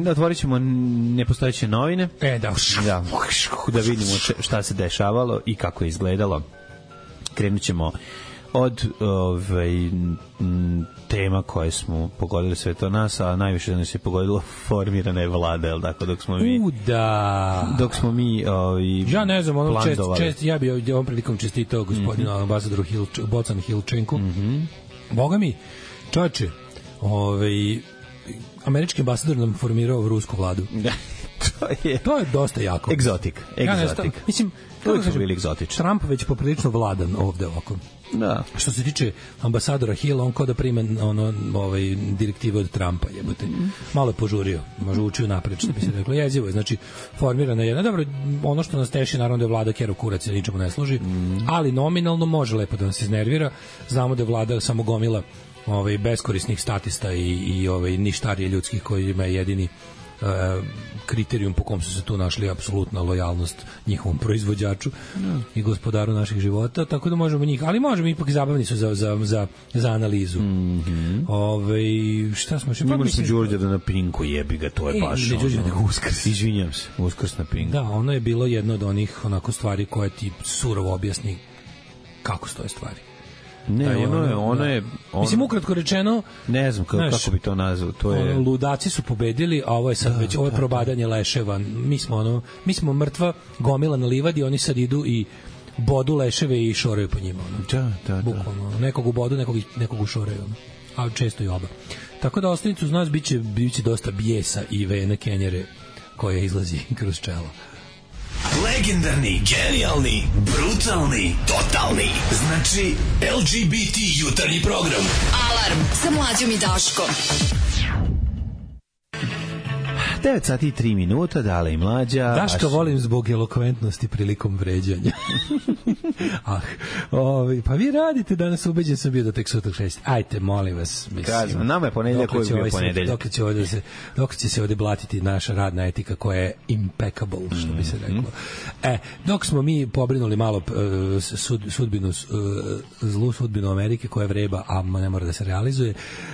Otvorit ćemo nepostojeće novine. E, da. Da, da vidimo šta se dešavalo i kako je izgledalo. Krenut ćemo od ovaj, tema koje smo pogodili sve to nas, a najviše da nas je pogodilo formirana je vlada, jel tako, dok smo mi... U, da. Dok smo mi ovaj, ja ne znam, ono čest, čest, ja bi ovom prilikom čestitao gospodinu mm -hmm. ambasadoru Hil, Bocan Hilčenku. Mm -hmm. Boga mi, čoče, ovaj... američki ambasador nam formirao rusku vladu. to je to je dosta jako. Egzotik, egzotik. Ja mislim, to su bili egzotični. Trump već poprilično vladan ovde ovako. Da. Što se tiče ambasadora Hill, on kao da prima ono, ovaj, direktive od Trumpa, jebote. Mm. Malo je požurio, može učio napred, što bi se reklo. Jezivo je, znači, formirana je jedna. Dobro, ono što nas teši, naravno da je vlada Kero Kurac, se ničemu ne služi, mm. ali nominalno može lepo da nas iznervira. Znamo da je vlada samo gomila ovaj beskorisnih statista i i ovaj ništarije ljudskih koji ima jedini uh, kriterijum po kom su se tu našli apsolutna lojalnost njihovom proizvođaču mm. i gospodaru naših života, tako da možemo njih, ali možemo ipak zabavni su za za za za analizu. Mm -hmm. Ovaj šta smo še pa mislim Đurđe da na Pinku jebi ga, to je e, baš. Ne Đurđe nego Uskrs. Izvinjavam se, Uskrs na Pinku. Da, ono je bilo jedno od onih onako stvari koje ti surovo objasni kako stoje stvari. Ne, da, ono je, ono je... Ono, mislim, ukratko rečeno... Ne znam kako, znaš, kako bi to nazvao. To je... Ono, ludaci su pobedili, a ovo je sad da, već, ovo je da, probadanje da. leševa. Mi smo, ono, mi smo mrtva gomila na livadi, oni sad idu i bodu leševe i šoraju po njima. Ono. Da, da, da. Bukvalno, nekog u bodu, nekog, nekog u šoraju. Ono. A često i oba. Tako da ostanicu uz nas biće, biće dosta bijesa i vene kenjere koje izlazi kroz čelo. Legendarni, genijalni, brutalni, totalni. Znači, L G B T jutarnji program. Alarm sa Mlađom i Daškom. devet sati i tri minuta, Dale i Mlađa. Da što vaš... volim zbog elokventnosti prilikom vređanja. ah, ovi, pa vi radite danas, ubeđen sam bio do tek sutra šest. Ajte, molim vas. Kažem, nama je ponedeljak koji je bio ponedeljak. Dok će, ovdje se, dok će se ovdje blatiti naša radna etika koja je impeccable, što bi se reklo. Mm. E, dok smo mi pobrinuli malo uh, sud, sudbinu, uh, zlu sudbinu Amerike koja vreba, a ne mora da se realizuje,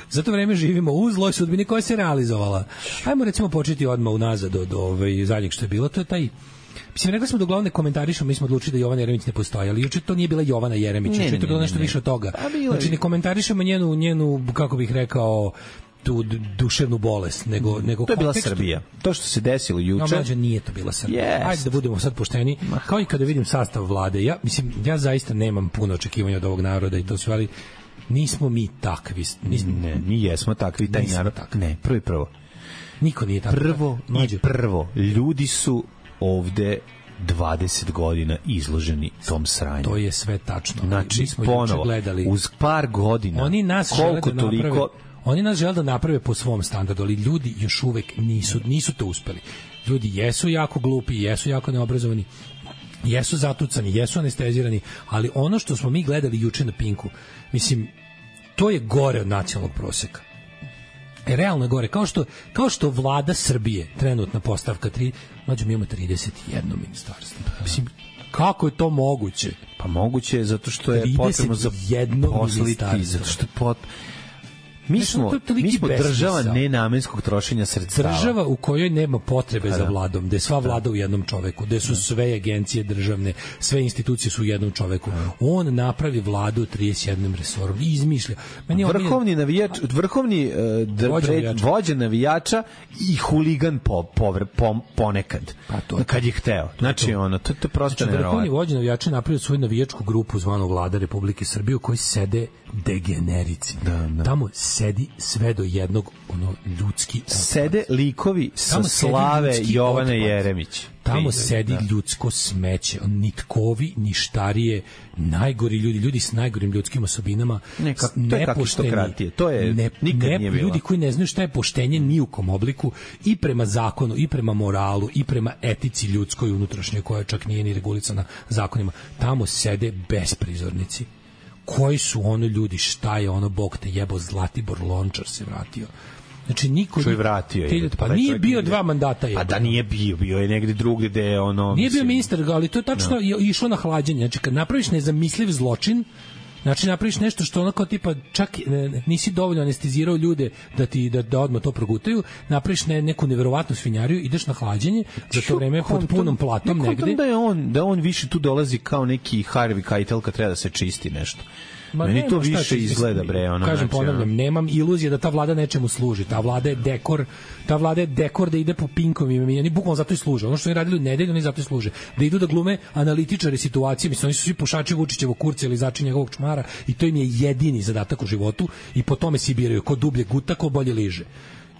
za to vreme živimo u zloj sudbini koja se realizovala. Ajmo recimo početi odmah unazad od ovaj zadnjeg što je bilo, to je taj. Mislim, rekli smo da uglavnom ne komentarišemo, mi smo odlučili da Jovana Jeremić ne postoji, ali juče to nije bila Jovana Jeremić, juče je to bilo nešto ne, ne. više od toga. Znači, ne komentarišemo njenu, njenu, kako bih rekao, tu duševnu bolest, nego, nego to je bila kontekstu... Srbija. To što se desilo juče... No, mlađe, nije to bila Srbija. Yes. Ajde da budemo sad pošteni. Kao i kada vidim sastav vlade, ja, mislim, ja zaista nemam puno očekivanja od ovog naroda i to sve, ali nismo mi takvi. Nismo, ne, mi jesmo takvi, taj narod. Takvi. Ne, prvo i prvo. Niko nije tako. Prvo i prvo, ljudi su ovde dvadeset godina izloženi tom sranju. To je sve tačno. Znači, ponovo, gledali, uz par godina, oni nas koliko da toliko... Naprave, oni nas žele da naprave po svom standardu, ali ljudi još uvek nisu, nisu to uspeli. Ljudi jesu jako glupi, jesu jako neobrazovani, jesu zatucani, jesu anestezirani, ali ono što smo mi gledali juče na Pinku, mislim, to je gore od nacionalnog proseka. E, realno je gore. Kao što, kao što vlada Srbije, trenutna postavka tri, mlađe mi imamo trideset jedno ministarstvo. Mislim, kako je to moguće? Pa moguće je zato što je potrebno zaposliti, zato što je pot... Mi smo, mi smo država nenamenskog trošenja sredstava. Država u kojoj nema potrebe za vladom, gde je sva vlada u jednom čoveku, gde su sve agencije državne, sve institucije su u jednom čoveku. On napravi vladu trideset jednim resorom i izmišlja. Meni vrhovni navijač, vrhovni uh, vođa, navijača. vođa navijača i huligan po, povr, po, ponekad. Pa to, kad je hteo. Znači, ono, to, to prosto znači, vrhovni vođa navijača napravio svoju navijačku grupu zvanu Vlada Republike Srbije u kojoj sede degenerici. Da, da. Tamo sedi sve do jednog ono ljudski otpad. Sede likovi sa tamo slave Jovane Jeremić. Tamo sedi da. ljudsko smeće, nitkovi, ništarije, najgori ljudi, ljudi s najgorim ljudskim osobinama, ne, ka, to je kakistokratije, to je ne, nikad ne, nije bilo. Ljudi koji ne znaju šta je poštenje ni u kom obliku, i prema zakonu, i prema moralu, i prema etici ljudskoj unutrašnjoj, koja čak nije ni regulisana zakonima. Tamo sede besprizornici. Koji su ono ljudi, šta je ono, Bog te jebo, Zlatibor Lončar se vratio. Znači niko što je vratio je. Pa nije bio dva mandata je. Pa da nije bio, bio je negde drugdje gde je ono. Nije bio ministar, ali to je tačno no. išlo na hlađenje. Znači kad napraviš nezamisliv zločin, znači napraviš nešto što ono kao tipa čak nisi dovoljno anestezirao ljude da ti da, da odmah to progutaju, napraviš ne, neku neverovatnu svinjariju, ideš na hlađenje, za to vreme pod punom platom negde. Da je on da on više tu dolazi kao neki Harvey Keitel kad treba da se čisti nešto. Ma meni to više izgleda bre, ono. Kažem, ponavljam, nemam iluzije da ta vlada nečemu služi. Ta vlada je dekor, ta vlada je dekor da ide po pinkovima, oni bukvalno zato i služe. Ono što oni radili u nedelju, oni zato i služe. Da idu da glume analitičari situacije, mislim oni su svi pušači Vučićevog kurca ili začin njegovog čmara i to im je jedini zadatak u životu i po tome se biraju ko dublje guta, ko bolje liže.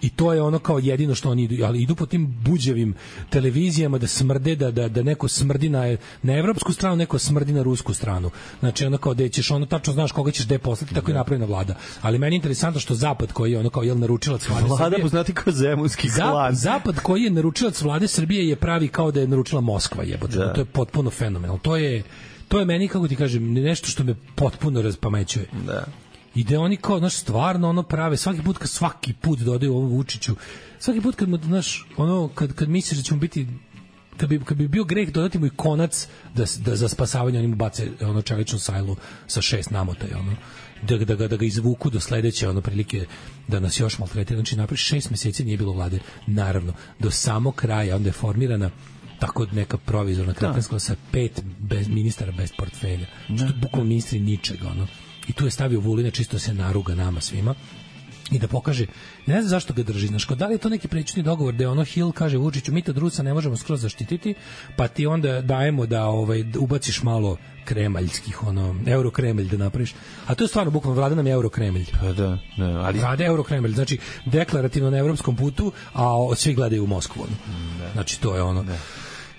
I to je ono kao jedino što oni idu, ali idu po tim buđevim televizijama da smrde, da, da, da neko smrdi na, na evropsku stranu, neko smrdi na rusku stranu. Znači ono kao da ćeš ono tačno znaš koga ćeš da je poslati, tako je napravljena vlada. Ali meni je interesantno što Zapad koji je ono kao jel naručilac vlade vlada Srbije. Poznati kao zemunski klan. Zapad koji je naručilac vlade Srbije je pravi kao da je naručila Moskva, jebote. Da. To je potpuno fenomenalno. To je to je meni, kako ti kažem, nešto što me potpuno raspamećuje. Da. I da oni kao, znaš, stvarno ono prave, svaki put, kad svaki put dodaju ovom Vučiću, svaki put kad mu, znaš, ono, kad, kad misliš da ćemo biti, kad bi, kad bi bio greh dodati mu i konac da, da za spasavanje oni mu bace ono čeličnu sajlu sa šest namotaja, ono, da, da, da, da ga izvuku do sledeće, ono, prilike da nas još maltretira, znači napred šest meseci nije bilo vlade, naravno, do samog kraja, onda je formirana tako neka provizorna kretenska sa pet bez, ministara bez portfelja, što je bukvalno ministri ničega, ono. I tu je stavio Vulina čisto se naruga nama svima i da pokaže, ne znam zašto ga drži, znaš, da li je to neki prečni dogovor da je ono Hill kaže Vučiću, mi to druca ne možemo skroz zaštititi, pa ti onda dajemo da ovaj, ubaciš malo kremaljskih, ono, eurokremelj da napraviš, a to je stvarno bukvalno, vlada nam je eurokremelj. Pa da, ne, ali... Vlada eurokremelj, znači deklarativno na evropskom putu, a svi gledaju u Moskvu. Ne. Znači to je ono... Ne.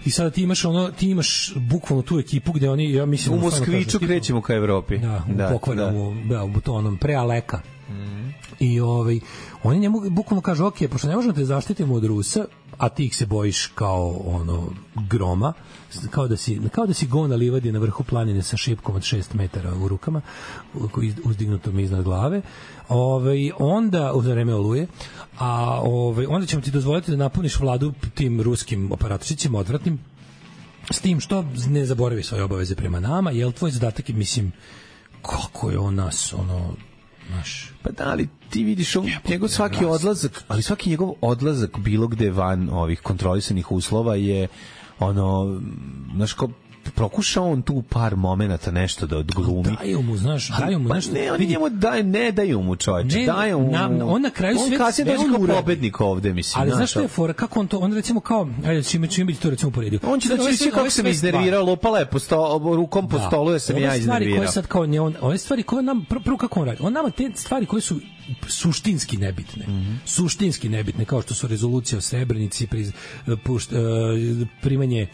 I sada ti imaš ono, ti imaš bukvalno tu ekipu gde oni, ja mislim, u Moskviću krećemo ka Evropi. Da, u da, pokvarnom, da. Da, u to onom prealeka. Mm. I ovaj, oni njemu bukvalno kažu, ok, pošto ne možemo te zaštitimo od Rusa, a ti ih se bojiš kao ono groma, kao da si, kao da si go na livadi na vrhu planine sa šipkom od šest metara u rukama, uzdignutom iznad glave, ovaj, onda, u vreme oluje, a ovaj, onda ćemo ti dozvoliti da napuniš vladu tim ruskim operatoricima odvratnim, s tim što ne zaboravi svoje obaveze prema nama, jel tvoj zadatak je, mislim, kako je on nas, ono, naš... Pa da, ali ti vidiš on, njegov svaki odlazak, ali svaki njegov odlazak bilo gde van ovih kontrolisanih uslova je ono, znaš, kao prokušao on tu par momenata nešto da odglumi. Daju mu, znaš, daju mu pa nešto. Ne, oni njemu daju, ne daju mu čovječe, ne, daju mu. Na, on na kraju on sve, kasnije sve dođe on kao uradi. pobednik ovde, mislim. Ali znaš što je fora, kako on to, on recimo kao, ajde, čime, čime bi to recimo poredio. On će da će kako se mi iznervirao, lopala je po sto, rukom po stolu, jer sam ja iznervirao. Ove stvari koje sad kao, ne, on, ove stvari koje nam, prvo kako on radi, on nama te stvari koje su suštinski nebitne, mm-hmm. suštinski nebitne, kao što su rezolucija o Srebrenici, priz, pušt, uh, primanje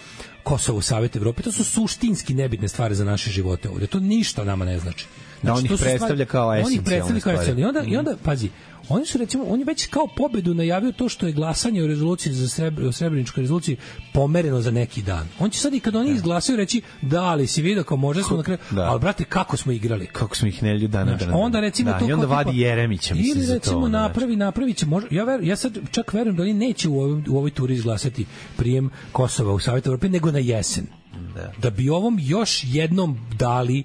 Kosovo u Savet Evrope, to su suštinski nebitne stvari za naše živote ovdje. To ništa nama ne znači. Da, on ih predstavlja kao esencijalne stvari. On ih predstavlja kao esencijalne. I onda, mm. i onda, pazi, oni su recimo, on je već kao pobedu najavio to što je glasanje o rezoluciji za Srebr, o Srebreničkoj rezoluciji pomereno za neki dan. On će sad i kad oni izglasaju reći da, ali si vidio kao može smo na kraju, da. Ali brate, kako smo igrali? Kako smo ih nelju dana dana. Onda recimo da, to i onda kao vadi tipa, Jeremića, mislim, ili za to. Ili recimo napravi, napravi će, može, ja, ver, ja sad čak verujem da oni neće u ovoj, u ovoj turi izglasati prijem Kosova u Savet Evrope, nego na jesen. Da. Da bi ovom još jednom dali,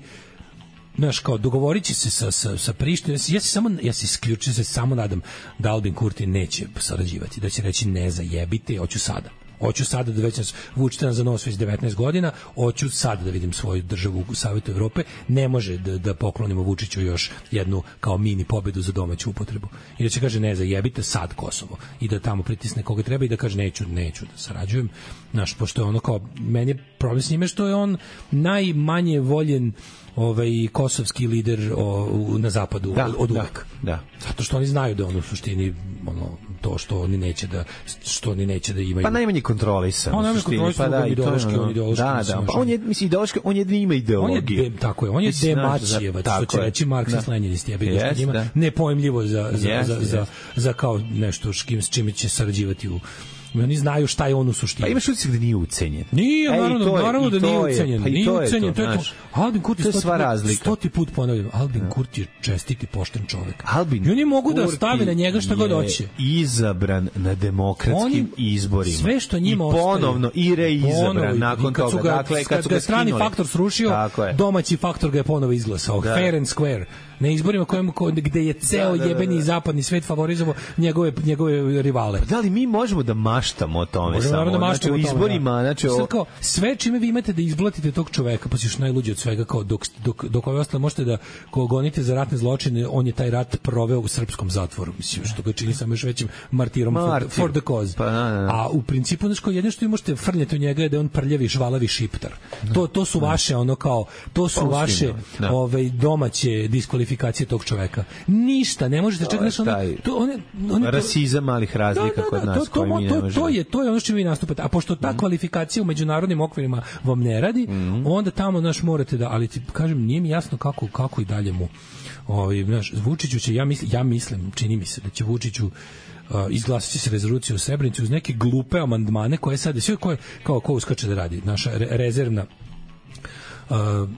znaš, kao dogovorit će se sa, sa, sa Prištinom. Ja se samo, ja se isključio, se samo nadam da Albin Kurti neće sarađivati, da će reći ne zajebite, hoću sada. Hoću sada da već nas vučete nas za nos već devetnaest godina, hoću sada da vidim svoju državu u Savetu Evrope, ne može da, da poklonimo Vučiću još jednu kao mini pobedu za domaću upotrebu. I da će kaže ne zajebite sad Kosovo i da tamo pritisne koga treba i da kaže neću, neću da sarađujem. Znaš, pošto je ono kao, meni je problem s njime što je on najmanje voljen ovaj kosovski lider o, u, na zapadu da, od, od uvek. Da, da. Zato što oni znaju da on u suštini ono to što oni neće da što oni neće da imaju. Pa najmanje kontrolisan. On najmanje kontrolisan, pa da, ideološki, on ideološki. Da, da, pa on je mislim ideološki, on je ima ideologiju. On je tako je, on je demačijevac, što će reći Marksist Lenjinist, je bilo što njima nepojmljivo za za, yes, za, yes. za za kao nešto s kim s čime će sarađivati u oni znaju šta je on u suštini. Pa imaš utisak da nije ucenjen. Nije, Ej, naravno, je, naravno da nije ucenjen. Pa nije to ucenjen, je to, to je to. Albin Kurti je sva razlika. Stoti put ponavljam, Albin Kurti je čestit i pošten čovjek. Albin I oni mogu da stave na njega šta god hoće. Izabran na demokratskim oni, izborima. Sve što njima ostaje. I ponovno i reizabran nakon kad toga. Ga, dakle, kad, kad su ga ga strani skinuli. faktor srušio, domaći faktor ga je ponovo izglasao. Da. Fair and square. Na izborima kojem, gde je ceo da, da, jebeni da. zapadni svet favorizovao njegove, njegove rivale. Pa da li mi možemo da maštamo o tome možemo samo? Da znači u izborima, znači o... kao, sve čime vi imate da izblatite tog čoveka, pa si još najluđi od svega, kao dok, dok, dok ove ostale možete da ko gonite za ratne zločine, on je taj rat proveo u srpskom zatvoru, mislim, što ga čini samo još većim martirom Martir. for, for the cause. Pa, na, na. A u principu, znači, jedno što vi možete frljati u njega je da je on prljavi, žvalavi šiptar. To, to su vaše, ono kao, to su vaše ove, domaće diskvalifikacije tog čoveka. Ništa, ne možete čak nešto ono, to one one rasizam malih razlika da, da, da, kod nas to, to, koji mi ne to, možemo. To je to je ono što vi nastupate. A pošto ta mm. kvalifikacija u međunarodnim okvirima vam ne radi, mm. onda tamo naš morate da, ali ti kažem, nije mi jasno kako kako i dalje mu ovaj naš Vučiću će ja mislim ja mislim čini mi se da će Vučiću Uh, izglasati se rezoluciju u Srebrenici uz neke glupe amandmane koje sad sve koje kao ko uskače da radi naša re, rezervna Uh,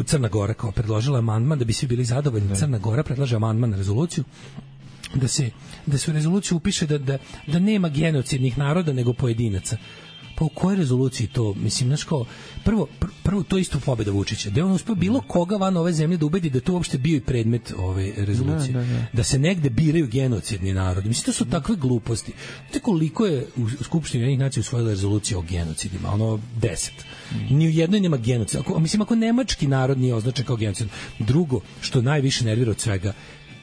Crna Gora kao predložila amandman da bi svi bili zadovoljni. Ne. Crna Gora predlaže amandman na rezoluciju da se da se u rezoluciju upiše da, da, da nema genocidnih naroda nego pojedinaca. Pa u kojoj rezoluciji to, mislim, znaš kao, prvo, pr, prvo to isto pobjeda Vučića, da je on uspio bilo koga van ove zemlje da ubedi da to uopšte bio i predmet ove rezolucije. Da, da, da. Da se negde biraju genocidni narodi. Mislim, to su takve gluposti. Znate koliko je u Skupštini Ujedinjenih nacija usvojila rezolucija o genocidima? Ono, deset. Mm. Ni u jednoj nema genocida. Ako, mislim, ako nemački narod nije označen kao genocid. Drugo, što najviše nervira od svega,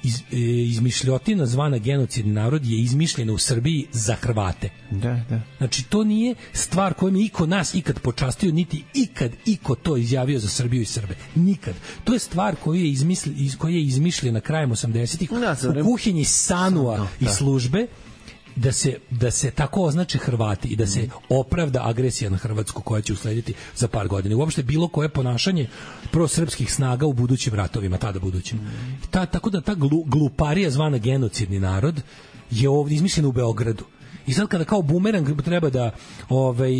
Iz, e, izmišljotina zvana genocidni narod je izmišljena u Srbiji za Hrvate. Da, da. Znači, to nije stvar kojom je iko nas ikad počastio, niti ikad iko to izjavio za Srbiju i Srbe. Nikad. To je stvar koju je, izmisli, iz, koja je izmišljena krajem osamdesetih u kuhinji Sanua i službe da se, da se tako označe Hrvati i da se opravda agresija na Hrvatsku koja će uslediti za par godina. Uopšte bilo koje ponašanje prosrpskih snaga u budućim ratovima, tada budućim. Ta, tako da ta glu, gluparija zvana genocidni narod je ovdje izmišljena u Beogradu. I sad kada kao bumerang treba da ovaj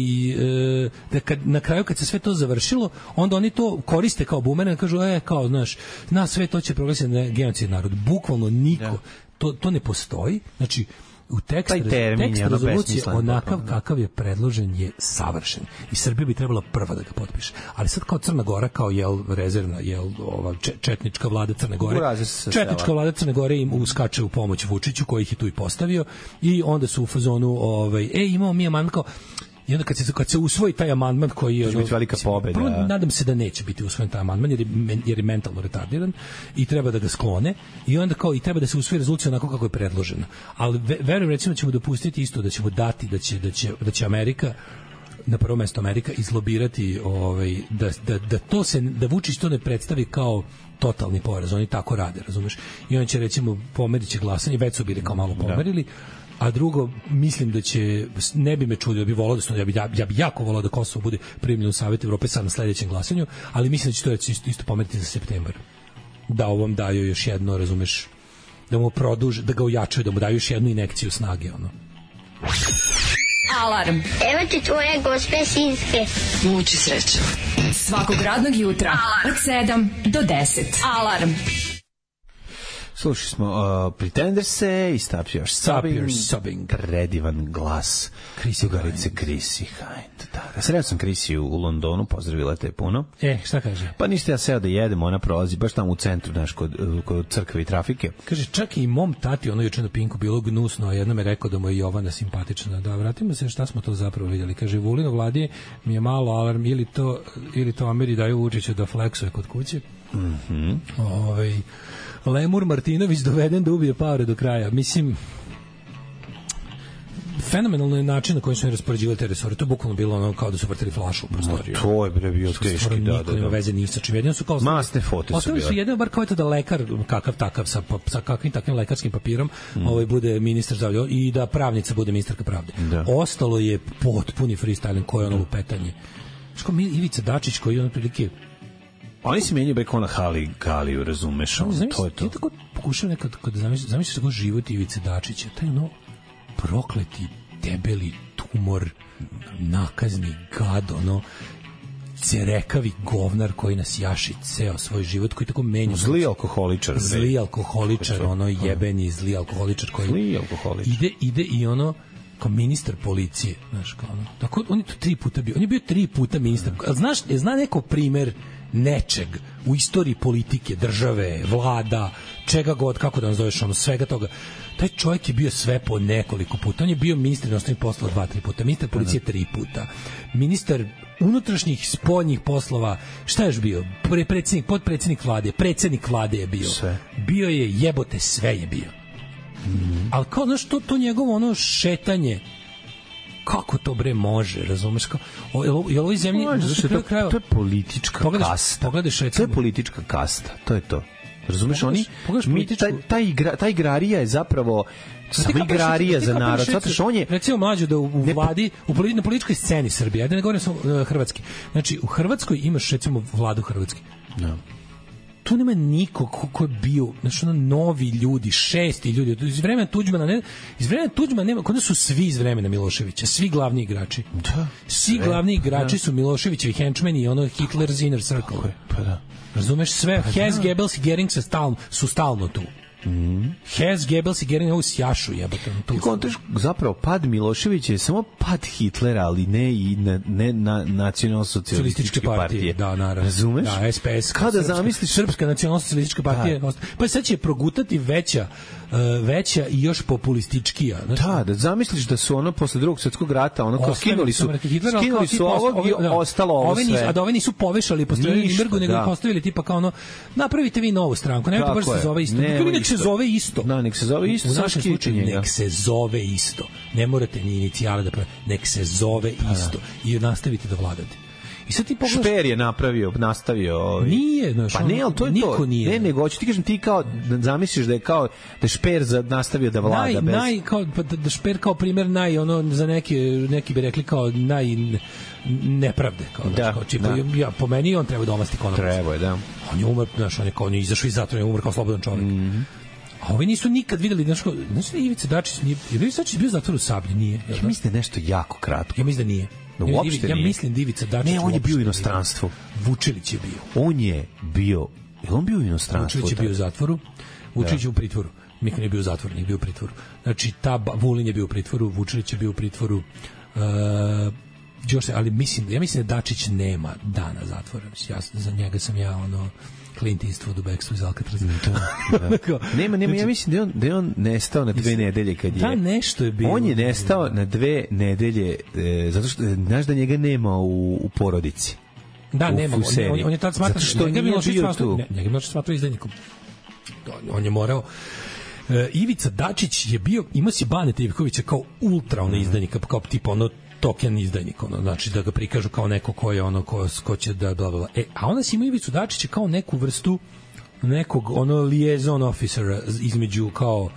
e, da kad, na kraju kad se sve to završilo, onda oni to koriste kao bumerang, kažu e kao znaš, na sve to će proglasiti genocidni narod. Bukvalno niko, to to ne postoji. Znači u tekstu tekst rezolucije onakav kakav je predložen je savršen i Srbija bi trebala prva da ga potpiše. Ali sad kao Crna Gora kao jel rezervna jel ova četnička vlada Crne Gore. Četnička vlada Crne Gore im uskače u pomoć Vučiću koji ih je tu i postavio i onda su u fazonu ovaj ej imamo mi amandman kao i onda kad se, kad se usvoji taj amandman koji je... Će biti velika pobeda. Prvo, nadam se da neće biti usvojen taj amandman jer je, jer je mentalno retardiran i treba da ga sklone i onda kao i treba da se usvoji rezolucija onako kako je predložena. Ali verujem recimo ćemo dopustiti isto da ćemo dati da će, da će, da će Amerika na prvo mesto Amerika izlobirati ovaj, da, da, da, to se, da Vučić to ne predstavi kao totalni poraz. Oni tako rade, razumeš? I on će recimo pomerit će glasanje, već su bili kao malo pomerili, a drugo, mislim da će, ne bi me čudio, bi volao da su, ja bi, ja bi jako volao da Kosovo bude primljeno u Savjet Evrope sad na sledećem glasanju, ali mislim da će to isto, isto pomeriti za septembar. Da ovom daju još jedno, razumeš, da mu produže, da ga ojačaju, da mu daju još jednu injekciju snage, ono. Alarm. Evo ti tvoje gospe sinske. Muči srećo. Svakog radnog jutra. Alarm. Od sedam do deset. Alarm. Slušali smo uh, Pretenders-e i Stop Your Sobbing, sobbing. Predivan glas Ugarice Chrissy Hind. Da, da, sreo sam Chrissy u, u Londonu, pozdravila te puno. E, šta kaže? Pa ništa, ja seo da jedem, ona prolazi baš tamo u centru, znaš, kod, kod crkve i trafike. Kaže, čak i mom tati, ono juče na Pinku bilo gnusno, a jedno me rekao da mu je Jovana simpatična. Da, vratimo se šta smo to zapravo vidjeli. Kaže, Vulino Vladije mi je malo alarm, ili to, ili to Ameri daju Vučiću da fleksuje kod kuće. Mhm. Ovaj Lemur Martinović doveden da ubije Pavre do kraja. Mislim, fenomenalno je način na koji su oni raspoređivali te resore. To je bukvalno bilo ono kao da su vrtili flašu u prostoriju. No, to je bre bio teški, da, da, da. Veze ni sa čim. Jedino su kao masne fote su bile. Ostali su jedino bar kao to da lekar, kakav takav, sa, sa kakvim takvim lekarskim papirom, mm. ovaj bude ministar zdravlja i da pravnica bude ministarka pravde. Da. Ostalo je potpuni freestyling koji je ono lupetanje. Što mi Ivica Dačić koji je ono prilike oni se menjaju preko na Hali Galiju, razumeš, on, zamisli, to je to. Ja tako pokušam nekad, kada zamisliš, zamisliš tako život Ivice Dačića, taj ono prokleti, debeli tumor, nakazni gad, ono, cerekavi govnar koji nas jaši ceo svoj život, koji tako menja. Zli alkoholičar. Zli alkoholičar, ono jebeni zli alkoholičar koji zli alkoholičar. Ide, ide i ono, kao ministar policije, znaš, kao ono. Tako, on je to tri puta bio, on je bio tri puta ministar. Mm. Znaš, zna neko primer nečeg u istoriji politike, države, vlada, čega god, kako da nazoveš, ono, svega toga. Taj čovjek je bio sve po nekoliko puta. On je bio ministar inostranih poslova dva, tri puta, ministar policije tri puta, ministar unutrašnjih spoljnih poslova, šta je još bio? Predsjednik, podpredsjednik vlade, predsjednik vlade je bio. Sve. Bio je jebote, sve je bio. Mm. Ali kao, znaš, to, to njegovo ono šetanje, kako to bre može, razumeš kao je ovoj zemlji to, to, kraju, to je politička pogledaš, kasta pogledaš, to je politička kasta, to je to, razumeš, oni mi, taj, taj, igra, taj igrarija je zapravo samo igrarija za narod, zato što on je recimo mlađo da u, u vladi u politi, na političkoj sceni Srbije, ajde ne govorim samo uh, hrvatski, znači u Hrvatskoj imaš recimo vladu Hrvatske, no. Tu nema niko ko, ko je bio, znači ono novi ljudi, šesti ljudi, iz vremena Tuđmana, ne, iz vremena Tuđmana nema, kod su svi iz vremena Miloševića, svi glavni igrači. Da. Svi sve, glavni igrači da. Su Miloševićevi henchmen i ono Hitler's inner circle. Pa da. Razumeš sve, pa Hess, da. Goebbels i Goering su stalno, su stalno tu. Mm. Hess, Goebbels i Goering ovu sjašu jebate. Tu kontraš, zapravo pad Miloševića je samo pad Hitlera, ali ne i na, ne na nacionalno-socijalističke partije. partije. Da, naravno. Razumeš? Da, S P S. Kada zamisliš Srpska nacionalno-socijalistička partija, da. Pa sad će progutati veća Uh, veća i još populističkija. Znači, da, da zamisliš da su ono posle drugog svjetskog rata, ono kao skinuli su, Hitler, skinuli su ovog i da, ostalo ovo sve. Nisu, a da ove nisu povešali, postavili Nimbergu, nego da. Postavili tipa kao ono, napravite vi novu stranku, nemojte baš se zove isto. Ne, nek se zove isto. Da, nek se zove isto. U našem slučaju, nek se zove isto. Ne morate ni inicijale da pravite, nek se zove isto. I nastavite da vladate. I sad ti pogledaš... Šper je napravio, nastavio... Ovaj. Nije, znaš, pa ne, ali to je niko to. Nije. Ne, nego, hoću ti kažem, ti kao, da zamisliš da je kao, da je Šper za, nastavio da vlada naj, bez... Naj, kao, pa da Šper kao primjer naj, ono, za neki, neki bi rekli kao naj nepravde. Kao, da, znaš, kao, čipa, da. Ja, po meni on treba da omasti konopac. Treba je, da. On je umr, znaš, on je kao, on je izašao iz zatvora, on je umr kao slobodan čovjek. Mm-hmm. A ovi nisu nikad videli, znaš, kao, znaš, Ivica Dačić nije, je Ivica Dačić bio u zatvoru u Sablji, nije? Ja da? Mislim da je nešto jako kratko. Ja mislim da nije. No, uopšte ja nije. mislim da Ivica Dačić... Ne, on je bio u inostranstvu. Vučilić je bio. On je bio... Je on bio u inostranstvu? Vučilić je bio u zatvoru, Vučilić je u pritvoru. Miko nije bio u zatvoru, nije bio u pritvoru. Znači, ta Vulin je bio u pritvoru, Vučilić je bio u pritvoru, uh, još se, ali mislim, ja mislim da Dačić nema dana zatvora. Ja, za njega sam ja, ono... Clint Eastwood u Bekstvu iz Alcatraza. Da, da. nema, nema, ja mislim da je on, da je on nestao na dve nedelje kad je... Da, nešto je bilo. On je nestao na dve nedelje, e, zato što, znaš da njega nema u, u porodici. Da, u, nema. U on, on, on je tad smatran... Zato što nije bio tu. Ne, njega je smatrao izdajnikom. On je morao... E, Ivica Dačić je bio, imao si Baneta Ivkovića kao ultra ono izdajnika, kao tipa ono token izdajnik, ono, znači da ga prikažu kao neko ko je ono, ko, ko će da bla, bla. E, a onda si ima Ivicu Dačića kao neku vrstu nekog ono liaison officera između kao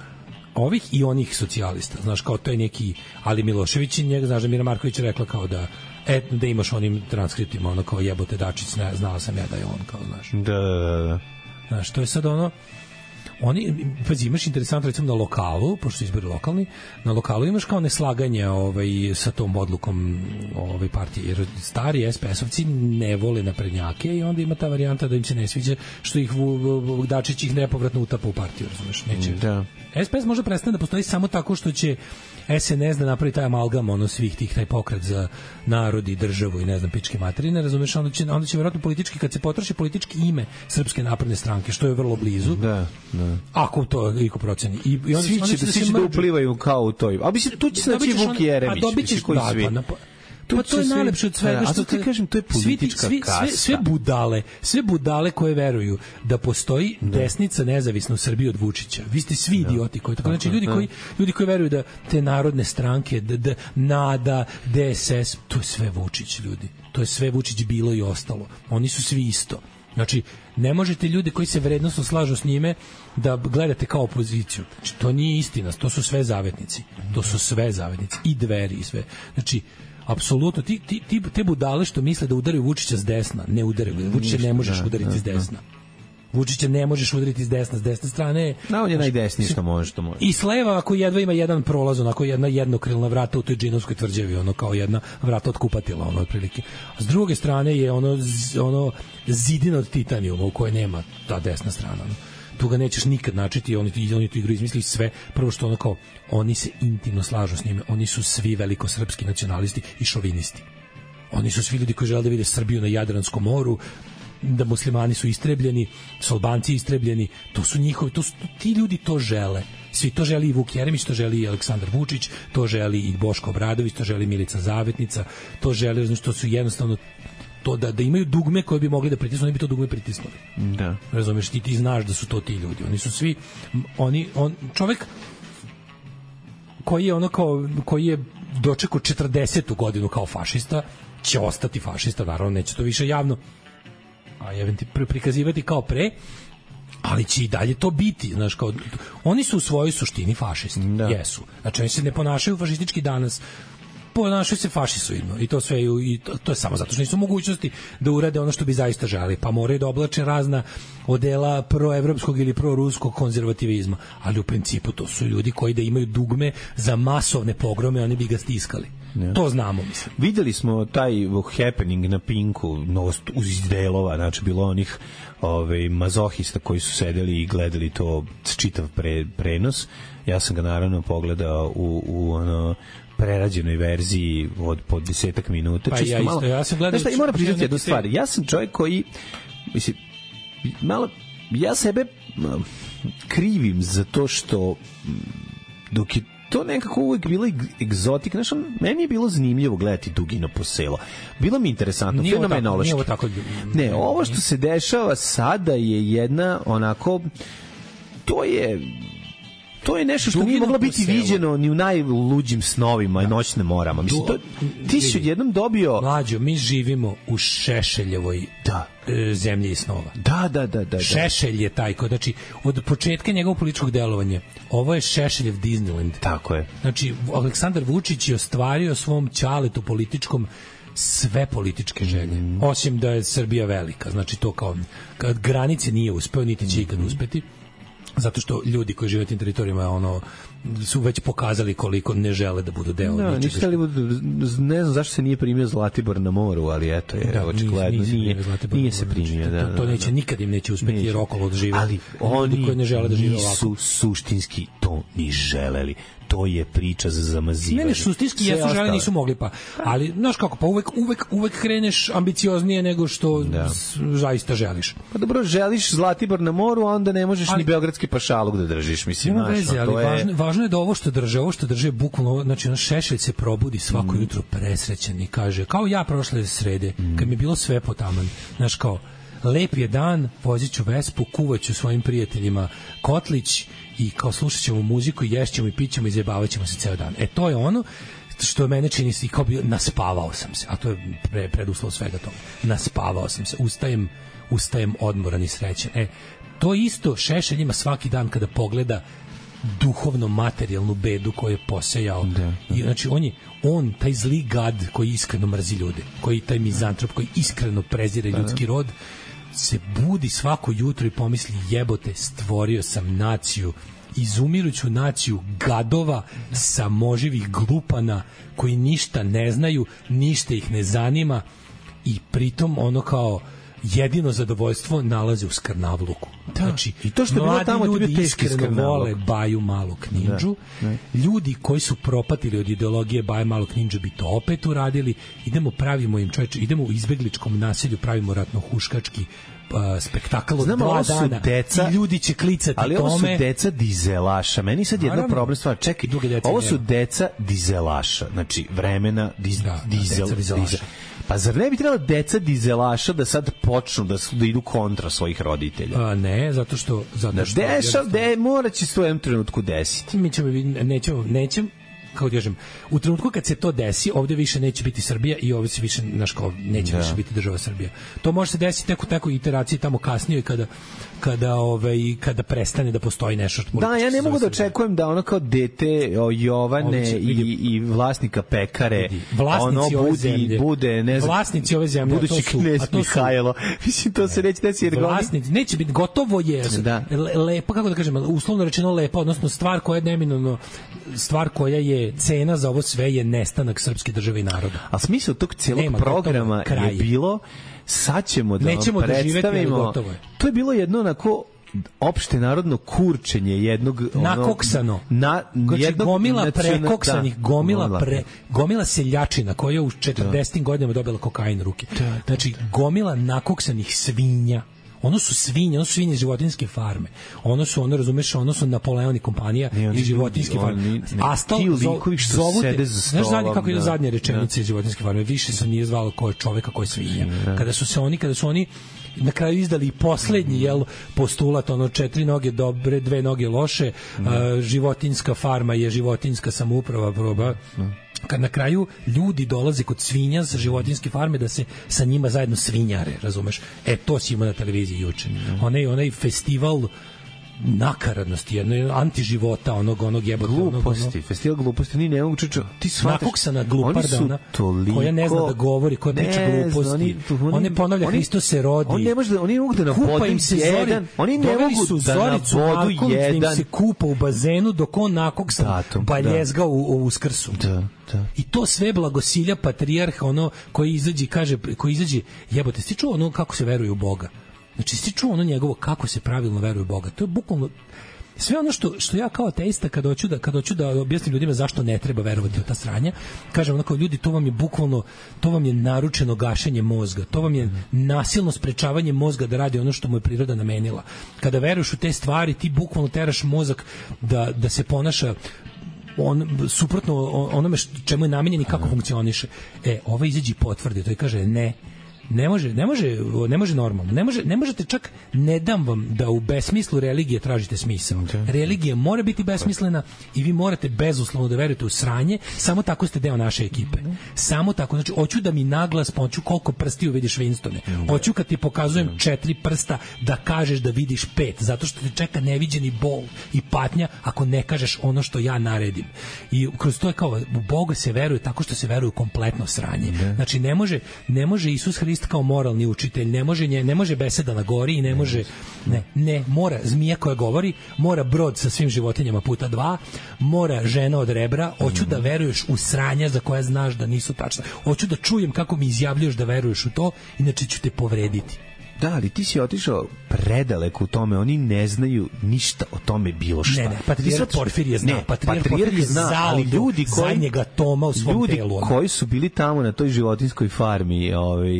ovih i onih socijalista, znaš, kao to je neki Ali Milošević i njega, znaš da Mira Marković rekla kao da et, da imaš onim transkriptima, ono kao jebote Dačić, ne, znala sam ja da je on, kao, znaš. Da, da, da. Znaš, to je sad ono, oni, pazi, imaš interesantno recimo na lokalu, pošto su izbori lokalni, na lokalu imaš kao neslaganje ovaj, sa tom odlukom ovaj, partije, jer stari es pe esovci ne vole naprednjake i onda ima ta varijanta da im se ne sviđa što ih Dačić ih nepovratno utapa u partiju, razumeš, neće. Da. es pe es može prestane da postoji samo tako što će es en es da napravi taj amalgam ono svih tih, taj pokret za narod i državu i ne znam, pičke materine, razumeš, onda će, onda će vjerojatno politički, kad se potroši politički ime Srpske napredne stranke, što je vrlo blizu, da, da. Ako to iko proceni. I, i svi će, će da, svi će da uplivaju kao u toj. A mislim, tu će se naći Vuk Jeremić. A dobit ćeš, koji da, svi. Pa, pa to je najlepše od svega. A što ti kažem, to je politička svi, kasta. Sve, sve budale, sve budale koje veruju da postoji da. desnica nezavisna u Srbiji od Vučića. Vi ste svi da. idioti koji tako. Znači, ljudi koji, ljudi koji veruju da te narodne stranke, da, da, NADA, de es es, to je sve Vučić, ljudi. To je sve Vučić bilo i ostalo. Oni su svi isto. Znači, ne možete ljude koji se vrednosno slažu s njime da gledate kao opoziciju. Znači, to nije istina, to su sve zavetnici. To su sve zavetnici. I Dveri i sve. Znači, apsolutno, ti, ti, ti, te budale što misle da udaraju Vučića s desna, ne udaraju. Vučića ne možeš da, udariti da, s desna. Vučića ne možeš udariti s desna, s desne strane. Da, on je najdesniji što može, što može. I s leva, ako jedva ima jedan prolaz, onako jedna jednokrilna vrata u toj džinovskoj tvrđavi, ono kao jedna vrata od kupatila, ono otprilike. A s druge strane je ono, ono zidina od titanijuma u kojoj nema ta desna strana. Ono. Tu ga nećeš nikad načeti, oni, oni tu igru izmislili sve. Prvo što ono kao, oni se intimno slažu s njime, oni su svi velikosrpski nacionalisti i šovinisti. Oni su svi ljudi koji žele da vide Srbiju na Jadranskom moru, da muslimani su istrebljeni, su Albanci istrebljeni, to su njihovi, to su, ti ljudi to žele. Svi to želi i Vuk Jeremić, to želi i Aleksandar Vučić, to želi i Boško Obradović, to želi Milica Zavetnica, to želi, znači, to su jednostavno to da, da imaju dugme koje bi mogli da pritisnu, oni bi to dugme pritisnuli. Da. Razumeš, ti, ti znaš da su to ti ljudi. Oni su svi, oni, on, čovek koji je ono kao, koji je dočekao četrdesetu godinu kao fašista, će ostati fašista, naravno, neće to više javno a eventi prikazivati kao pre, ali će i dalje to biti, znaš, kao, oni su u svojoj suštini fašisti, da. Jesu. Znači, oni se ne ponašaju fašistički danas, ponašaju se fašisoidno i to sve i to, to je samo zato što nisu mogućnosti da urade ono što bi zaista želeli, pa moraju da oblače razna odela proevropskog ili proruskog konzervativizma, ali u principu to su ljudi koji da imaju dugme za masovne pogrome, oni bi ga stiskali. Ja. To znamo, mislim. Videli smo taj happening na Pinku, novost uz delova, znači bilo onih ove, mazohista koji su sedeli i gledali to čitav pre, prenos. Ja sam ga naravno pogledao u, u ono prerađenoj verziji od po desetak minuta. Pa ja isto, malo, ja sam gledao... Znaš šta, i moram priznati jednu stvar. Ja sam čovjek koji, mislim, malo, ja sebe krivim za to što dok je to nekako uvijek bilo egzotik. Znaš, meni je bilo zanimljivo gledati Dugino po selo. Bilo mi interesantno, nije fenomenološki. Ovo tako, nije ovo tako... Ne, ovo što se dešava sada je jedna onako, to je to je nešto što nije moglo biti viđeno ni u najluđim snovima i noćnim morama. Mislim, to, ti si odjednom dobio... Mlađo, mi živimo u Šešeljevoj da. e, zemlji i snova. Da, da, da, da, da. Šešelj je taj, ko, znači, od početka njegovog političkog delovanja, ovo je Šešeljev Disneyland. Tako je. Znači, Aleksandar Vučić je ostvario svom ćaletu političkom sve političke želje, mm. osim da je Srbija velika. Znači, to kao, kad granice nije uspeo, niti će ikad uspeti, zato što ljudi koji žive na tim teritorijama ono, su već pokazali koliko ne žele da budu deo. Da, nisu hteli, ne znam zašto se nije primio Zlatibor na moru, ali eto je, da, očigledno nije, nije se primio. Da, to, to neće, da, nikad im neće uspeti neće. Jer okolo žive. Ali oni koji ne žele da žive nisu ovako. Suštinski to ni želeli. To je priča za zamazivanje. Ne, ne, suštinski jesu žele, nisu mogli pa. Ali, znaš kako, pa uvek, uvek, uvek kreneš ambicioznije nego što da. zaista želiš. Pa dobro, želiš Zlatibor na moru, a onda ne možeš ali, ni beogradski pašaluk da držiš, mislim. Nema veze, ali je... važno, važno je da ovo što drže, ovo što drže bukvalno, znači on Šešelj se probudi svako mm. jutro presrećan i kaže, kao ja prošle srede, mm. kad mi je bilo sve potaman, znaš kao, lep je dan, vozit ću Vespu, kuvaću svojim prijateljima kotlić i kao slušat ćemo muziku, ješćemo i pićemo i zajebavat ćemo se ceo dan. E to je ono što mene čini se i kao bio, naspavao sam se, a to je pre, preduslov svega toga. Naspavao sam se, ustajem, ustajem odmoran i srećan. E, to isto Šešelj ima svaki dan kada pogleda duhovno materijalnu bedu koju je posejao. Da, da. I znači on je on taj zli gad koji iskreno mrzi ljude, koji taj mizantrop koji iskreno prezire da, ljudski rod, se budi svako jutro i pomisli jebote, stvorio sam naciju, izumiruću naciju gadova, samoživih glupana koji ništa ne znaju, ništa ih ne zanima i pritom ono kao jedino zadovoljstvo nalaze u skrnavluku. Da. Znači, i to što je bilo tamo ljudi iskreno vole Baju Malog Nindžu. Da. Da. Ljudi koji su propatili od ideologije Baje Malog Nindžu bi to opet uradili. Idemo, pravimo im čoveče, idemo u izbegličkom naselju, pravimo ratno-huškački uh, spektakl od dva dana deca, i ljudi će klicati ali tome. Ali ovo su deca dizelaša. Meni sad jedna problem stvar. Čekaj, ovo su deca dizelaša. Znači, vremena diz, da, dizel, da, dizel. Pa zar ne bi trebalo deca dizelaša da sad počnu da, su, da idu kontra svojih roditelja? A ne, zato što... Zato što da deša, de, mora će se u jednom trenutku desiti. Mi ćemo, nećemo, nećemo, kao ti kažem, u trenutku kad se to desi, ovde više neće biti Srbija i ovde se više, znaš kao, neće da. više biti država Srbija. To može se desiti tek u takoj iteraciji tamo kasnije kada kada ovaj kada prestane da postoji nešto što da, ja ne mogu da očekujem da ono kao dete o, Jovane će, i, i vlasnika pekare vlasnici ono ove budi, zemlje bude, ne znam, vlasnici ove zemlje, budući knez Mihajlo. Mislim, to se neće desiti jer vlasnici, neće biti, gotovo je da. lepa, kako da kažem, uslovno rečeno lepa, odnosno stvar koja je neminovno, stvar koja je cena za ovo sve je nestanak srpske države i naroda. A smisao tog celog Nema, programa je bilo sad ćemo da Nećemo vam predstavimo. Da je. To je bilo jedno onako opšte narodno kurčenje jednog nakoksano na jednog gomila prekoksanih, gomila pre, gomila seljačina koja je u četrdesetim godinama dobila kokain u ruke. Da, da, znači gomila nakoksanih svinja. Ono su svinje, ono su svinje životinjske farme. Ono su, ono razumeš, ono su Napoleon i kompanija i životinjske farme. Astal, zovu te, znaš zadnje kako je zadnja rečenica iz životinjske farme, više se nije zvalo ko je čoveka, ko je svinja. Kada su se oni, kada su oni na kraju izdali i poslednji jel, postulat, ono četiri noge dobre, dve noge loše, a, životinjska farma je životinjska samouprava, proba. Kad na kraju ljudi dolaze kod svinja sa životinjske farme da se sa njima zajedno svinjare, razumeš? E, to si imao na televiziji juče. Onaj, onaj festival nakaradnosti, jedno antiživota, onog onog jebote, gluposti, onog, festival gluposti, ni ne mogu čuče, ti shvataš, nakoksana gluparda, ona, koja ne zna da govori, koja priča gluposti, oni, oni, on ne ponavlja oni, Hristos se rodi, on ne može da, oni ne mogu da nabodu jedan, oni ne mogu da nabodu jedan, da im se kupa u bazenu dok on nakoksan baljezga u, u uskrsu. Da. Da. I to sve blagosilja patrijarh, ono koji izađe kaže, koji izađe, jebote, ti čuo ono kako se veruje u Boga? Znači, ti čuo ono njegovo kako se pravilno veruje u Boga? To je bukvalno sve ono što, što ja kao ateista kad hoću da, kad hoću da objasnim ljudima zašto ne treba verovati u ta sranja, kažem onako, ljudi, to vam je bukvalno, to vam je naručeno gašenje mozga, to vam je nasilno sprečavanje mozga da radi ono što mu je priroda namenila. Kada veruješ u te stvari, ti bukvalno teraš mozak da, da se ponaša on suprotno onome čemu je namenjen i kako funkcioniše. E, ovaj izađe i potvrdi to i kaže ne, Ne može, ne može, ne može normalno. Ne može, ne možete čak, ne dam vam da u besmislu religije tražite smisao. Okay. Religija mora biti besmislena i vi morate bezuslovno da verujete u sranje, samo tako ste deo naše ekipe. Samo tako, znači hoću da mi naglas hoću koliko prstiju vidiš Winstone. Hoću kad ti pokazujem četiri prsta da kažeš da vidiš pet, zato što te čeka neviđeni bol i patnja ako ne kažeš ono što ja naredim. I kroz to je kao u Boga se veruje tako što se veruje u kompletno sranje. Znači ne može, ne može Isus Hrist kao moralni učitelj, ne može nje, ne može beseda na gori i ne može ne, ne, mora zmija koja govori, mora brod sa svim životinjama puta dva, mora žena od rebra, hoću da veruješ u sranja za koja znaš da nisu tačna. Hoću da čujem kako mi izjavljuješ da veruješ u to, inače ću te povrediti. Da, ali ti si otišao predaleko u tome, oni ne znaju ništa o tome bilo šta. Ne, ne, patrijarh Porfirije zna, ne, patrijarh Porfirije zna, ali ljudi koji zadnjega toma u svom ljudi telu. Ljudi koji su bili tamo na toj životinjskoj farmi, ovaj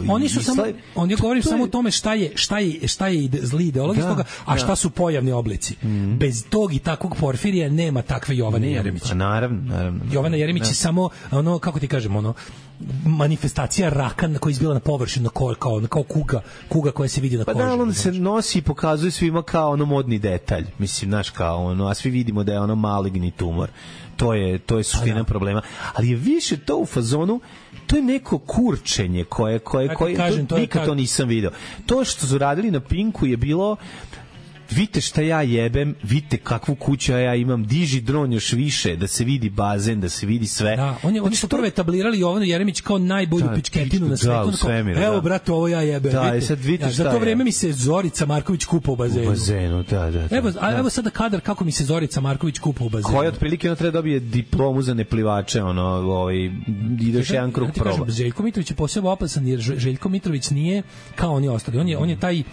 oni su samo, on je govorio samo o tome šta je, šta je, šta je zli ideologija toga, a šta su pojavni oblici. Mm. Bez tog i takvog Porfirija nema takve Jovane Jeremića. Pa naravno, naravno. Jovana Jeremić je samo ono, kako ti kažemo, ono manifestacija raka koji izbila na površinu kao, kao, kao kuga, kuga koja se vidi na koži. Pa da, on se nosi i pokazuje svima kao ono modni detalj. Mislim, znaš, kao ono, a svi vidimo da je ono maligni tumor. To je, to je suština problema. Ali je više to u fazonu, to je neko kurčenje koje, koje, koje, kažem, to, to nikad kad... to nisam video. To što su radili na Pinku je bilo, vidite šta ja jebem, vidite kakvu kuću ja imam, diži dron još više, da se vidi bazen, da se vidi sve. Da, on je, oni su prvo etablirali Jovanu Jeremić kao najbolju da, pičketinu na svetu. Da, svemir, evo, da. brate, ovo ja jebem. Da, vidite. sad vidite ja, šta za to je. vreme mi se Zorica Marković kupa u bazenu. U bazenu, da, da. da evo, a, da. evo sada kadar kako mi se Zorica Marković kupa u bazenu. Koja otprilike ona treba dobije diplomu za neplivače, ono, ovaj, ideš jedan krug ja proba. Kažem, Željko Mitrović je posebno opasan, jer Željko Mitrović nije kao oni ostali. On je, on je taj,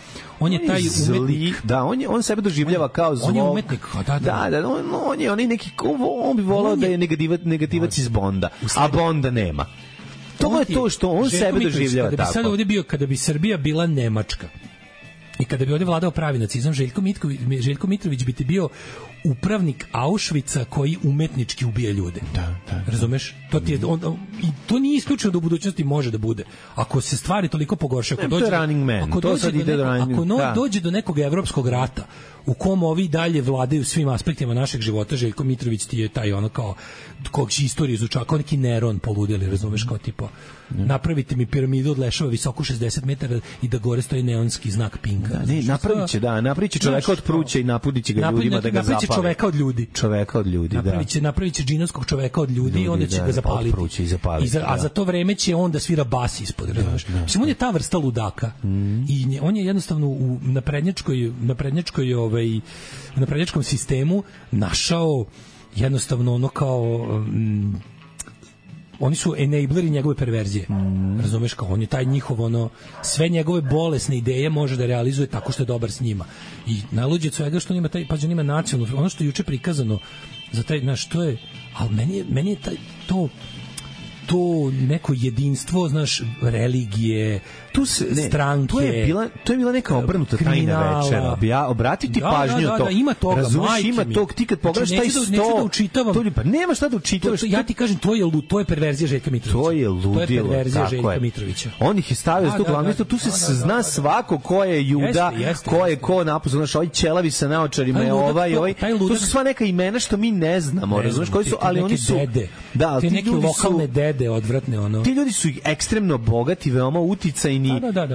on je taj umetnik. Da, on, je, on sebe doživljava kao zlo. On je umetnik, da, da. Da, da, on, on je, on je neki, on bi volao on je, da je negativac, negativac iz Bonda, a Bonda nema. To je to što on sebe doživljava tako. Kada bi sad ovdje bio, kada bi Srbija bila Nemačka i kada bi ovdje vladao pravi nacizam, Željko Mitrović, Željko Mitrović bi ti bio upravnik Auschwitza koji umetnički ubija ljude. Da, da. Razumeš? To ti je on, i to nije isključeno da u budućnosti može da bude. Ako se stvari toliko pogoršaju, ako dođe, ako to dođe do nekog, running, ako no, dođe do nekog evropskog rata u kom ovi dalje vladaju svim aspektima našeg života, Željko Mitrović ti je taj ono kao kog će istoriju izučava, kao neki Neron poludeli, razumeš, kao tipo napravite mi piramidu od leševa visoku šezdeset metara i da gore stoji neonski znak Pinka. Da, ne, napravit će, da, napravit će čoveka od pruća i napudit će ga napravi, ljudima da ga zapali. Napravit će čoveka od ljudi. Čoveka od ljudi, napravit će, da. Napravit će džinovskog čoveka od ljudi, ljudi i onda će da, ga zapaliti. I zapaliti I za, da. A za to vreme će on da svira bas ispod, razumeš. Da, da, on je ta vrsta ludaka. Mm. I nje, on je jednostavno u naprednjačkoj, naprednjačkoj ovaj, u naprednjačkom sistemu našao jednostavno ono kao um, oni su enableri njegove perverzije. Mm. Razumeš, kao on je taj njihov ono, sve njegove bolesne ideje može da realizuje tako što je dobar s njima. I najluđe od svega što on ima taj, pa on ima nacionalno, ono što je juče prikazano za taj, znaš, to je, ali meni je, meni je taj, to to neko jedinstvo, znaš, religije, tu se, ne, stranke. To je bila, to je bila neka obrnuta tajna večera. Ja obratiti da, pažnju da, na to. Da, ima toga, razumeš, ima tog, ti kad pogledaš znači, taj sto, neću da učitavam. To, pa nema šta da učitavaš. To, ja ti kažem, to je, to je perverzija Željka Mitrovića. To je ludilo. To je perverzija Željka je. Mitrovića. On ih je stavio s tog glavnog, tu se da, da, zna da, svako ko je Juda, jeste, jeste, ko je ko napusno, znaš, ovaj ćelavi sa naočarima je ovaj, ovaj. To su sva neka imena što mi ne znamo, razumeš, koji su, ali oni su da, ti neki lokalne dede odvratne, ono. Ti ljudi su ekstremno bogati, veoma uticajni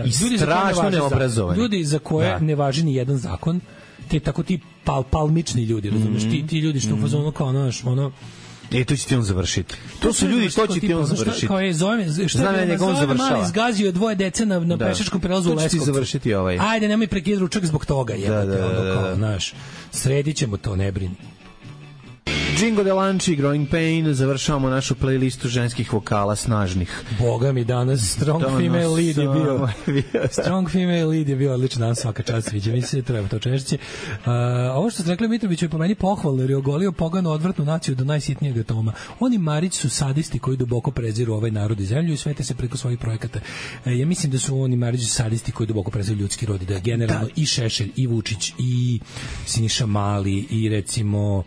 i strašno neobrazovani. Ljudi za koje da. ne važi ni jedan zakon, te tako ti pal, palmični ljudi, razumeš, mm-hmm. ti, ti ljudi što u fazonu kao ono, ono E, to će ti on završiti. To, to su ljudi, to će ti on završiti. Kao je, zove, šta Znam ja njegov završava. Mali izgazio dvoje dece na, na da. pešačkom prelazu u Leskovcu. To će ti završiti ovaj. Ajde, nemoj prekid ručak zbog toga, jebate, da, da, da, da. ono kao, znaš, sredit ćemo to, ne brini. Jingo de Lanči, Growing Pain, završavamo našu playlistu ženskih vokala snažnih. Boga mi danas Strong danas, Female Lead je bio. Strong Female Lead je bio odličan dan, svaka čast, sviđa mi se, treba to češće. Uh, ovo što ste rekli Mitroviću je po meni pohvalno, jer je ogolio pogano odvratnu naciju do najsitnijeg atoma. Oni Marić su sadisti koji duboko preziru ovaj narod i zemlju i svete se preko svojih projekata. Uh, ja mislim da su oni Marić sadisti koji duboko preziru ljudski rod, da je generalno da. i Šešelj, i Vučić, i Siniša Mali, i recimo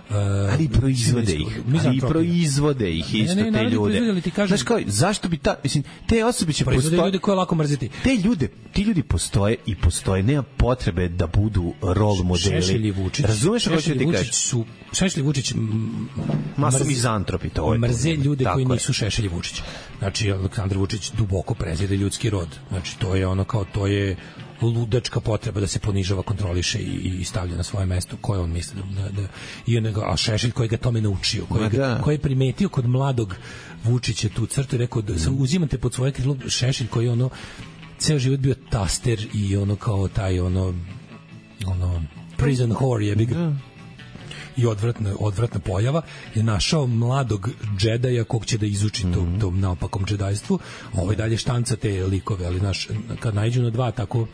Uh, ali proizvode ih, ali proizvode ih isto ne, ne, te ljude. Kažem, znaš kao, zašto bi ta, mislim, te osobe će proizvode ljude koje lako mrziti. Te ljude, ti ljudi postoje i postoje, nema potrebe da budu role modeli. Šešelj i Vučić. Razumeš kako ću ti kažeš? Su, Šešelj i Vučić masu mizantropi, to je. Mrze ljude koji nisu Šešelj i Vučić. Znači, Aleksandar Vučić duboko prezire ljudski rod. Znači, to je ono kao, to je ludačka potreba da se ponižava, kontroliše i, i stavlja na svoje mesto koje on misli da, da i onego, a Šešelj koji ga tome naučio, koji, ga, koji je primetio kod mladog Vučića tu crtu i rekao da mm. uzimate pod svoje krilo. Šešelj koji je ono ceo život bio taster i ono kao taj ono ono prison whore je big mm. i odvratna, odvratna pojava je našao mladog džedaja kog će da izuči mm. tom, tom naopakom džedajstvu. Ovaj dalje štanca te likove, ali naš, kad naiđu na dva tako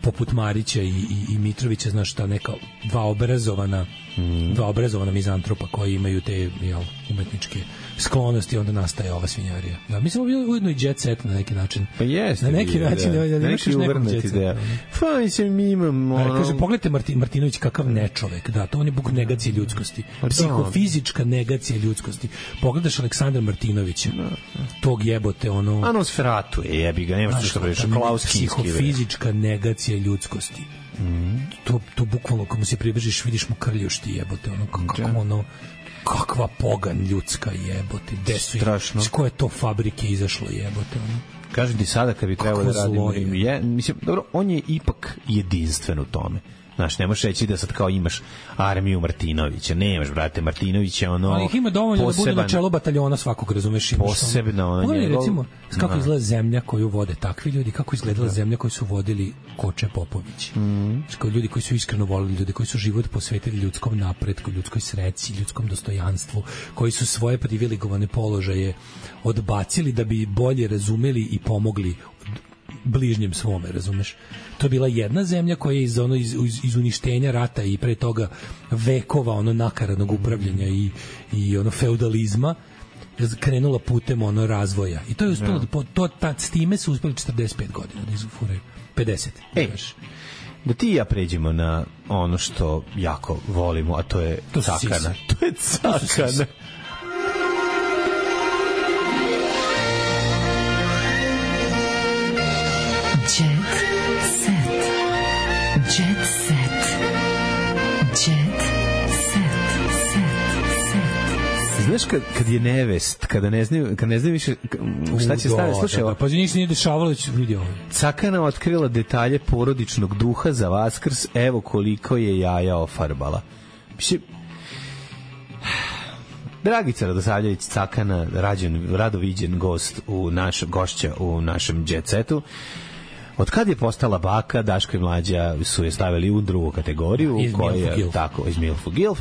poput Marića i, i, i Mitrovića, znaš šta, neka dva obrazovana mm. dva obrazovana mizantropa koji imaju te jel, umetničke sklonosti, onda nastaje ova svinjarija. Da, mi smo bili ujedno i jet set na neki način. Pa jeste. Na neki bio, način, da, da, da neki uvrnati ideja. Pa mislim, mi imamo... Ono... Kaže, pogledajte Martin, Martinović kakav nečovek, da, to on je buk negacije ljudskosti. Psihofizička negacija ljudskosti. Pogledaš Aleksandra Martinovića, da, da. tog jebote, ono... Anosferatu je, jebi ga, nema što priča, Klauskinski. Psihofizička negacija ljudskosti. Mm. To, to bukvalno, kako mu se približiš, vidiš mu krljušti jebote, ono, kako da. ono... kakva pogan ljudska jebote, gde su iz koje to fabrike izašlo jebote ono. Kažem ti sada kad bi trebalo da radimo je, mislim, dobro, on je ipak jedinstven u tome. Znaš, ne možeš reći da sad kao imaš armiju Martinovića, nemaš, brate, Martinovića, ono... Ali ih ima dovoljno poseban, da bude na čelu bataljona svakog, razumeš? Posebno, ono... Pogledaj, recimo, kako izgleda zemlja koju vode takvi ljudi, kako izgledala da. zemlja koju su vodili Koče Popović. Mm. Kao ljudi koji su iskreno volili, ljudi koji su život posvetili ljudskom napretku, ljudskoj sreći, ljudskom dostojanstvu, koji su svoje privilegovane položaje odbacili da bi bolje razumeli i pomogli bližnjem svome, razumeš? To je bila jedna zemlja koja je iz, ono, iz, iz uništenja rata i pre toga vekova ono nakaradnog upravljanja i, i ono feudalizma krenula putem ono razvoja. I to je uspelo, ja. to, ta, s time su uspeli četrdeset pet godina da izufure pedeset. Ej, da ti i ja pređemo na ono što jako volimo, a to je to cakana. To je cakana. Jet set. Jet set. Jet set. Set. Znaš kad, kad je nevest, kada ne znaju, kad ne znaju više šta će staviti, slušaj, pa za njih se nije dešavalo da će vidi ovo. Cakana otkrila detalje porodičnog duha za Vaskrs, evo koliko je jaja ofarbala. Mislim, Dragica Radosavljević Cakana, rađen, radoviđen gost u naš, gošća u našem Jet Setu. Od kad je postala baka, Daško i Mlađa su je stavili u drugu kategoriju, iz koja je tako iz Milfu Gilf.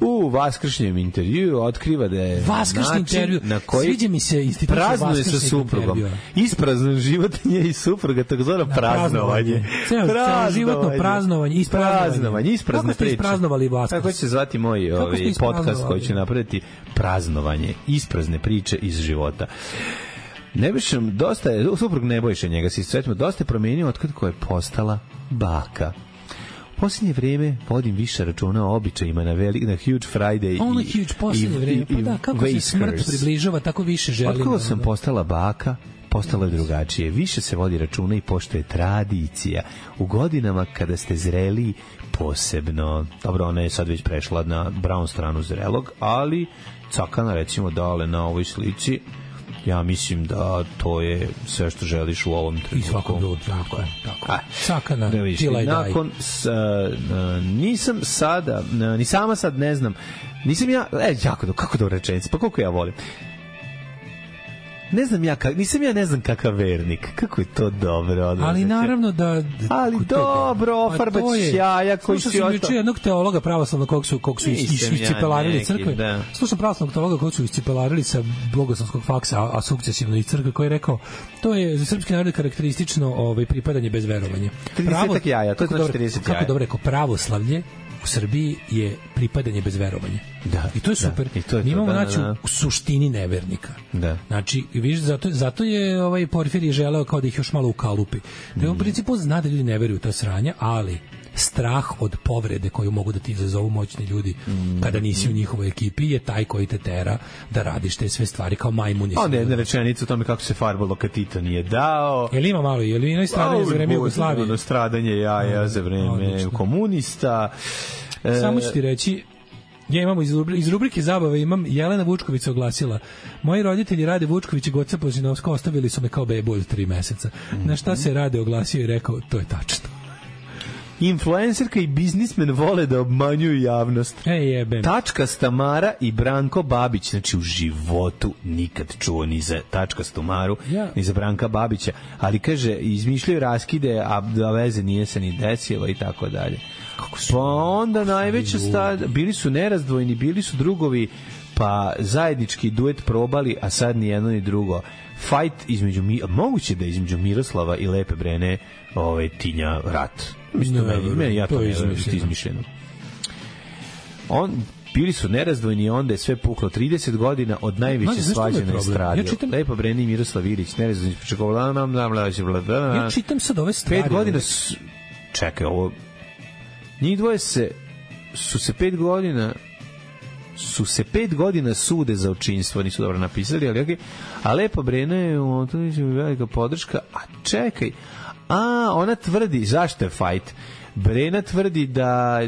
U vaskršnjem intervjuu otkriva da je vaskršnji intervju na koji sviđa mi se institucija praznuje sa suprugom. Ispraznan život nje i supruga, takozvano praznovanje. Ceo životno praznovanje, ispraznovanje, isprazne priče. Kako ste praznovali Vaskrs? Tako će se zvati moj ovaj podcast koji ću napraviti, praznovanje, isprazne priče iz života. Nebojšem, dosta je, suprug Nebojše njega se sretimo, dosta je promenio otkad ko je postala baka. U posljednje vreme vodim više računa o običajima na, veli, na Huge Friday. Ono je huge posljednje vreme, pa da, kako Vaskrs. Se smrt približava, tako više želim. Otkako sam postala baka, postala je drugačije. Više se vodi računa i pošto je tradicija. U godinama kada ste zreli, posebno, dobro, ona je sad već prešla na brown stranu zrelog, ali Cakana, recimo, dale na ovoj slici, ja mislim da to je sve što želiš u ovom trenutku. I svakog drugog, tako je. Tako. Cakana, tila i daj. Nakon, s, uh, nisam sada, uh, ni sama sad ne znam, nisam ja, e, jako, kako da rečenice, pa koliko ja volim. Ne znam ja, kak, nisam ja ne znam kakav vernik. Kako je to dobro. Odmah, ali naravno da... Ali dobro, ofarbać jaja koji si oto... Slušao sam jednog teologa pravoslavnog kog su, kog su iscipelarili crkve. Da. Slušao pravoslavnog teologa kog su iscipelarili sa bogoslovskog faksa, a, a sukcesivno iz crkve, koji je rekao, to je za srpski narod karakteristično ovaj, pripadanje bez verovanja. trideset jaja, to je znači trideset jaja. Kako dobro rekao, pravoslavlje u Srbiji je pripadanje bez verovanja. Da, i to je super. Da, i to je mi imamo to, da, znači da, da. u suštini nevernika. Da. Znači, vidiš, zato, zato je ovaj Porfirije želeo kao da ih još malo ukalupi. Da mm. u principu zna da ljudi ne veruju u to sranje, ali strah od povrede koju mogu da ti izazovu moćni ljudi mm. kada nisi u njihovoj ekipi je taj koji te tera da radiš te sve stvari kao majmun. Onda jedna rečenica o tome kako se farbalo kad Tito nije dao. Je li ima malo, je li ima stradanje za vreme Jugoslavije? Ono stradanje jaja za vreme Odlično. komunista. Samo ću ti reći, ja imamo iz, iz rubrike zabave imam Jelena Vučković se oglasila. Moji roditelji Rade Vučković i Goca Pozinovska ostavili su me kao bebu od tri meseca. Mm-hmm. Na šta se Rade oglasio i rekao, to je tačno. Influencerka i biznismen vole da obmanjuju javnost. E, jebem. Tačka Stamara i Branko Babić, znači u životu nikad čuo ni za Tačka Stamaru, ja. ni za Branka Babića, ali kaže, izmišljaju raskide, a da veze nije se ni desilo i tako dalje. Pa onda najveća stad, bili su nerazdvojni, bili su drugovi, pa zajednički duet probali, a sad ni jedno ni drugo. Fight između, moguće da između Miroslava i Lepe Brene ovaj, tinja rat. Mislim, ne, meni, meni, ja to, to ne znam što je izmišljeno. On, bili su nerazdvojni, onda je sve puklo. trideset godina od najveće svađe na estradi. Ja čitam... Lepa Brene i Miroslav Ilić, nerazdvojni. Ja čitam sad ove stvari. Pet godina su... Čekaj, ovo... Njih dvoje se... su se pet godina... su se pet godina sude za očinstvo, nisu dobro napisali, ali okay. A Lepa Brena je velika podrška, a čekaj, a ona tvrdi, zašto je fight? Brena tvrdi da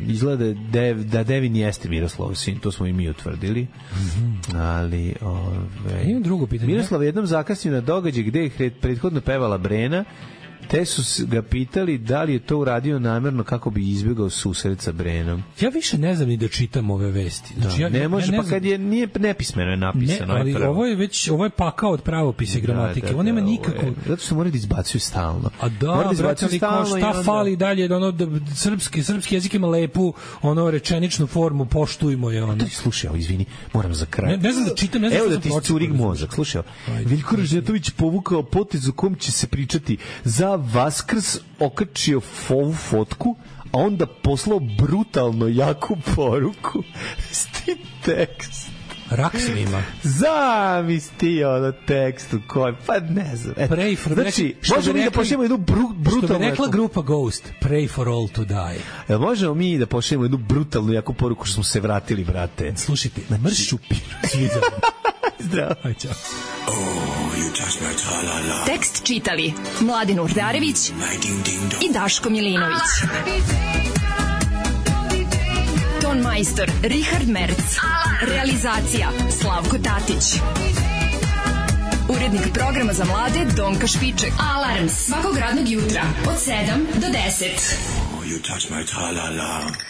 izgleda Dev, da Devin jeste Miroslav sin, to smo i mi utvrdili, mm-hmm. ali ove, imam drugo pitanje. Miroslav jednom zakasnio na događaj gde je prethodno pevala Brena, te su ga pitali da li je to uradio namerno kako bi izbjegao susret sa Brenom. Ja više ne znam ni da čitam ove vesti. Znači, da, ja, ne može, ja ne pa kad je nije nepismeno je napisano. Ne, ali je ovo je već, ovo je pakao od pravopisa i gramatike. Da, da, on nema nikako... Je, zato što moraju da izbacuju stalno. A da, da brate, ali kao šta onda... fali dalje, ono, da, srpski, srpski jezik ima lepu, ono, rečeničnu formu, poštujmo je, ono. Da, slušaj, izvini, moram za kraj. Ne, ne znam da čitam, ne znam Evo da ti curig mozak, slušaj. Veljko Ražnjatović povukao potez u kom će se pričati za Vaskrs okačio ovu fotku, a onda poslao brutalno jaku poruku s tim tekst. Rak se ima. Zamisli ono tekst u kojem, pa ne znam. Et, pray for, znači, možemo mi da pošljemo jednu bru, brutalnu... Što bi rekla grupa Ghost, pray for all to die. Jel možemo mi da pošljemo jednu brutalnu jaku poruku što smo se vratili, brate? Slušajte, na mršu piru. Svi za Zdravo. Aj, čao. Tekst čitali Mladin Urdarević i Daško Milinović. Ton majstor Richard Merc. Realizacija Slavko Tatić. Urednik programa za mlade Donka Špiček. Alarms svakog radnog jutra od sedam do deset. Oh, you touch my tra-la-la.